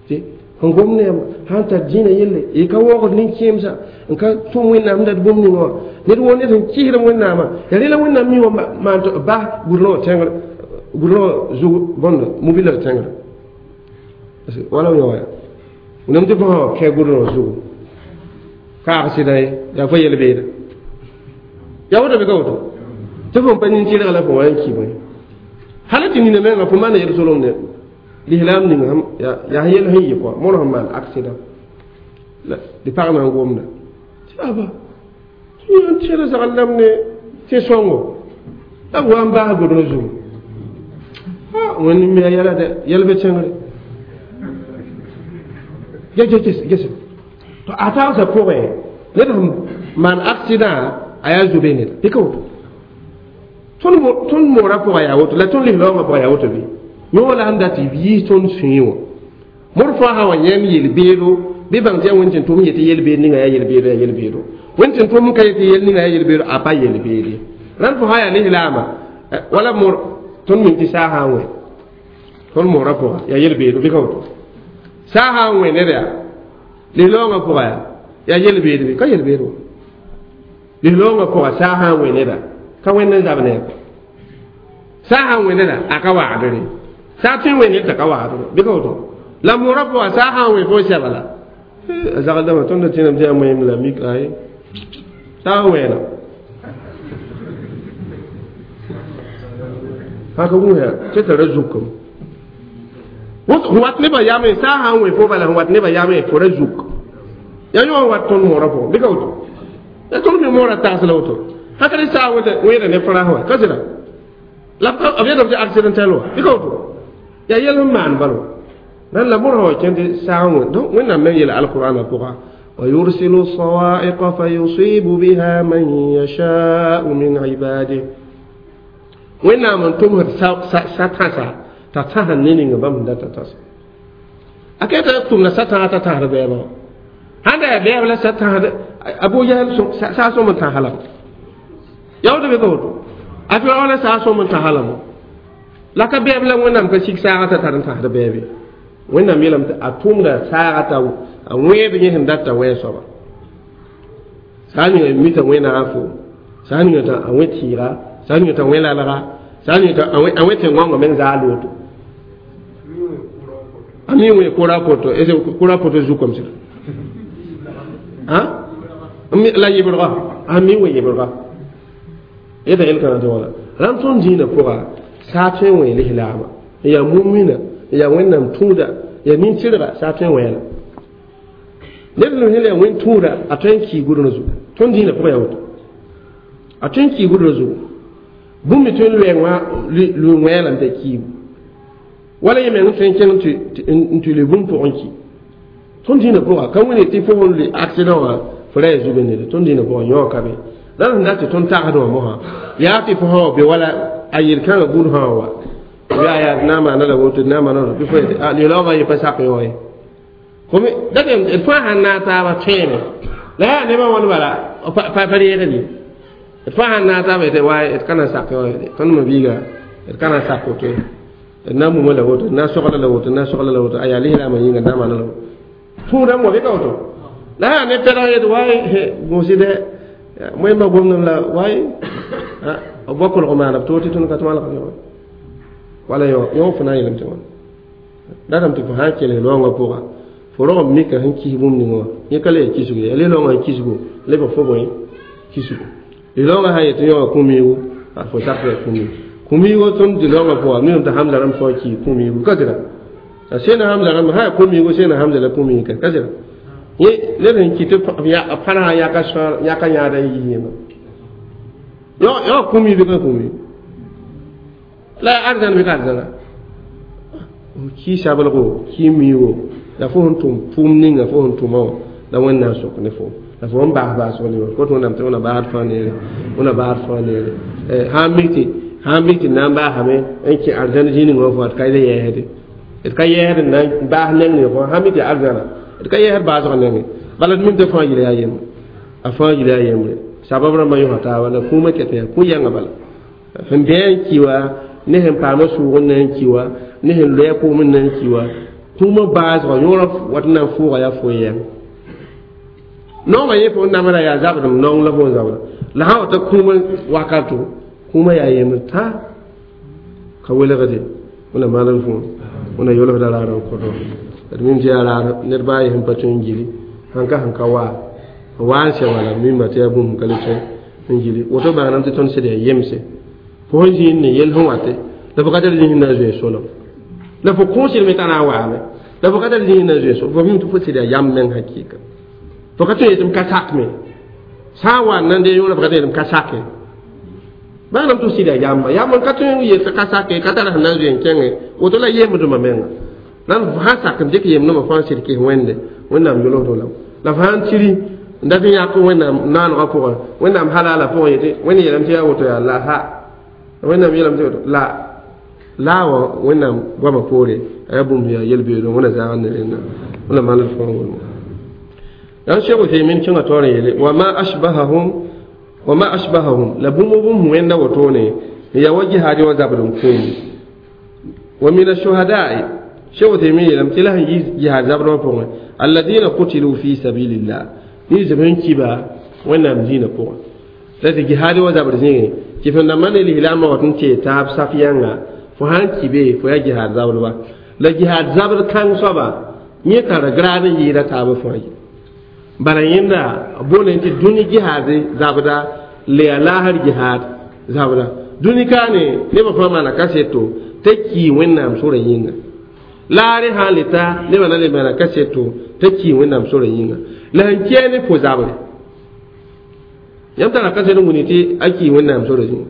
tɩ n gom ne yãmb sãn tar dĩinã yelle y ka waoogd nin-kẽemsã n ka tʋm wẽnnaam dat bũmb ninga wã ned woo ned sẽn kɩsdem wẽnnaamã yaa rẽ la wẽnnaam mi wã maan tɩ bas gʋdrã wã tẽngr gʋdrã wã zug bõnd mobila tẽngrã wala yõ wã wẽnnaam tɩ fo sã wa kẽ gʋdrã wã zugu kaag sɩda ye yaa fo yel-beeda yaa woto bɩ ka woto tɩ fo n pa nin-tɩrga la fo wa n ki bõe hala tɩ nina menga fo maana yel-solem ne lislaam ning yaa yel sẽn yɩ kɔa mõr sẽn maan accident tɩ pag na n gomda tɩ aba tɩ tẽeda zagl lam ne tɩ sõngo la b wa n baas godrã zugu wẽnd me ya yɛla dɛ yɛl be tẽngre ges to a tagsã pʋgẽ ned sẽn maan accident a yaa zobe neda bɩ ka woto tõnd moorã pʋgã yaa woto la tõnd lislaoongã pʋgã yaa woto bɩ yõ la sẽn dat tɩ yiis tõnd sũyẽ wã modg fãa sã wa yãmb yel-beedo bɩ bãng tɩ yaa wẽnd tɩ tʋm yetɩ yel-beed ninga yaa yel-beedo yaa yel-beedo wẽnd tɩ tʋm ka yetɩ yel ninga yaa yel-beedo a pa yel-beed ye rãnd fo sã yaa lislaama wala mor tõnd min tɩ saa sã n wẽ tõnd moorã pʋga yaa yel-beedo bɩ ka woto saa sã n wẽ ned yaa lislaoongã pʋga yaa yel-beed bɩ ka yel-beed wã lislaoongã pʋga saa sã n wẽ neda ka wẽnd n zab ne saa sã n wẽ neda a ka wagdre saa tõe n wẽ ned t'a ka wagdre bɩ ka woto la moorã pʋga saa sã n wẽ fo sɛba la a zagldãmã tõnd da tẽename tɩ yaa moeem la mik ay saa n wẽena haka wũsa tɩ tara zukem wat nebã yame saa sã n wẽ fo bala sẽn wat nebã yame fo ra zuk yaa yõ n wat tõnd moorã pʋgẽ bɩ ka woto la tõnd me moorã tags la woto haka rẽ saa wẽeda ne frãs wã ka sɩda la b yetame tɩ accidentel wã bɩ ka woto yaa yɛl sẽn maan bal wã nan la modg wã kẽnd tɩ saag wẽ donc wẽnnaam meng yeela alqurãnã pʋga ويرسل الصواعق فيصيب بها من يشاء من عباده wẽnnaam n tʋmsd sa-tãsa t'a tãsd ne ninga bãmb sẽn data tãsa a keta tʋmda sa-tãga t'a tãsd bɛɛbã wã sãn da yaa bɛɛb la sa-tãsd Abu Jahl saa sõm n tãs lame yaa woto bɩ ka woto a Firaun la saa sõm n tãs lame la ka bɛɛb la wẽnnaam ka sik saagã t'a tar n tãsd bɛɛbe wẽnnaam yeelame tɩ a tʋmda saagã t'a a wẽed yẽ sẽn data wẽe soaba saa ninga mita wẽnaafo saa ninga t'a a wẽ tɩɩga saa ninga t'a wẽ lalga saa ninga t'a a wẽ tẽn-gãongã meng zaa looto a mi wẽ kora poto ese kora poto zukam sɩda la yɩbrga a mi wẽ yɩbrga yeta yel-kãna tɩ wala rãmb tõnd dĩinã pʋga saa tõe n wẽ lislaama n yaa mumina n yaa wẽnnaam tũuda yaa nin-tɩrga saa tõe n wẽela ned sẽn yaa wẽn tũuda a tõe n kii gʋdr zugu tõnd dĩinã pʋgã yaa woto a tõe n kii gʋdr zugu bũmb me tõe n lʋɩ wẽelame t'a kiibu wala yẽ meng tõe n kẽng n tɩ lʋɩ bũmb pʋgẽ ki tõnd dĩinã pʋga ka wẽne tɩ fo sẽn lʋɩ accident wã fo ra yaa zug nede tõnd dĩinã pʋgã yõ ka be la sẽn dat tɩ tõnd tagsd wã mosã yaa tɩ fo sã wa be wala a yel-kãngã gũud sã wa yaa yaa na n maana la woto na n maana bɩ fo yetɩ lilaoogã yẽ pa sak yõ ye date d fãa sãn naag taaba tõeeme la yaa nebã wãn bala pa reegd ye d fãa sãn naag taaba yetɩ wa d ka na n sak yõ ye tõnd ma biiga d ka na n sak woto ye d na n muma la woto d na n sogla la woto d na n sogla la woto a yaa lislaamã yĩnga d na n maana la woto tũudame wa bɩ ka woto la yaa ne pɛdg yetɩ waay gũusi dɛ moẽmba gomdem la waay b bao kolg maana b toog tɩ tõnd ka tɩ malgd yõ wala yõ fo na n yeelame tɩ wãna datame tɩ fo sã n kelg loongã pʋga fo rog n mika sẽn kis bũmb ning wã yẽ ka le yaa kisgo ye lislaoongã sẽn kisgo lebg fo bõe kisgo lislaoongã sã n yetɩ yõwã kũ-miigu fo sak yaa kũ-miigu kũ-miigo tõnd lislaoongã pʋga mim tɩ hamza rãmb fao kii kũ-miigu ka sɩda a sẽna hamza rãmb sã yaa kũ-miigo sẽna hamza la kũ-miig ka sɩda yẽ ned sẽn kɩ tɩ pãrsa yãka yãada n yis yẽma yõ kũ-miig bɩ ka kũ-miig la arzãn bɩ ka arzãna kii sablgo kii miigo La fo sẽn tʋm pʋʋm ninga fo sẽn tʋma wã la Wẽnnaam sok ne fo la fo n baas baasg ne kot Wẽnnaam tɩ wẽna baasd fãa neere, wẽna baasd fãa neere. Sã n mik tɩ na n baasame n kẽ arzãn zĩig wã fo d ka yɛɛsde, d ka yɛɛsd n na n baas neng ne fo sã n mik tɩ arzãna d ka yɛɛsd baasg nengẽ. Bala d mim tɩ fãa yel yaa yembre, a fãa yel yaa yembre. Sabab rãmbã yõsa taaba la kũumã ket yaa kũ-yãngã bala sẽn bɩ n ki wa ne sẽn paama sʋʋg n na n ki wa ne sẽn loɛɛ kʋʋm n na n ki wa kũumã baasgã yõorã wat n na n fʋʋga yaa fo yɛng naongã yẽ fo namda yaa zabdem naong la fo n zabda la sã wa ta kũumã wakato kũumã yaa yembre tã ka welgde wẽna maand fo wẽna yolsda raar n kõto d mim tɩ yaa raar ned baa ye sẽn pa tõe n gili sãn ka sẽn ka waa waa n sɛ wala mimba tɩ yaa bũmb ka le tõe n gili woto bãanam tɩ tõnd sẽd yaa yemse fo sẽn zĩnd ne yel sẽn wate la fo ka tar zĩig na n zoe solem la fo kũusd me t'a na n waame la fo ka tar zĩig na n zoe solem fo mim tɩ fo sɩd yaa yam meng hakɩɩka fo ka tõe yetɩ m ka sak me sã n wa n nan dee yõora fo ka tõe yetɩ m ka sake bãanam tɩ f sɩd yaa yamba yam n ka tõe n yet ka sake ka tar sẽn na n zoe n kẽngẽ woto la yemdmã menga la f sã sak n dɩk yemdmã fãa sɩd kɩs wẽnde Wẽnnaam yolsdo la la f sã n tiri n dat n yãk Wẽnnaam naanegã pʋgẽ Wẽnnaam halaalã pʋgẽ yetɩ Wẽnd yeelame tɩ yaa woto yaa la ha Wẽnnaam yeelame tɩ woto la la wã Wẽnnaam goamã poore a yaa bũmb yaa yel-beoodẽ Wẽnna zãag ne rẽnda wẽnna maand fãa wʋlma dan Cheikh Uthaymin kẽngã taoor n yeele wama ashbahahum la bũmb bũmb wẽnda wotone n yaa wa jihaad wã zabd n kũum wa min ashuhada'i Cheikh Uthaymin yeelame tɩ la sẽn yi jihaad zabd wã pʋgẽ alladina qutilu fi sabilillah ni zeb sẽn kiba Wẽnnaam diinã pʋgẽ la tɩ jihaad wã zabd zĩigẽ tɩ fo nambã ne lislaambã wat n tee taab saf yãnga fo sãn ki be fo yaa jihaad zabdba la jihaad zabd kãng soaba yẽ tara graad n yɩɩda taabã fãa ye bala yẽnda boole tɩ dũni jihaad zabda la yaa laasr jihaad zabda dũni kaane nebã fãa maana kaseto t'a kii Wẽnnaam sorã yĩnga laare sã n le ta nebã na le maana kaseto t'a kii Wẽnnaam sorã yĩnga la sẽn kɛɛ ne fo zabre yãmb tara kaset n wuni tɩ a kii Wẽnnaam sorã yĩnga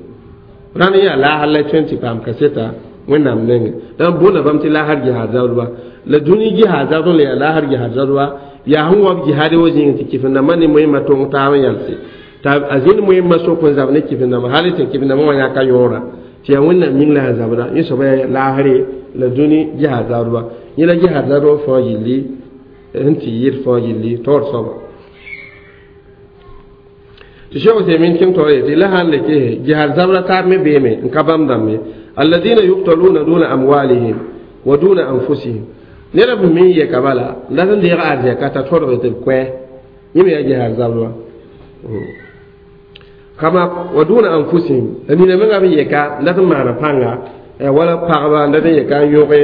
rãnd yaa laasr la tõe n tɩ paam kaseta Wẽnnaam nengẽ la n boonda bãmb tɩ laasr jihaad zabdba la dũni jihaad zabd n la yaa laasr jihaad zabdba yaa sẽn wa b jihaad wa zĩig tɩ kɩf-n-dãmbã ne moẽmã tong taab n yalse t'a a zĩnd moẽmã sok n zab ne kɩf-n-dãmbã hal tɩ kɩf-n-dãmbã wã yãka yõora tɩ yaa Wẽnnaam yĩng la sẽn zabda yẽ soaba yaa laasre la dũni jihaad zabdba yẽ la jihaad zabdba fãa yilli sẽn tɩ yɩɩd fãa yilli taoor soaba tɩ Cheikh Uthaymin kẽng taoor yetɩ la sãn le kese jihaad zabda taab me beeme n ka bãmb dãmbe alladina yuqtaluna duna amwalihim wa duna anfusihim ned b me n yɛka bala n dat n deeg arzɛka t'a tõdg tɩ b koɛ yẽ me yaa jihaad zabdba kama wa duna anfusihim la nina menga b yɛka n dat n maana pãnga wala pagba n dat n yɛka n yõge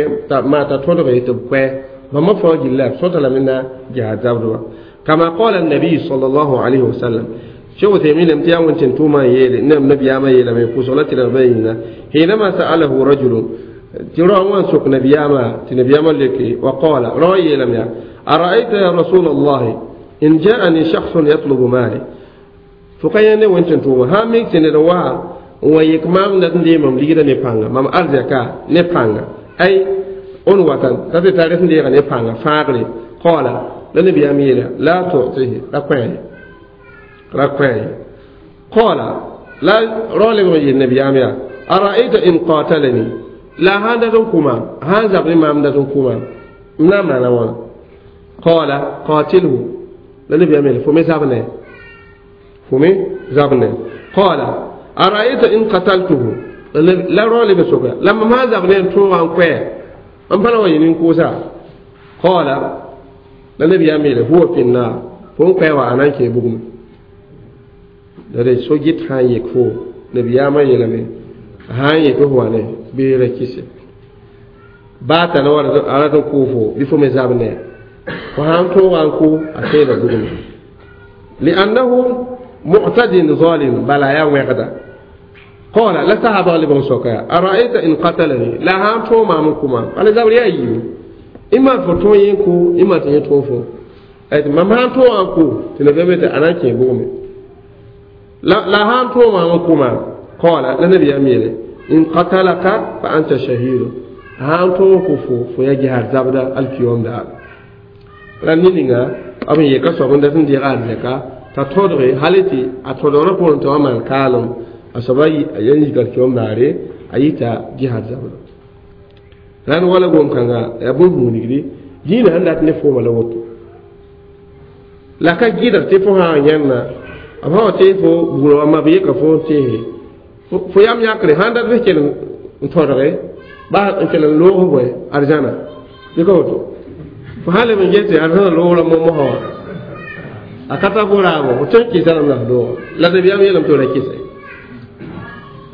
maa t'a tõdg tɩ b koɛ bãmba fãa gilla b sõta lame na jihaad zabdba kama qala annabiy sallallahu alayhi wa sallam Cheikh Uthaymin lam tiya wẽn tɩ tʋʋmã n yeele nem nabiyaamã yeelame pʋsg la tɩ rãmbã yĩnga hinama sa'alahu rajulun tɩ rao wã n sok nabiyaamã tɩ nabiyaamã leke wa qala rao yeelame yaa ara'ayta ya rasul allahi in ja'ani shakhsun yatlubu mali fo ka yã ne wẽn tɩ tʋʋma sã n mik tɩ ned wa n wa yek maam dat n dee mam ligdã ne pãnga mam arzɛka ne pãnga ay on watan t'a tɩ tar sẽn deega ne pãnga fãagre qala la nabiyaam yeela la tu'tihi ra koɛɛ ra koɛɛ qala la rao lebg n yeel nabiyaam yaa ara'ayta in qatalani la sãn dat n kʋ maam sãn zab ne maam dat n kʋ maam m na n maana wãna qala qatilhu la nabiyaam yeela fo me zab ne fo me zab ne qala ara'ayta in qataltuhu la rao leb n soka la mam sãn zab ne n tõoga n koɛɛ n pa na wa yɩ nin-kʋʋsa qala la nabiyaam yeela huwa fi nnar fo n koɛɛ wa a na n kẽe bugmẽ la d so-gɩt sã n yek fo nabiyaamã yeelame sã n yet f wa ne bɩ ra kɩse baa t'a na wa a rat n kʋʋ fo bɩ fo me zab ne fo sã n tõoga n kʋ a teeda bugmẽ liannahu mu'tadin zalim bala yaa wẽgda qala la sahaba lebg n soka yaa ara'ayta in qatalani la sã n tõog maam n kʋ maam bala zabr yaa yiibu ima fo tõog yẽ kʋ ima tɩ yẽ tõog fo mam sã n tõoga n kʋ tɩ nabiyaam tɩ a na n kẽ bugmẽ la sã n tõog maam n kʋ maam qala la nabiyaam yeele in qatalaka fa anta shahidu sã n tõog kʋ fo fo yaa jihaad zabda alkiyom daar La ne-ninga b n yeka soab n dat n deeg arzɛka t'a tõdge hal tɩ a tõdgrã poorẽ tɩ wa maan kaalem a soaba a yik alkiyom daare a yita jihad zabrã rãnd wala gom-kãnga yaa bũmb-hũunigdi dĩinã sẽn dat ne fooma la woto la ka gɩdg tɩ fo sã n yãnna b sã wa tees fo bugrã wa ma b yeka fo n teese fo yam yãkre sãn dat bɩ kell n tõdge ba n kell n loog bõe arzãna bɩ ka woto fo sã leb n ges tɩ arzãna loogrã momosã wã a ka tar fo raabo fo tõe n kɩsa rãmb la f looga la nabiyaam yeelame tɩ f ra kɩse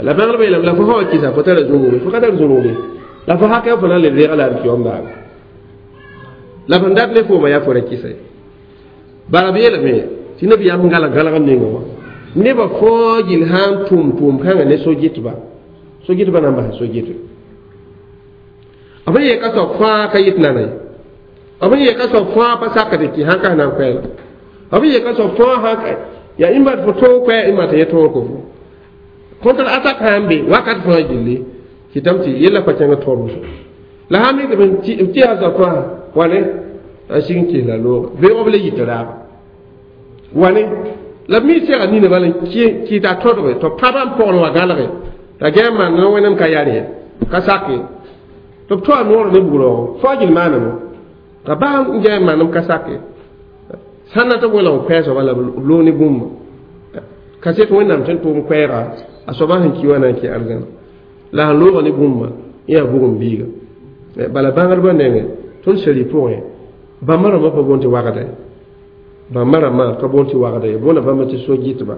la bãngdbã yeelame la fo sã wa kɩsa fo tara zũnuge fo ka tar zũnugde la fo hakɛ fo na n le reega la alkiyom baaga la fõn dat ne fooma yaa fo ra kɩsa bala b yeelame tɩ nabiyaam gãlag gãlgem ninga wã nebã fãa gill sã n tʋm tʋʋm-kãngã ne so-gɩtba so-gɩtbã na n basa so-gɩtb b sẽn yeka soab fãa ka yɩt nana ye b sẽn yeka soab fãa pa sakd tɩ sãn ka na n koɛɛla b sẽn yeka soab fãa sãn yaa ĩmba fo tõog koɛɛ ĩmba tɩ yẽ tõog ko fo kõntr atak sã n be wakat fãa gilli kɩtame tɩ yella pa kẽng tõr wʋsgo la sã mikdb n tɩ soab fãa wane a sig n kɩs la looga beoog b le yit raaba wane la b mi sɛga nina bala n kɩta tõdge tɩ b pãba n pogl wa gãlge t'a gã n maan wẽnnaam ka yar ye ka sak ye tɩ b toa noor ne bugroogo fao gill maaname t'a baa n gã n manem ka sak ye sãn na tɩ b welg n koɛɛ soaba la b loog ne bũmba ka set wẽnnaam sẽn tʋʋm koɛɛga a soaba sẽn ki wa na n kẽ arzãna la sẽn loogã ne bũmba yã yaa bugum biiga bala bãngdbã nengẽ tõnd seri pʋgẽ bãmba rãmbã pa boond tɩ wagda ye bãmba rãmbã ka boond tɩ wagda ye boonda bãmba tɩ so-gɩtba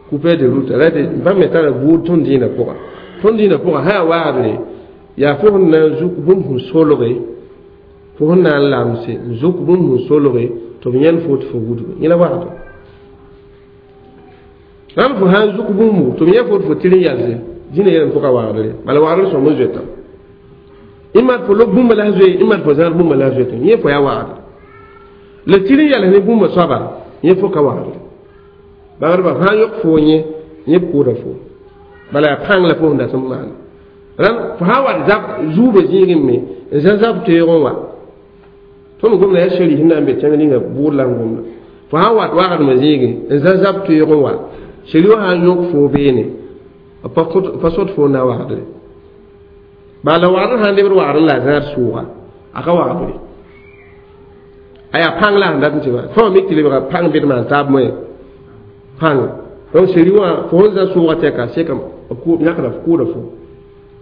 coupe de route la tɩ bãmb me tara buud tõnd dĩinã pʋga tõnd dĩinã pʋga sã yaa wagdre yaa fo sẽn na n zuk bũmb sẽn solge fo sẽn na n lamse n zuk bũmb sẽn solge tɩ b yãnd fo tɩ fo wudga yẽ la wagdr rãmb fo sã n zuk bũmbu tɩ b yã fo tɩ fo tɩr n yalse dĩnã yeelame fo ka wagdre bala wagdr sõm n zoetame ĩma fo lob bũmba la zoe ĩma fo zãad bũmba la zoetame yẽ fo yaa wagdr la tɩr n yals ne bũmba soaba yẽ fo ka wagdre bãngdbã sã n yõk fo yẽ yẽ b kʋʋda fo bala yaa pãng la fo sẽn dat n maana rãnd fo sã n wat zab zuubã zĩigẽ me n zã zab teoogẽ wa tõnd gomda yaa seri sẽn na n be tẽng ninga bʋʋd la n gomda fo sã n wat wagdmã zĩigẽ n zã zab teoogẽ wa seri wã sã n yõk fo beene pa sot fo n na wagdre bala wagdr sã n lebd wagdr la a zãad sʋʋga a ka wagdre a yaa pãng la sẽn dat n tɩ ba fãa mik tɩ lebga pãng bɩd maan taab moẽ pãng donc seri wã fo sẽn zã sʋʋga tɛka sekam yãkda f kʋʋda fo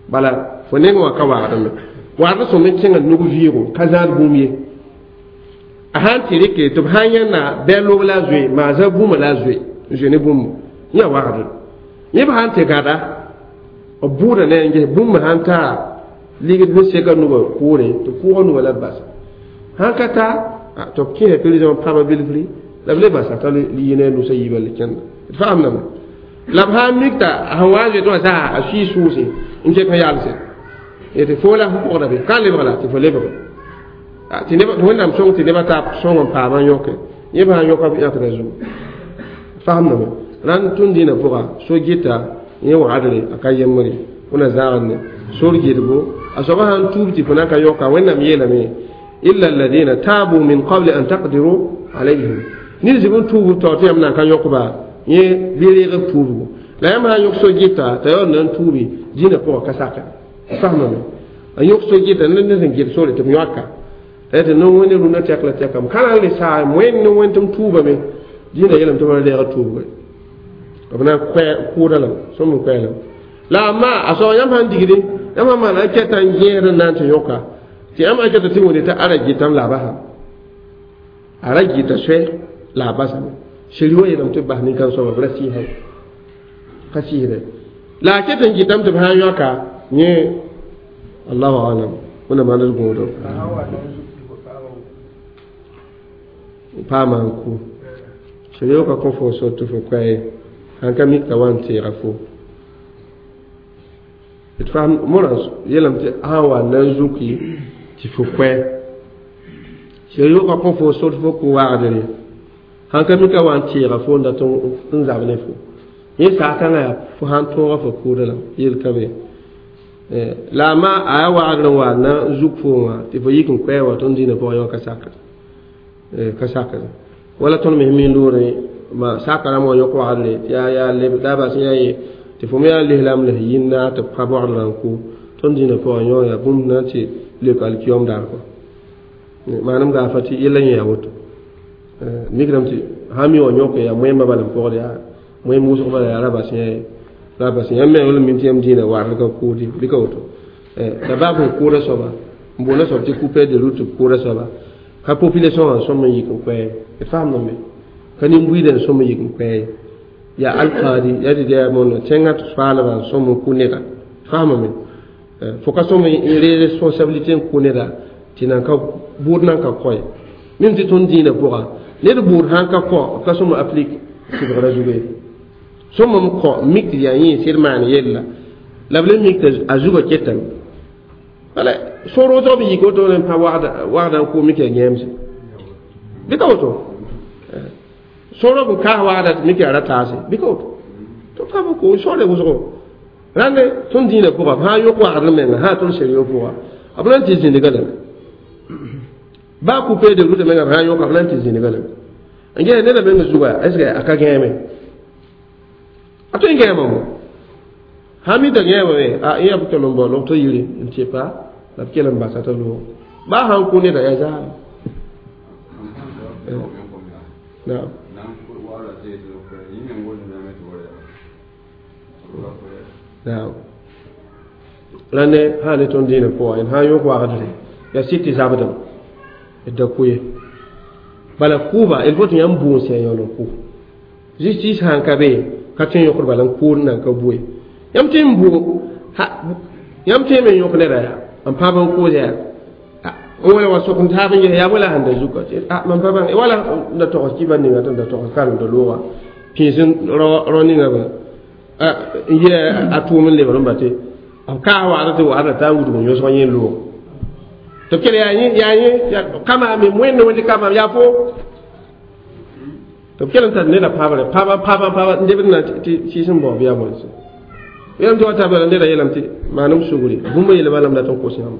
bala fo neng wã ka wagdme wagdr sõm n kẽnga nug vɩɩgo ka zãad bũmb ye a sãn tɩ rɩke tɩ b sã n yãnna bɩ a loog la a zoe maa zã bũmã la a zoe n zoe ne bũmb yã wagdr yẽ b sã n tɩ gada b bʋʋda ne n ges bũmb sãn taa ligd sẽn seka nugã kʋʋre tɩ kʋʋga nugã la b basa sãn ka ta tɩ b kẽesa prison pãba bilfri la b le basa t'a yi ne a nusa yiibã le kẽnda d faamdame la b sã n mik t'a sẽn wa n zoet wã saa a sʋɩ sʋʋse n ket n yalse tɩ fo la fo pʋgda be ka lebg la tɩ fo lebge tɩ wẽnnaam sõng tɩ nebã taa sõng n paamã yõke yẽ b sã n yõka b yãkda zugu faamdame rãnd tõnd dĩinã pʋga so-gɩta yẽ wagdre a ka yembre fo na zãagd ne sor gɩdgo a soaba sã n tuub tɩ fo na n ka yõka wẽnnaam yeelame illa alladina tabu min qabli an taqdiru alayhim ned zib n tuub tao tɩ yãmb na n ka yõkba yẽ bɩ reeg b tuubgo la yãmb sã n yõk so-gɩta t'a yaool na n tuubi dĩinã pʋgã ka sake faamame a yõk so-gɩta ned sẽn gɩd sore tɩ b yõaka tɩ no wẽnd rũnã tɛk la tɛkame ka na n le saa wẽnd ne wẽnd tɩ m tuubame dĩinã yeelame tɩ b ra reeg tuubgo b na n kʋʋda lame sõm n koɛɛlame la amma a soab yãmb sãn digde yãmb sãn maan a kɛta n gẽesd n na n tɩ yõka tɩ yãmb a kɛta tɩ wẽnde t'a ara gɩtame la a basame a ra gɩta soɛ la a basame seri wã yeelame tɩ b bas nin-kãng soaba b ra sɩɩsame ka sɩɩsdɛ la a ket n gɩtame tɩ b sã n yõka yẽ allahu alam wẽnna maand d gũudum paama n ku seri ka kõ fo sor tɩ fo koɛɛ sãn ka mik t'a wa n teega fo d faam morã yeelame tɩ sã n wa na n zuki tɩ fo koɛ seri ka kõ fo sor tɩ fo kʋ wagdre sãn ka mik a wa n teega fo n dat n zab ne fo yẽ saakãngã yaa fo sãn tõoga fo kʋʋda la yel ka be la a ma a yaa wagdr n wa na n zuk fo wã tɩ fo yik n koɛɛ wã tõnd dĩinã pʋgã yõ ka sakr Ka sakre wala tõnd me min loore ma sakra mo yõk wagdre yaa yaa leb la bas yã ye tɩ fo me yaa lislaam la yĩnda tɩ b pa bɔgdrã n kʋ tõnd dĩinã pʋgã yõ yaa bũmb na n tɩ leok alkiyom daar kɔ manem gaafa tɩ yella yẽ yaa woto mikrame tɩ sã mi wã yõke yaa moẽmbã bala n pʋgd yaa moẽmb wʋsg bala yaa ra bas yã ye ra bas yãmb me wala min tɩ yãmb dĩinã wagd ka kʋʋd ye bɩ ka woto la baa fõn kʋʋda soaba n boonda soab tɩ coupe de route kʋʋda soaba ka population wã sõm n yik n koɛɛ d faamdame ka nin-buiidã n sõm n yik n koɛɛ yaa alkaadi yaa tɩ yaa mondo tẽngã tɩ soaalbã n sõm n kʋ neda faamame fo ka sõm n re responsabilité n kʋ neda tɩ nan ka bʋʋd nan ka kɔ ye mim tɩ tõnd dĩinã pʋga ned bʋʋd sãn ka kɔ b ka sõm n applique sɩbgrã zugu ye sõm n kɔ mik tɩ yaa yẽ sɩd maan yella la b le mik tɩ a zugã ketame wala soro b yik woto n pa wagda n kʋ mik yaa gẽemse bɩ ka woto soro b kaas wagda tɩ mik yaa ra taase bɩ ka woto tɩ pa b kʋ sore wʋsgo rãnde tõnd dĩinã pʋga b sã n yõk wagd menga sã tõnd serio pʋga b na n tɩ zĩndga lame baa coupe de route menga b sã n yõka b na n tɩ zĩndga lame n ges neda menga zuga est ce que a ka gẽeme a tõe n gẽema mo sã mi t'a gẽemame a yã b tol n bao log t'a yiri n tɩ pa la b kell n basa t'a loog baa sãn kʋ neda yaa zaame naam naam la ne sã ne tõnd dĩinã pʋga d sã n yõk wagdre yaa sɩd tɩ zabdame d da kʋ ye bala kʋʋba il faut tɩ yãmb buun sã yaool n kʋ justice sãn ka be ka tõe n yõkd bala n kʋʋd nan ka bue yãmb tɩ n bu yãmb tɩ me yõk neda yaa n pãb n kʋʋs yaa n wala wa sok n taab n ges yaa wala sẽn da zuka mam pa bãng wala n da togs kiba ninga tɩ n da togs karem da looga pĩis rao ninga ba n yɩ a tʋʋm n lebr n ba tɩ b kaas wagd tɩ wagda t'a n wudg n yõsg yẽ loog tɩ b kell yaa yẽ kamaame wẽnd wẽnd kamaam yaa fo tɩ b kell n tar neda pãbre pãba pãba pãba n lebd na tɩ sɩɩs n bao bɩ yaa bõe yãmb tɩ wa tabla neda yeelame tɩ maanem sugri bũmb yeele balame dat n kos yãmb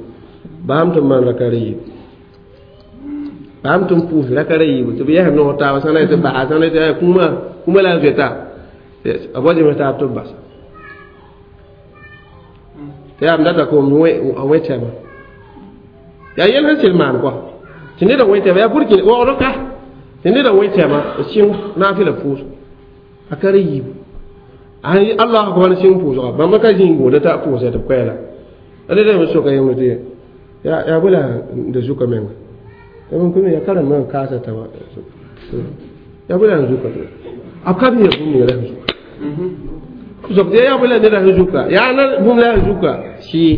baam tɩ n maan raka yiib baam tɩ n pʋʋs raka yiibu tɩ b yɛs noog taaba sã na tɩ baa sã na tɩ kũumã kũumã la n zoeta b wa zems taab tɩ b basa tɩ yaa m data kom a wẽ tɛma yaa yɛl sẽn sɩd maan kɔa tɩ neda wẽ tɛma yaa burkin waoogd ka tɩ neda wẽ tɛma b sɩng naafɩla pʋʋs a ka ra yiibu allah akbar sɩng pʋʋsga bãmba ka zĩig gũuda t'a pʋʋsa tɩ b koɛɛla a neda me soka yẽmd tɩ yaa bõe la da zuka menga m yaa karem n kaasa t'a yaa bõe la n zuka b ka b yẽ bũmb ninga la sẽn zuka b soka yaa bõe la neda sẽn zuka yaa na bũmb la sẽn zuka sɩɩ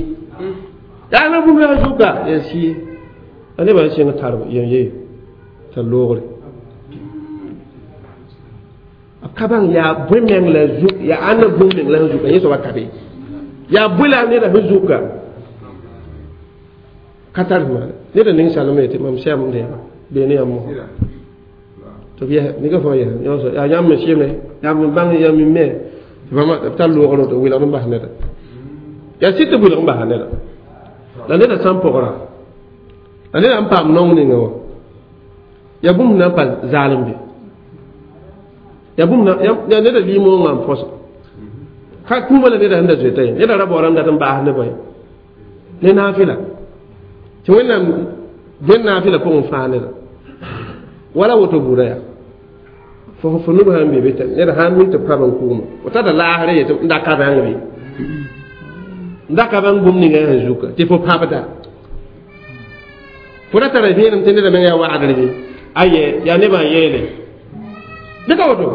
yaa na bũmb la sẽn zuka yaa sɩɩ a nebã n sɩng tar yem ye t'a loogre b ka bãng yaa bõe meng la zuk yaa ãnna bũmb meng la sẽn zuka yẽ soaba ka be yaa bõe la neda sẽn zuka ka tar maana neda ning salem yetɩ mam sɛm deema beene yãmb mosã tɩ b yɛs nika fãa yɛs yõ yaa yãmb me sɩme yãmb n bãng yãmb me tɩ b tar loogr tɩ wɩlgd n bas neda yaa sɩd tɩ wɩlg n basa neda la neda sã n pʋgra la neda n paam naong ninga wã yaa bũmb na n pa zaalem be yaa bũmb yaa neda limoongã n põsa ka kũumã la neda sẽn da zoeta ye neda ra baoorame dat n baas nebã ye ne naafɩla tɩ wẽnnaam dẽn naafɩla pʋgẽ fãa neda wala woto buuda yaa fo nub sãn be be tɩ ned sãn mi tɩ pãb n kʋʋma fo tata laasrã yetɩ n da ka bãng be n da ka bãng bũmb ninga sẽn zuka tɩ fo pãbda fo ra tara vẽenem tɩ neda meng yaa wagdr be aye yaa nebã n yeele bɩ ka woto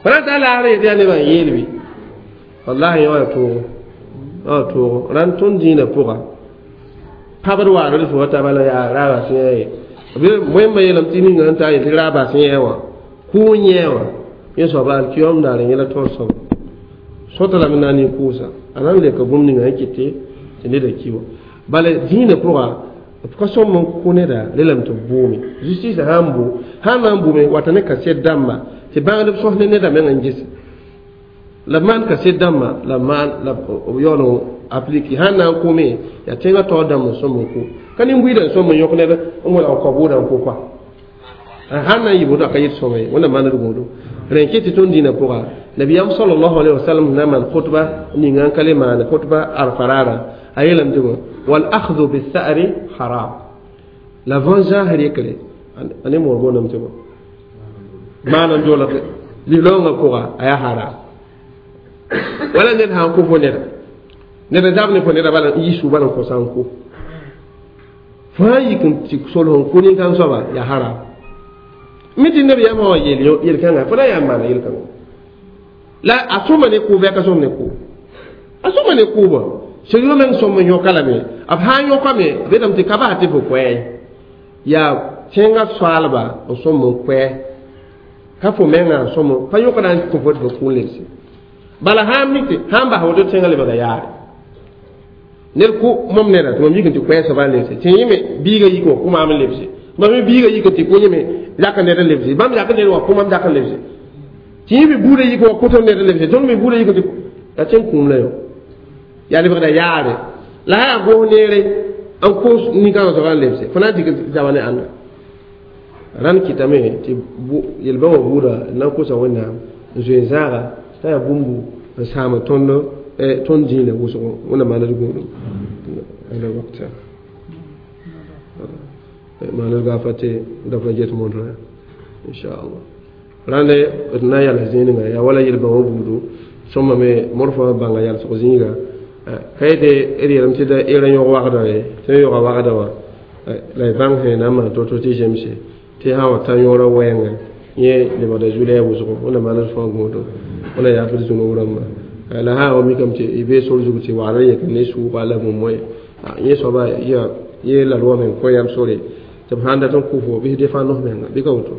fo ra tar laasrã yetɩ yaa nebã n yeel be wallahi yã wa toogo wa toogo rãnd tõnd dĩinã pʋga pãbd waagd fo wa taba la yaa raaba sẽn yaa ye wẽmba yeelame tɩ ninga sẽn taa yetɩ raaba sẽn yaa wã kʋʋ yẽ wã yẽ soaba alkiyom daar yẽla taoor soaba sõta lame na n nin-kʋʋsa a na n leka bũmb ninga sẽn kɩt tɩ neda ki wã bala dĩinã pʋga b ka sõm n kʋ neda lelame tɩ b bʋʋme justice sã n bʋ sã n na n bʋme wata ne kaset dãmba tɩ bãngdb sõs ne neda meng n ges la b maan kaset dãmba la b maan la b yaool n aplike sãn na n kʋme yaa tẽngã taoor dãmb n sõm n kʋ ka nin-buiidã n sõm n yõk ned n welg n kɔ bʋʋdã n kʋ kɔa Sãn na n yɩ woto a ka yet sõma ye wẽnnaam maand d gũudum rẽ n ket tɩ tõnd dĩinã pʋga nabiyam sallallahu alaihi wasallam na maan khutba ninga n ka le maane khutba arfa raara a yeelame tɩ wal akhdhu bisa'ri haram la vengeance rekre a ne moor booname tɩ bõ maan n dolg lilaoongã pʋga a yaa haram wala ned sã n kʋ fo neda ned n zab ne fo neda bala n yi suu bala n kõsa n kʋ fo sã n yik n tɩ sol sẽn kʋ nin-kãng soaba yaa haram mi tɩ nabiyaamã wã yeel yel-kãngã fo na yaa n maana yel-kãngã la a sõma ne kʋʋb yaa ka sõm ne kʋʋb a sõma ne kʋʋbã sẽn meng sõm n yõka lame b sã n yõkame b yeelame tɩ ka bas tɩ fo koɛɛ yaa tẽngã soaalba n sõm n koɛɛ ka fo mengã n sõm pa yõkda n kõ fo tɩ fo kũun lebse bala sã n mik tɩ sã n bas woto tẽngã lebga yaare ned kʋ mom neda tɩ mam yik n tɩ koɛɛ soaba n lebse tɩ yẽme biigã yik wã kʋ maam n lebse mam me biigã yik tɩ kʋ yẽme zak ned n lebse bãmb zak ned wã kʋ mam zak n lebse tɩ yẽ me buudã yik wã kʋ tõnd ned n lebse tõnd me buudã yik tɩ la tẽn kũum la yo yaa lebgda yaare la sã yaa goos neere n kos nin-kãngã soaba n lebse fo na n dɩk zaba ne ãnda rãnd kɩtame tɩ yel-bã wã buuda n na n kosa wẽnnaam n zoe n zãaga t'a yaa bũmbu n sãam tõnd tõnd dĩinã wʋsgo wẽnnaam maand d gũudum ala wakta maand gafa tɩ daf la get montrã inchallah rãnd d na n yals zĩigã yaa wala yel-bã wã buudu sõma me morfã bãnga yalsg zĩiga ka yetɩ d yeelame tɩ d ra yõg wagda ye tɩ n yõga wagda wã la y bãng sẽn na n maan to-to tɩ zemse tɩ sã wa ta yõorã wɛɛngã yẽ lebgda zu-lɛɛg wʋsgo wẽnnaam maand d fãa gũudum wẽnna yaaf d zũnub rãmba la sã wa mikame tɩ y bee sor zug tɩ wagrã yẽk ne sʋʋga la bũmb ye yẽ soaba yaa yẽ la roa meng kõ yam sore tɩ b sãn dat n kʋ fo bɩ defa nos menga bɩ ka woto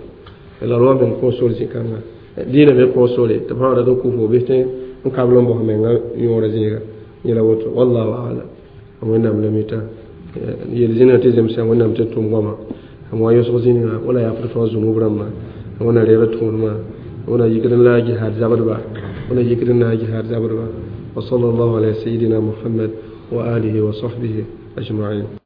la roa meng kõ sore zĩ-kãnga dĩinã me kõ sore tɩ b sã wa dat n kʋ fo bɩ tẽ n kabl n bos menga yõorã zĩiga yẽla woto wallahu alam wẽnnaam la mita yel zĩnigã tɩ zemsa wẽnnaam tɩ tʋm goama n wa yõsg zĩnigã wala yaafd fãa zũnub rãmba wẽnna reeg tõodmã wẽnna yikd n la a jihaad zabdba wẽnna yikd n na a jihaad zabdba wa sallallahu ala sayidina muhammad wa alihi wa sahbihi ajma'in.